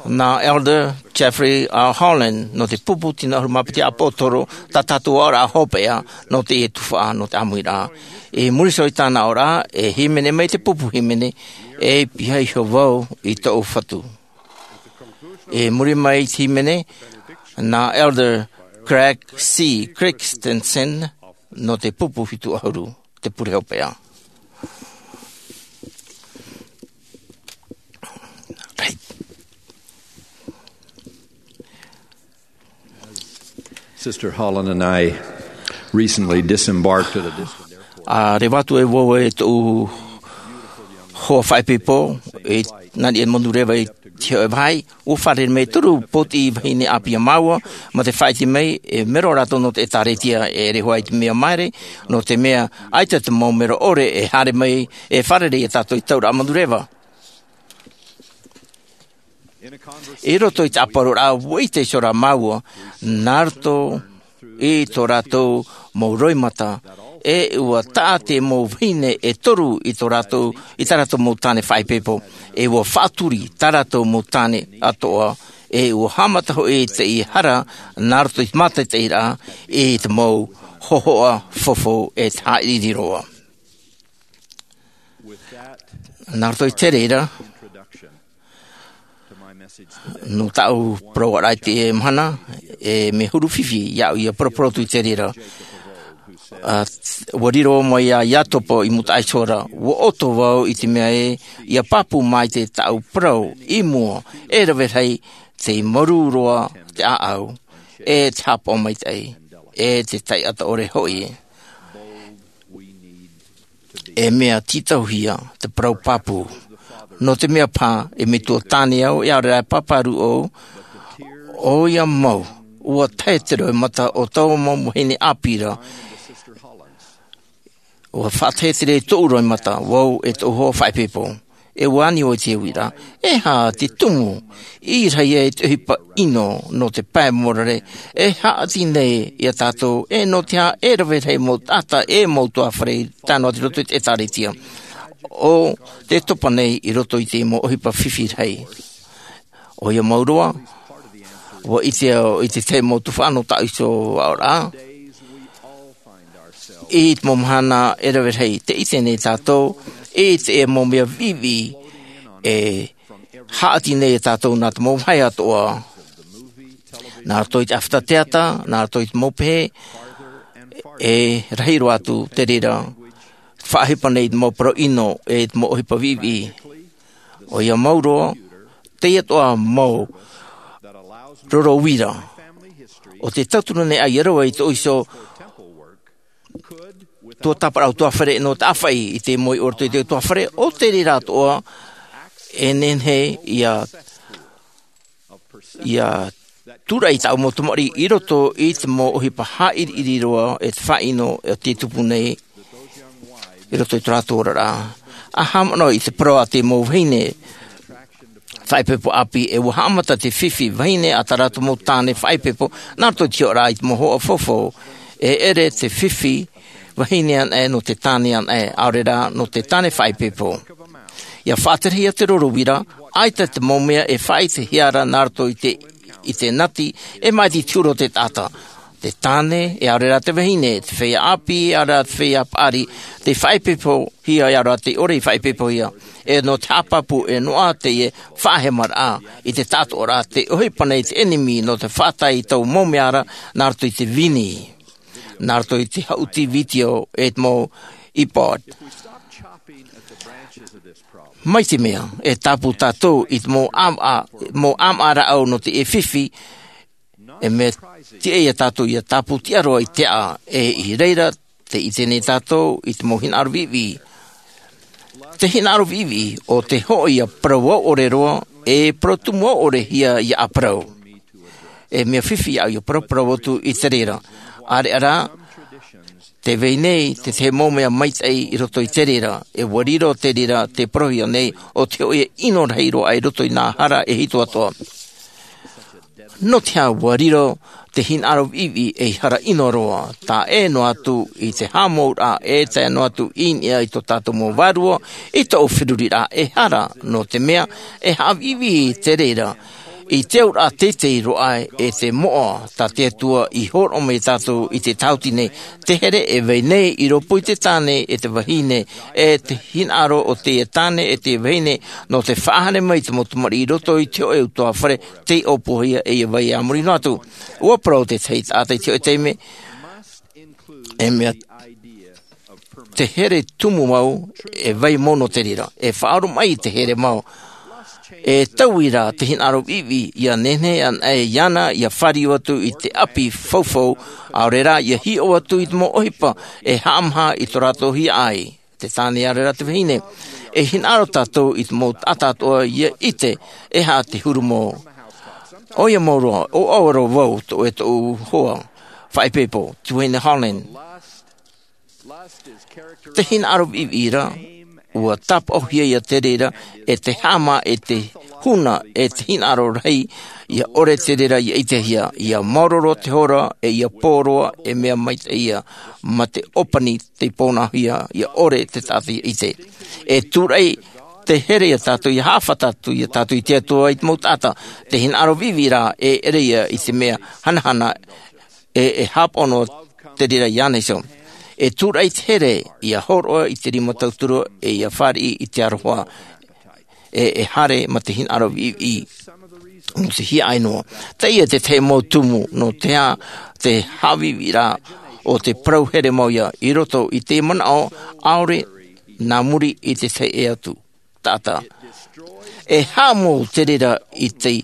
Nā Elder Jeffrey R. Holland nō te pupu tino ʻahuru mā piti ʻāpōsetolo, tā tātou aʻoraʻa hopeʻa nō teie tuhaʻa nō te ʻāmuiraʻa. I muri iho i tāna aʻoraʻa, e hīmene mai te pupu hīmene, e pihaʻi iho vau i tōʻu Fatu. I muri mai i te hīmene, nā Elder Craig C. Christensen nō te pupu hitu ʻahuru, te pure hopeʻa. Right. Sister Holland and I recently disembarked at a distant airport. A reva atu e vau e tōʻu hoa faʻaipoipo, e nā niʻa i Manureva i te hōʻē vāhi, ʻua fārerei mai toru pōtiʻi vahine ʻāpī ia māua, mā te faʻaʻite mai, e mero rātou nō te ʻĒtārētia, e ʻere hoʻi te mea maere, nō te mea, ʻaita te mau mero ʻore, e haere mai, e fārerei ia tātou i te tauraʻa Manureva. I roto i te ʻāparauraʻa, ʻua ʻite iho rā māua, nā roto i tō rātou mau roimata, e ʻua taʻa te mau vahine e toru i tō rātou, i tā rātou mau tāne faʻaipoipo, e ʻua faʻaturi tā rātou mau tāne atoʻa, e ʻua haʻamata hoʻi te hara, nā roto i te mātaʻitaʻiraʻa, i te mau hōhoʻa fofo e te haʻaʻiriʻiri roa. Nā roto i te reira, nō tāʻu parauʻaraʻa i teie mahana, e mea huru fifi iāʻu ia paraparau atu i te reira. A, ʻua riro mai iā Iakobo i Mutaʻa Iso ra, ʻua ʻoto vau i te mea ē, ʻia pāpū maite tāʻu parau i mua, e rave rahi, tei mārū roa te ʻāʻau, e te haʻapaʻo maitaʻi, e te taʻata ʻore hoʻi. E mea tītauhia te parau pāpū. Nō te mea paha, e metua tāne au, e ʻaore rā e pāpāru au, ʻoia mau, ʻua tae te roimata o tōʻu mau vahine ʻāpī ra, ʻua faʻatae te reira i tōʻu roimata, vau e tōʻu hoa faʻaipoipo. E ʻua ani vau i te uiraʻa, e aha te tumu, i reira e te ʻohipa ʻino nō te pae mōrare, e haʻati nei iā tātou, e nō te aha e rave rahi mau taʻata, e mau ʻutuāfare, tae noa atu i roto i te ʻĒtārētia. ʻO tē topa nei i roto i te mau ʻohipa fifi rahi. ʻOia mau roa, ʻua ʻite au i te tahi mau tuhaʻa nō tāʻu iho aʻoraʻa, i te mau mahana e rave rahi, tē ʻite nei tātou, i te mau mea viʻiviʻi, e haʻati nei e tātou nā te mau vāhi atoʻa. Nā roto i te ʻāfata teata, nā roto i te mau pehe, e rahi roa atu te reira, faʻaʻohipa nei i te mau parau ʻino, e te mau ʻohipa viʻiviʻi. ʻOia mau roa, teie atoʻa mau roro uira. ʻO tē tauturu nei ʻoia rave i tōʻu iho tuatāpaparaʻa ʻutuāfare nō te ʻāfaʻi i te moʻe i roto i te ʻutuāfare, ʻo te reira atoʻa, e nehenehe ia, ia tūraʻi tāʻu mau tamariʻi i roto i te mau ʻohipa haʻaʻiriʻiri roa e te faʻaʻino e tē tupu nei i roto i tō rātou oraraʻa. ʻA haʻamanaʻo i te parau a te mau vahine faʻaipoipo ʻāpī, e ʻua haʻamata te fifi vahine a tā rātou mau tāne faʻaipoipo, nā roto i te hiʻoraʻa i te mau hōhoʻa fofo, e ʻere te fifi vahine anaʻe nō te tāne anaʻe, ʻaore rā nō te tāne faʻaipoipo. ʻIa faʻaterehia te roro uira, ʻaita te mau mea e faʻaʻitehia ra nā roto i te, i te nati, e maʻiti i te huru o te taʻata. Te tāne, e ʻaore rā te vahine, te feiā ʻāpī, e ʻaore rā te feiā paʻari, tei faʻaipoipohia, e ʻaore rā tei ʻore i faʻaipoipohia. E nō te haʻapāpū, e noaʻa teie faʻahemaraʻa, i te taʻatoʻaraʻa, tē ʻohipa nei te ʻenemi, nō te faʻatae i taua mau mea ra, nā roto i te vini. Nā roto i te haʻuti vitiō, e te mau iPod. Mai te mea, e tāpū tātou i te mau ʻāmaʻa, mau ʻāmaʻa rāʻau nō te fifi, e mea tiʻa ia tātou ʻia tāpū tiʻa roa i te aʻa, e i reira, tē ʻite nei tātou i te mau hinaʻaro viʻiviʻi. Te hinaʻaro viʻiviʻi o te hoʻi ia parau ʻore roa, e parau tumu ʻore ia ia parau. E mea fifi ia au ia parau parau atu i te reira. Areʻa rā, te vai nei te te mau mea maitaʻi i roto i te reira, e ua riro te reira te parauhia nei o te hoʻi ʻino rahi roa i roto i nā hara e hito atoa. Nō te hā ua riro te hinaʻaro viʻiviʻi ei hara ʻino roa, tae noa atu i te haʻamauraʻa e tae noa atu i niʻa i tō tātou mau vārua, i tō feruriraʻa e hara, nō te mea e haʻaviʻiviʻi te reira i te auraʻa teitei roa e te moʻa tā te Atua i hōroʻa mai tātou i te tāhuti nei. Te here e vai nei i rōpū i te tāne e te vahine, e te hinaʻaro o te tāne e te vahine nō te faʻahaere mai te mau tamariʻi i roto i te hoʻe utuāfare tei ʻōpuahia e ia vai a muri noa atu. Ua parau te tahi taʻata i te hoʻe taime, e mea te here tumu mau, e vai mau nō te reira e faʻaoromaʻi i te here mau. E taui rā te hinaʻaro viʻiviʻi ia nehenehe ana e iāna ia fāriu atu i te ʻapi faufau, ʻaore rā ia hiʻo atu i te mau ʻohipa e haʻamaha i tō rātou hiaʻai, te tāne ʻaore rā te vahine. E hinaʻaro tātou i te mau taʻata atoa ia ʻite e aha te huru mau. ʻOia mau roa, ʻo ʻaua roa vau tō e tōʻu hoa faʻaipoipo, Duane Holland. Te hinaʻaro viʻiviʻi ra, ua tāpaʻohia ia te reira e te haʻamā e te huna e te hinaʻaro rahi. Ia ʻore te reira ia ʻitehia, ia maoro roa te hora, e ia pō roa, e mea maitaʻi ia, mā te ʻōpani tei pōnahia, ia ʻore te taʻata ia ʻite. E tūraʻi te here ia tātou ia haʻafata atu ia tātou i te Atua i te mau taʻata. Te hinaʻaro viʻiviʻi ra e ʻere ia i te mea hanahana, e e hāpaʻo noa te reira iāna iho. E tūraʻi te here ia hōroʻa i te rima tauturu, e ia fāriʻi i te aroha, e e haere mā te hinaʻaro viʻiviʻi nō te hiaʻai noa. Teie te tahi mau tumu nō te aha te haʻaviʻiviʻi ra o te parau here mau ia i roto i te manaʻo ʻaore nā muri i te tahi e atu taʻata. E haʻamou te reira i te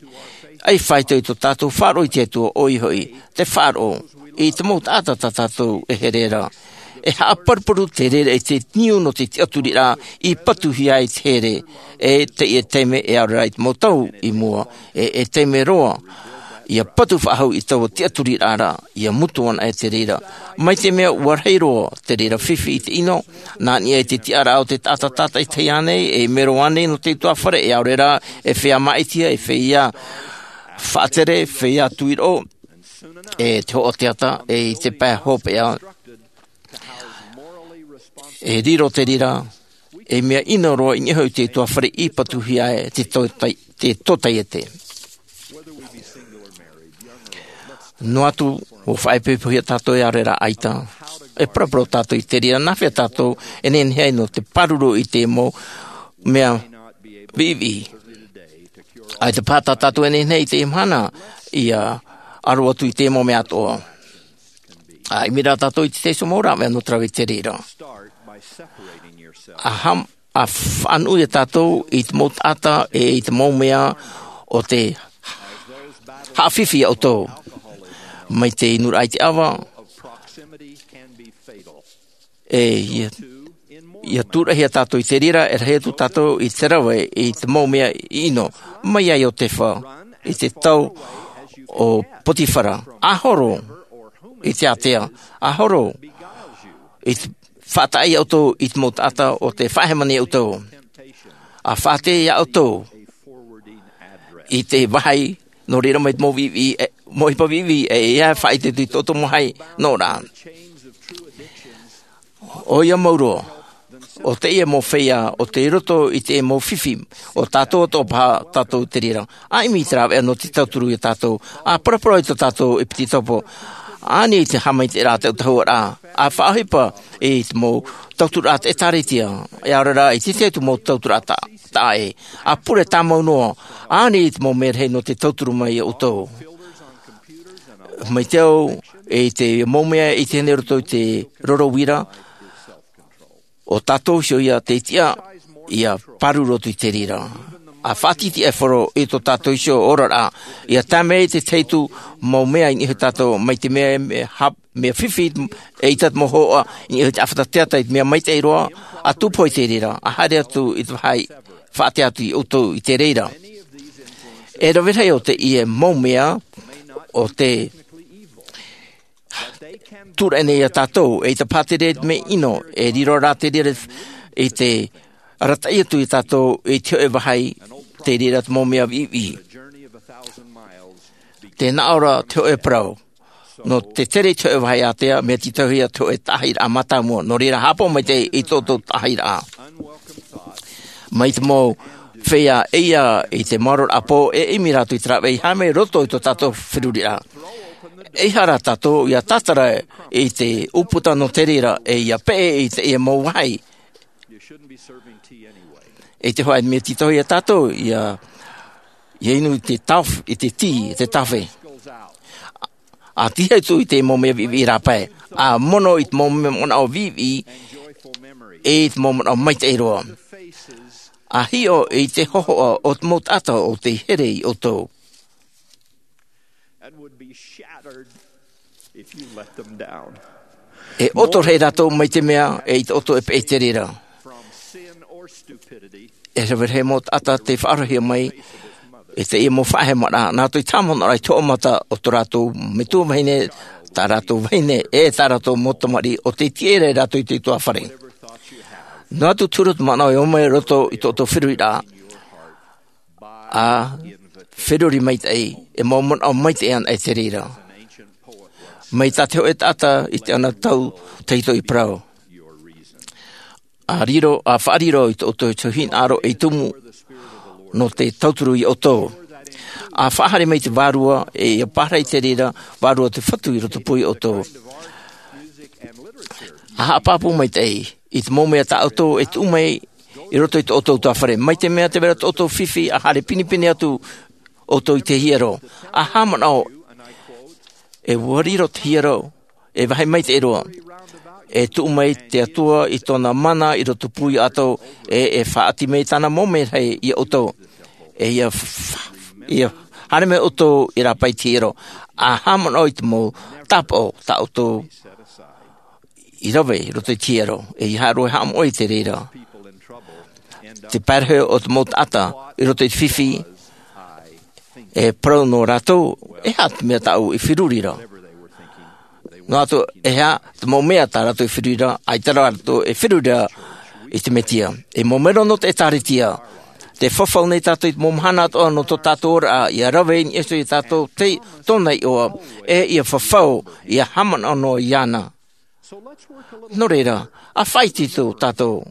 ʻai faito i tō tātou faʻaroʻo i te Atua, ʻoia hoʻi te faʻaroʻo i te mau taʻata tā tātou e here ra. E haʻaparuparu te reira i te niu nō te tiʻaturiraʻa i patuhia ai te here, e teie taime e ʻaore rā i te mau tau i mua, e e taime roa ia patu faʻahou i taua tiʻaturiraʻa ra, ia mutu ana e te reira. Mai te mea ua rahi roa te reira fifi i te ʻino, nā niʻa i te tiʻaraʻa o te taʻata tātaʻitahi ānei, e mero ānei nō te utuāfare, e ʻaore rā, e feiā māʻitiʻa, e feiā faʻatere, feiā tuiroʻo, e te hoʻo teata, e i te pae hopeʻa, e riro te reira ei mea ʻino roa i niʻa iho i te utuāfare i patuhia ai te tōtai-, te tōtaiete. Noa atu, ʻua faʻaipoipohia tātou e ʻaore rā ʻaita. E paraparau tātou i te reira, nā hea tātou e nehenehe ai nō te pāruru i te mau mea viʻiviʻi. ʻAita paha tā tātou e nehenehe i te mahana ia aro atu i te mau mea atoʻa. ʻA ʻimi rā tātou i te tahi mau rāveʻa nō te rave i te reira. ʻA ham-, ʻa faʻanuʻu ia tātou i te mau taʻata e i te mau mea o te haʻafifi ia ʻoutou. Mai te inuraʻa i te ʻava, e ia, ia tūraʻihia tātou i te reira, e rahi atu tātou i te rave i te mau mea ʻino. Mai iā Iotefa, i te tau o Potifara, ʻa horo i te ātea, ʻa horo i te faʻataʻa ia ʻoutou i te mau taʻata o te faʻahemani ia ʻoutou. ʻA faʻatere ia ʻoutou i te vāhi, nō reira mai te mau viʻiviʻi, e, mau ʻohipa viʻiviʻi, e, ia faʻaʻite atu i tō ʻoutou mau vāhi noa ra. ʻOia mau roa, ʻo teie mau feiā, ʻo tei roto i te mau fifi, ʻo tātou atoʻa paha tātou te reira. ʻA ʻimi i te rāveʻa nō te tauturu ia tātou, ʻa paraparau i tō tātou ʻepitetopo, ʻa ani i te haʻamaitaʻiraʻa, te ʻautahuʻaraʻa, ʻa faʻaʻohipa i te mau tautururaʻa ʻĒkālesia, e ʻaore rā i te tahi atu mau tautururaʻa ta-, taʻa ʻē, ʻa pure tāmau noa, ʻa ani i te mau merahi nō te tauturu mai ia ʻoutou. Mai te au, e i te mau mea i te hene roto i te roro uira, ʻo tātou iho ia tei tiʻa, ia pāruru atu i te reira. A faʻatītīʻaifaro i tō tātou iho oraraʻa, ia tāmau i te teitu mau mea i niʻa iho tātou, mai te mea e mea hap- mea fifi e ʻita te mau hoʻa i niʻa iho te ʻāfata teata i te mea maitaʻi roa, a tūpohe i te reira a haere atu i te vāhi faʻatea atu i ʻoutou i te reira. E rave rahi o teie mau mea o te tūraʻi nei iā tātou, e ʻita paha te reira te mea ʻino, e riro rā te reira i te arataʻi atu iā tātou i te hoʻe vāhi. Te reira te mau mea viʻiviʻi. Te naʻo ra te hoʻe parau nō te tere i te hoʻe vāhi ātea, mea tītauhia te hoʻe taʻahiraʻa mātāmua. Nō reira, haʻapaʻo mai te i tō tō taʻahiraʻa mai te mau feiā ʻeiā i te maoro raʻa pō e ʻimi rātou i te rāveʻa i haere mai roto i tō tātou feruriraʻa. E ʻeiaha rā tātou ia tātara i te ʻūputa nō te reira, e ia peʻe i teie mau vāhi. I te hoʻe mea tītauhia tātou ia ia inu i te taof- i te tī i te tafe. A tīhai atu i te mau mea viʻiviʻi rāpae, a mono i te mau mea manaʻo viʻiviʻi, e i te mau manaʻo maitaʻi roa, a hiʻo i te hohoʻa o te mau taʻata o tei here i ʻoutou. E ʻoto rahi rātou mai te mea e ʻita ʻoutou e peʻe i te reira. E rave rahi mau taʻata te faʻaroʻohia mai i teie mau faʻahemaraʻa nā roto i te haʻamanaʻo i te hoʻomata o tō rātou metua vahine, tā rātou vahine e tā rātou mau tamariʻi o tei tiʻa ra rātou i te utuāfare. Noa atu te huru o te manaʻo e ō mai roto i tō ʻoutou feruriraʻa, a feruri maitaʻi, e mau manaʻo maitaʻi ana e te reira. Mai tā te hoʻe taʻata i te ana tau tahito i parau, a riro a faʻariro i tō ʻoutou hinaʻaro ei tumu nō te tauturu iā ʻoutou. A faʻahaere mai te vārua e ia pārahi te reira vārua o te fatu i rotopū iā ʻoutou. A haʻapāpū maitaʻi i te mau mea tā ʻoutou e tuʻu mai i roto i tō ʻoutou utuāfare, mai te mea te vera tō ʻoutou fifi a haere pinepine atu ʻoutou i te hiero, a haʻamanaʻo e ua riro te hiero e vāhi maitaʻi roa. E tuʻu mai te Atua i tōna mana i rotopū iā ʻoutou, e e faʻaoti mai tāna mau merahi iā ʻoutou. E ia f- ia haere mai ʻoutou i rāpae i te hiero, a haʻamanaʻo i te mau tāpaʻo tā ʻoutou i rave i roto i te hiero, e ia haʻaroʻo e haʻamoʻe i te reira. Te pae rahi o te mau taʻata i roto i te fifi, e parau nō rātou, e aha te mea tāʻu i feruri ra? Noa atu e aha te mau mea tā rātou i feruri ra, ʻaita rā rātou e feruri ra i te Mesia. E mau mero nō te ʻĒtārētia. Te fafau nei tātou i te mau mahana atoʻa nō tō tātou oraraʻa, ia rave i niʻa iho iā tātou tei tōna iʻoa, e ia fafau, ia haʻamanaʻo noa iāna. Nō reira, a faʻaitoito tātou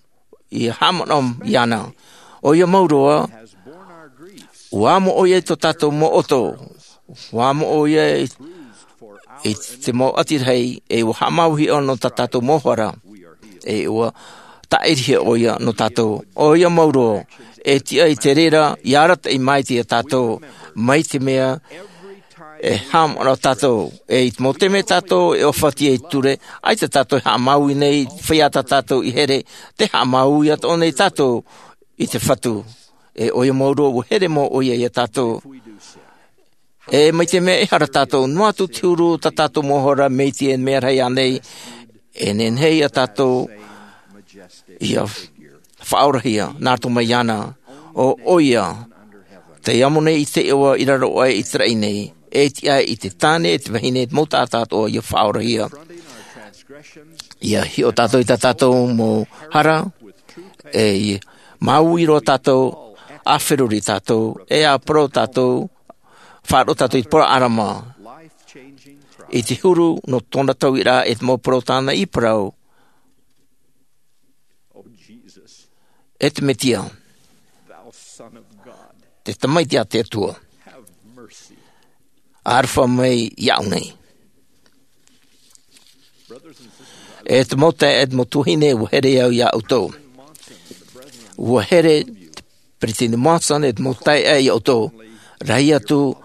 ia haʻamanaʻo iāna. ʻOia mau roa, ua amo ʻoia i tō tātou mau ʻoto, ua amo ʻoia i, i te mau ʻati rahi, e ua haʻamāuiʻo nō tā tātou mau hara, e ua tāʻirihia ʻoia nō tātou. ʻOia mau roa, e tiʻa i te reira ia arataʻi mai iā tātou, mai te mea e haʻamanaʻo tātou, e i te mau taime tātou e ʻōfaʻi ai i te ture, ʻaita tātou e haʻamāuiui nei i te feiā tā tātou i here, tē haʻamāuiui atoʻa nei tātou i te Fatu. E ʻoia mau roa, ua here mau ʻoia iā tātou. E mai te mea e ʻere tātou, noa atu te huru tā tātou mau hara, mai te mea rahi ānei, e nehenehe ia tātou ia faʻaorahia nā roto mai iāna. ʻO ʻoia tei amo nei i te iʻoa i raro aʻe i te raʻi nei, e tiʻa i te tāne, e te vahine, te mau taʻata atoʻa ia faʻaorahia. Ia hiʻo tātou i tā tātou mau hara, e ia māuiui roa tātou, a feruri tātou, e a parau tātou, faʻaroʻo tātou i te parau ʻĀrama, i te huru nō tōna tauiraʻa, e te mau parau tāna i parau. E te Mesia, te Tamaiti a te Atua, aroha mai iāʻu nei. E te mau taeaʻe, e te mau tuahine, ua here au iā ʻoutou. Ua here te Peresideni Monson, e te mau taeaʻe, iā ʻoutou. Rahi atu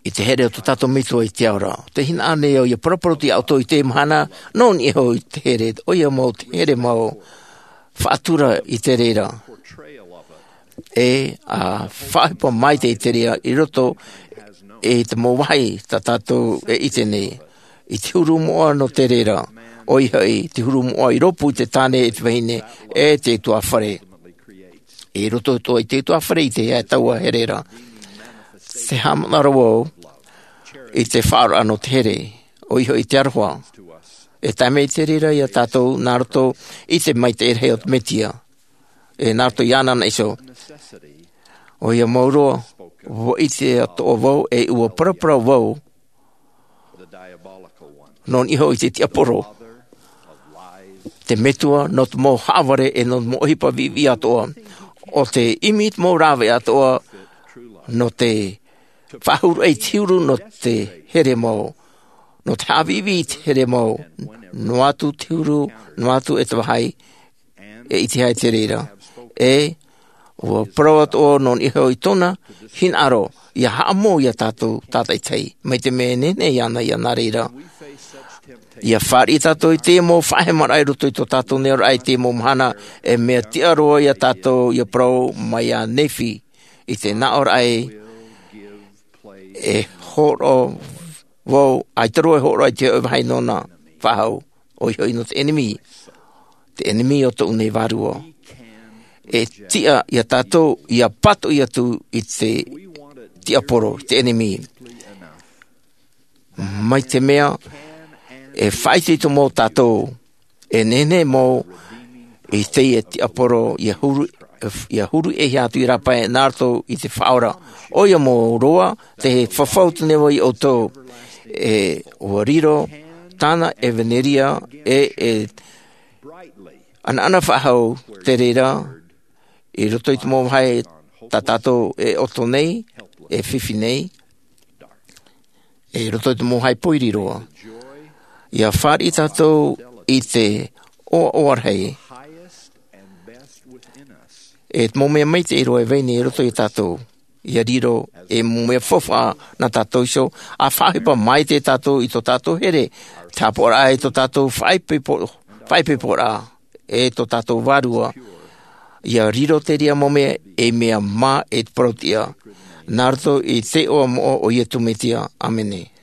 i te here o tō tātou Metua i te ao ra. Tē hinaʻaro nei au ia paraparau atu iā ʻoutou i teie mahana, nō niʻa iho i te here, ʻoia mau te here mau faʻatura i te reira. E a faʻaʻohipa mai te ʻetereʻa i roto i te mau vāhi tā tātou e ʻite nei. I te huru moʻa nō te reira, ʻoia hoʻi te huru moʻa i rōpū i te tāne e te vahine e te utuāfare. I roto atoʻa i te utuāfare i te taua here ra. Te haʻamanaʻo au i te faʻaroʻo nō te here, ʻoia hoʻi te aroha. E tae mai te reira iā tātou nā roto i te maitaʻi rahi o te Mesia. E nā roto iāna iho. ʻOia mau roa, ʻua ʻite atoʻa vau e ʻua paraparau vau nō niʻa iho i te tiaporo, te metua nō te mau haʻavare e nō te mau ʻohipa viʻiviʻi atoʻa. ʻO te ʻimi i te mau rāveʻa atoʻa nō te faʻahuru ai te huru nō te here mau, nō te haʻaviʻiviʻi i te here mau, noa atu te huru, noa atu e te vāhi, e ʻitehia te reira. E ʻua parau atoʻa nō niʻa iho i tōna hinaʻaro, ʻia haʻamou iā tātou tātaʻitahi, mai te mea e nehenehe iāna ia nā reira. ʻIa fāriʻi tātou i te mau faʻahemaraʻa i roto i tō tātou nei ʻoraʻa i te mau mahana, e mea tiʻa roa iā tātou ʻia parau mai iā Nephi, i te nā ʻoraʻa e hōroʻa vau, ʻaita roa e hōroʻa i te hōʻē vāhi nōna faʻahou, ʻoia hoʻi nō te ʻenemi, te ʻenemi o tōʻu nei vārua. E tiʻa iā tātou ʻia pātoʻi atu i te tiaporo, te ʻenemi. Mai te mea, e faʻaitoito mau tātou, e nehenehe mau i teie tiaporo, ʻia huru, ʻia huru e hia atu i rāpae nā roto i te Faʻaora. ʻOia mau roa, te fafau tō nei vau iā ʻoutou, e ʻua riro tāna ʻevaneria, e, e ʻanaʻana faʻahou te reira, i roto i te mau vāhi tā tātou e ʻoto nei, e fifi nei, e roto i te mau vāhi pōiri roa. ʻIa fāriʻi tātou i te ʻoaʻoa rahi. E te mau mea maitaʻi roa e vai nei i roto iā tātou. ʻIa riro e mau mea faufaʻa nā tātou iho, ʻa faʻaʻohipa maitaʻi tātou i tō tātou here, te haʻapaʻoraʻa i tō tātou faʻaipoipo-, faʻaipoiporaʻa, e tō tātou vārua. ʻIa riro te reira mau mea ei mea mā e te parau-tiʻa. Nā roto i te iʻoa moʻa o Iesu Mesia. ʻĀmene.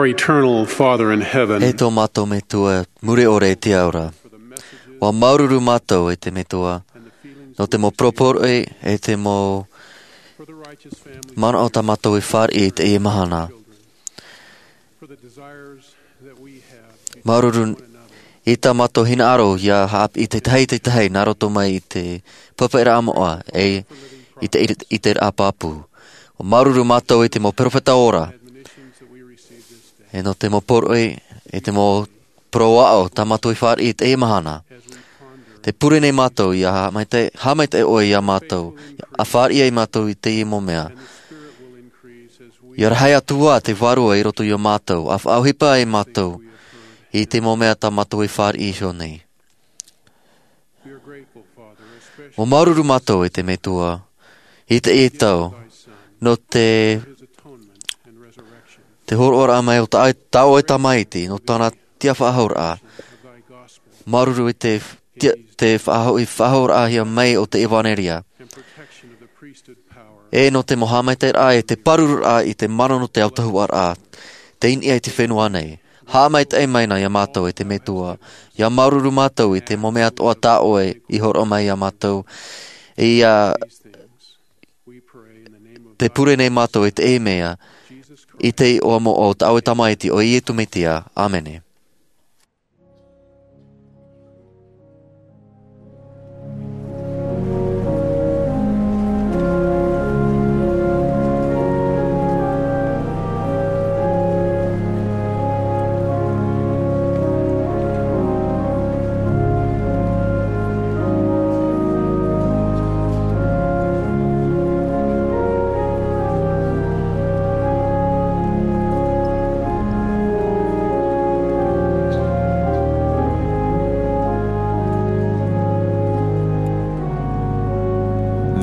Eternal Father in heaven, E tō mātou Metua muri ʻore i te ao ra. Ua māuruuru mātou e te Metua, nō te mau poroporoʻi e te mau manaʻo tā mātou i fāriʻi i teie mahana. Māuruuru i tā mātou hinaʻaro ʻia haʻapiʻi te tahi i te tahi nā roto mai i te pāpaʻiraʻa moʻa e i te ʻite, ʻiteraʻa pāpū. Ua māuruuru mātou i te mau peropheta ora. E nō te mau poroʻi, e te mau parau aʻo, tā mātou i fāriʻi i teie mahana. Tē pure nei mātou ʻia haʻamaitaʻi, haʻamaitaʻi ʻoe iā mātou, ʻia fāriʻi ai mātou i teie mau mea. ʻIa rahi atu ā te Vārua i roto iā mātou, ʻa faʻaʻohipa ai mātou i te mau mea tā mātou i fāriʻi iho nei. Ua māuruuru mātou e te Metua, i teie tau, nō te, te hōroʻaraʻa mai o tā, tā ʻoe Tamaiti, nō tāna tiʻafaʻahouraʻa. Māuruuru i te, te, te faʻahoʻi, faʻahouraʻahia mai o te ʻevanelia. E nō te mau haʻamaitaʻiraʻa e te pāruruaraʻa i te mana nō te autahuʻaraʻa, tei niʻa i te fenua nei. Haʻamaitaʻi mai na iā mātou e te Metua, ʻia māuruuru mātou i te mau mea atoʻa tā ʻoe i hōroʻa mai iā mātou. ʻIa, tē pure nei mātou i teie mea, i te iʻoa moʻa o tā ʻoe Tamaiti, ʻo Iesu Mesia. ʻĀmene.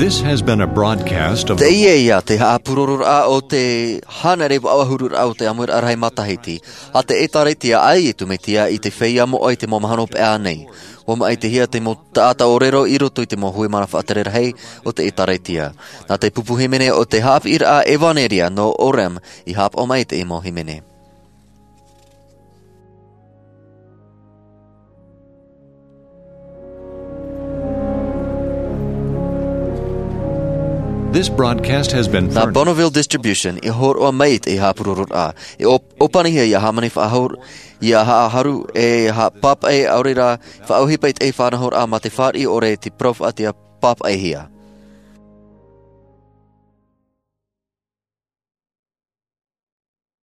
This has been a broadcast of the Teie ia te haʻapurororaʻa o te hānere vaʻu ʻahururaʻa o te ʻāmuiraʻa rahi matahiti a te ʻĒtārētia a Iesu Mesia i te feiā moʻa i te mau mahana hopeʻa nei. ʻUa maʻitihia te mau taʻata ʻōrero i roto i te mau hui mana faʻatere rahi o te ʻĒtārētia. Nā te pupu hīmene o te haʻapiʻiraʻa ʻevanelia nō Orem i haʻapaʻo mai i te mau hīmene. This broadcast has been Nā furnished. Bonneville Distribution i hōroʻa mai i te haʻapurororaʻa. E ʻō-, ʻōpanihia ʻia hāmani faʻahou, ʻia haʻaharu, e haʻapāpaʻi, ʻaore rā, faʻaʻohipa i te faʻanahoraʻa mā te fāriʻi ʻore i te parau faʻaʻite pāpaʻihia.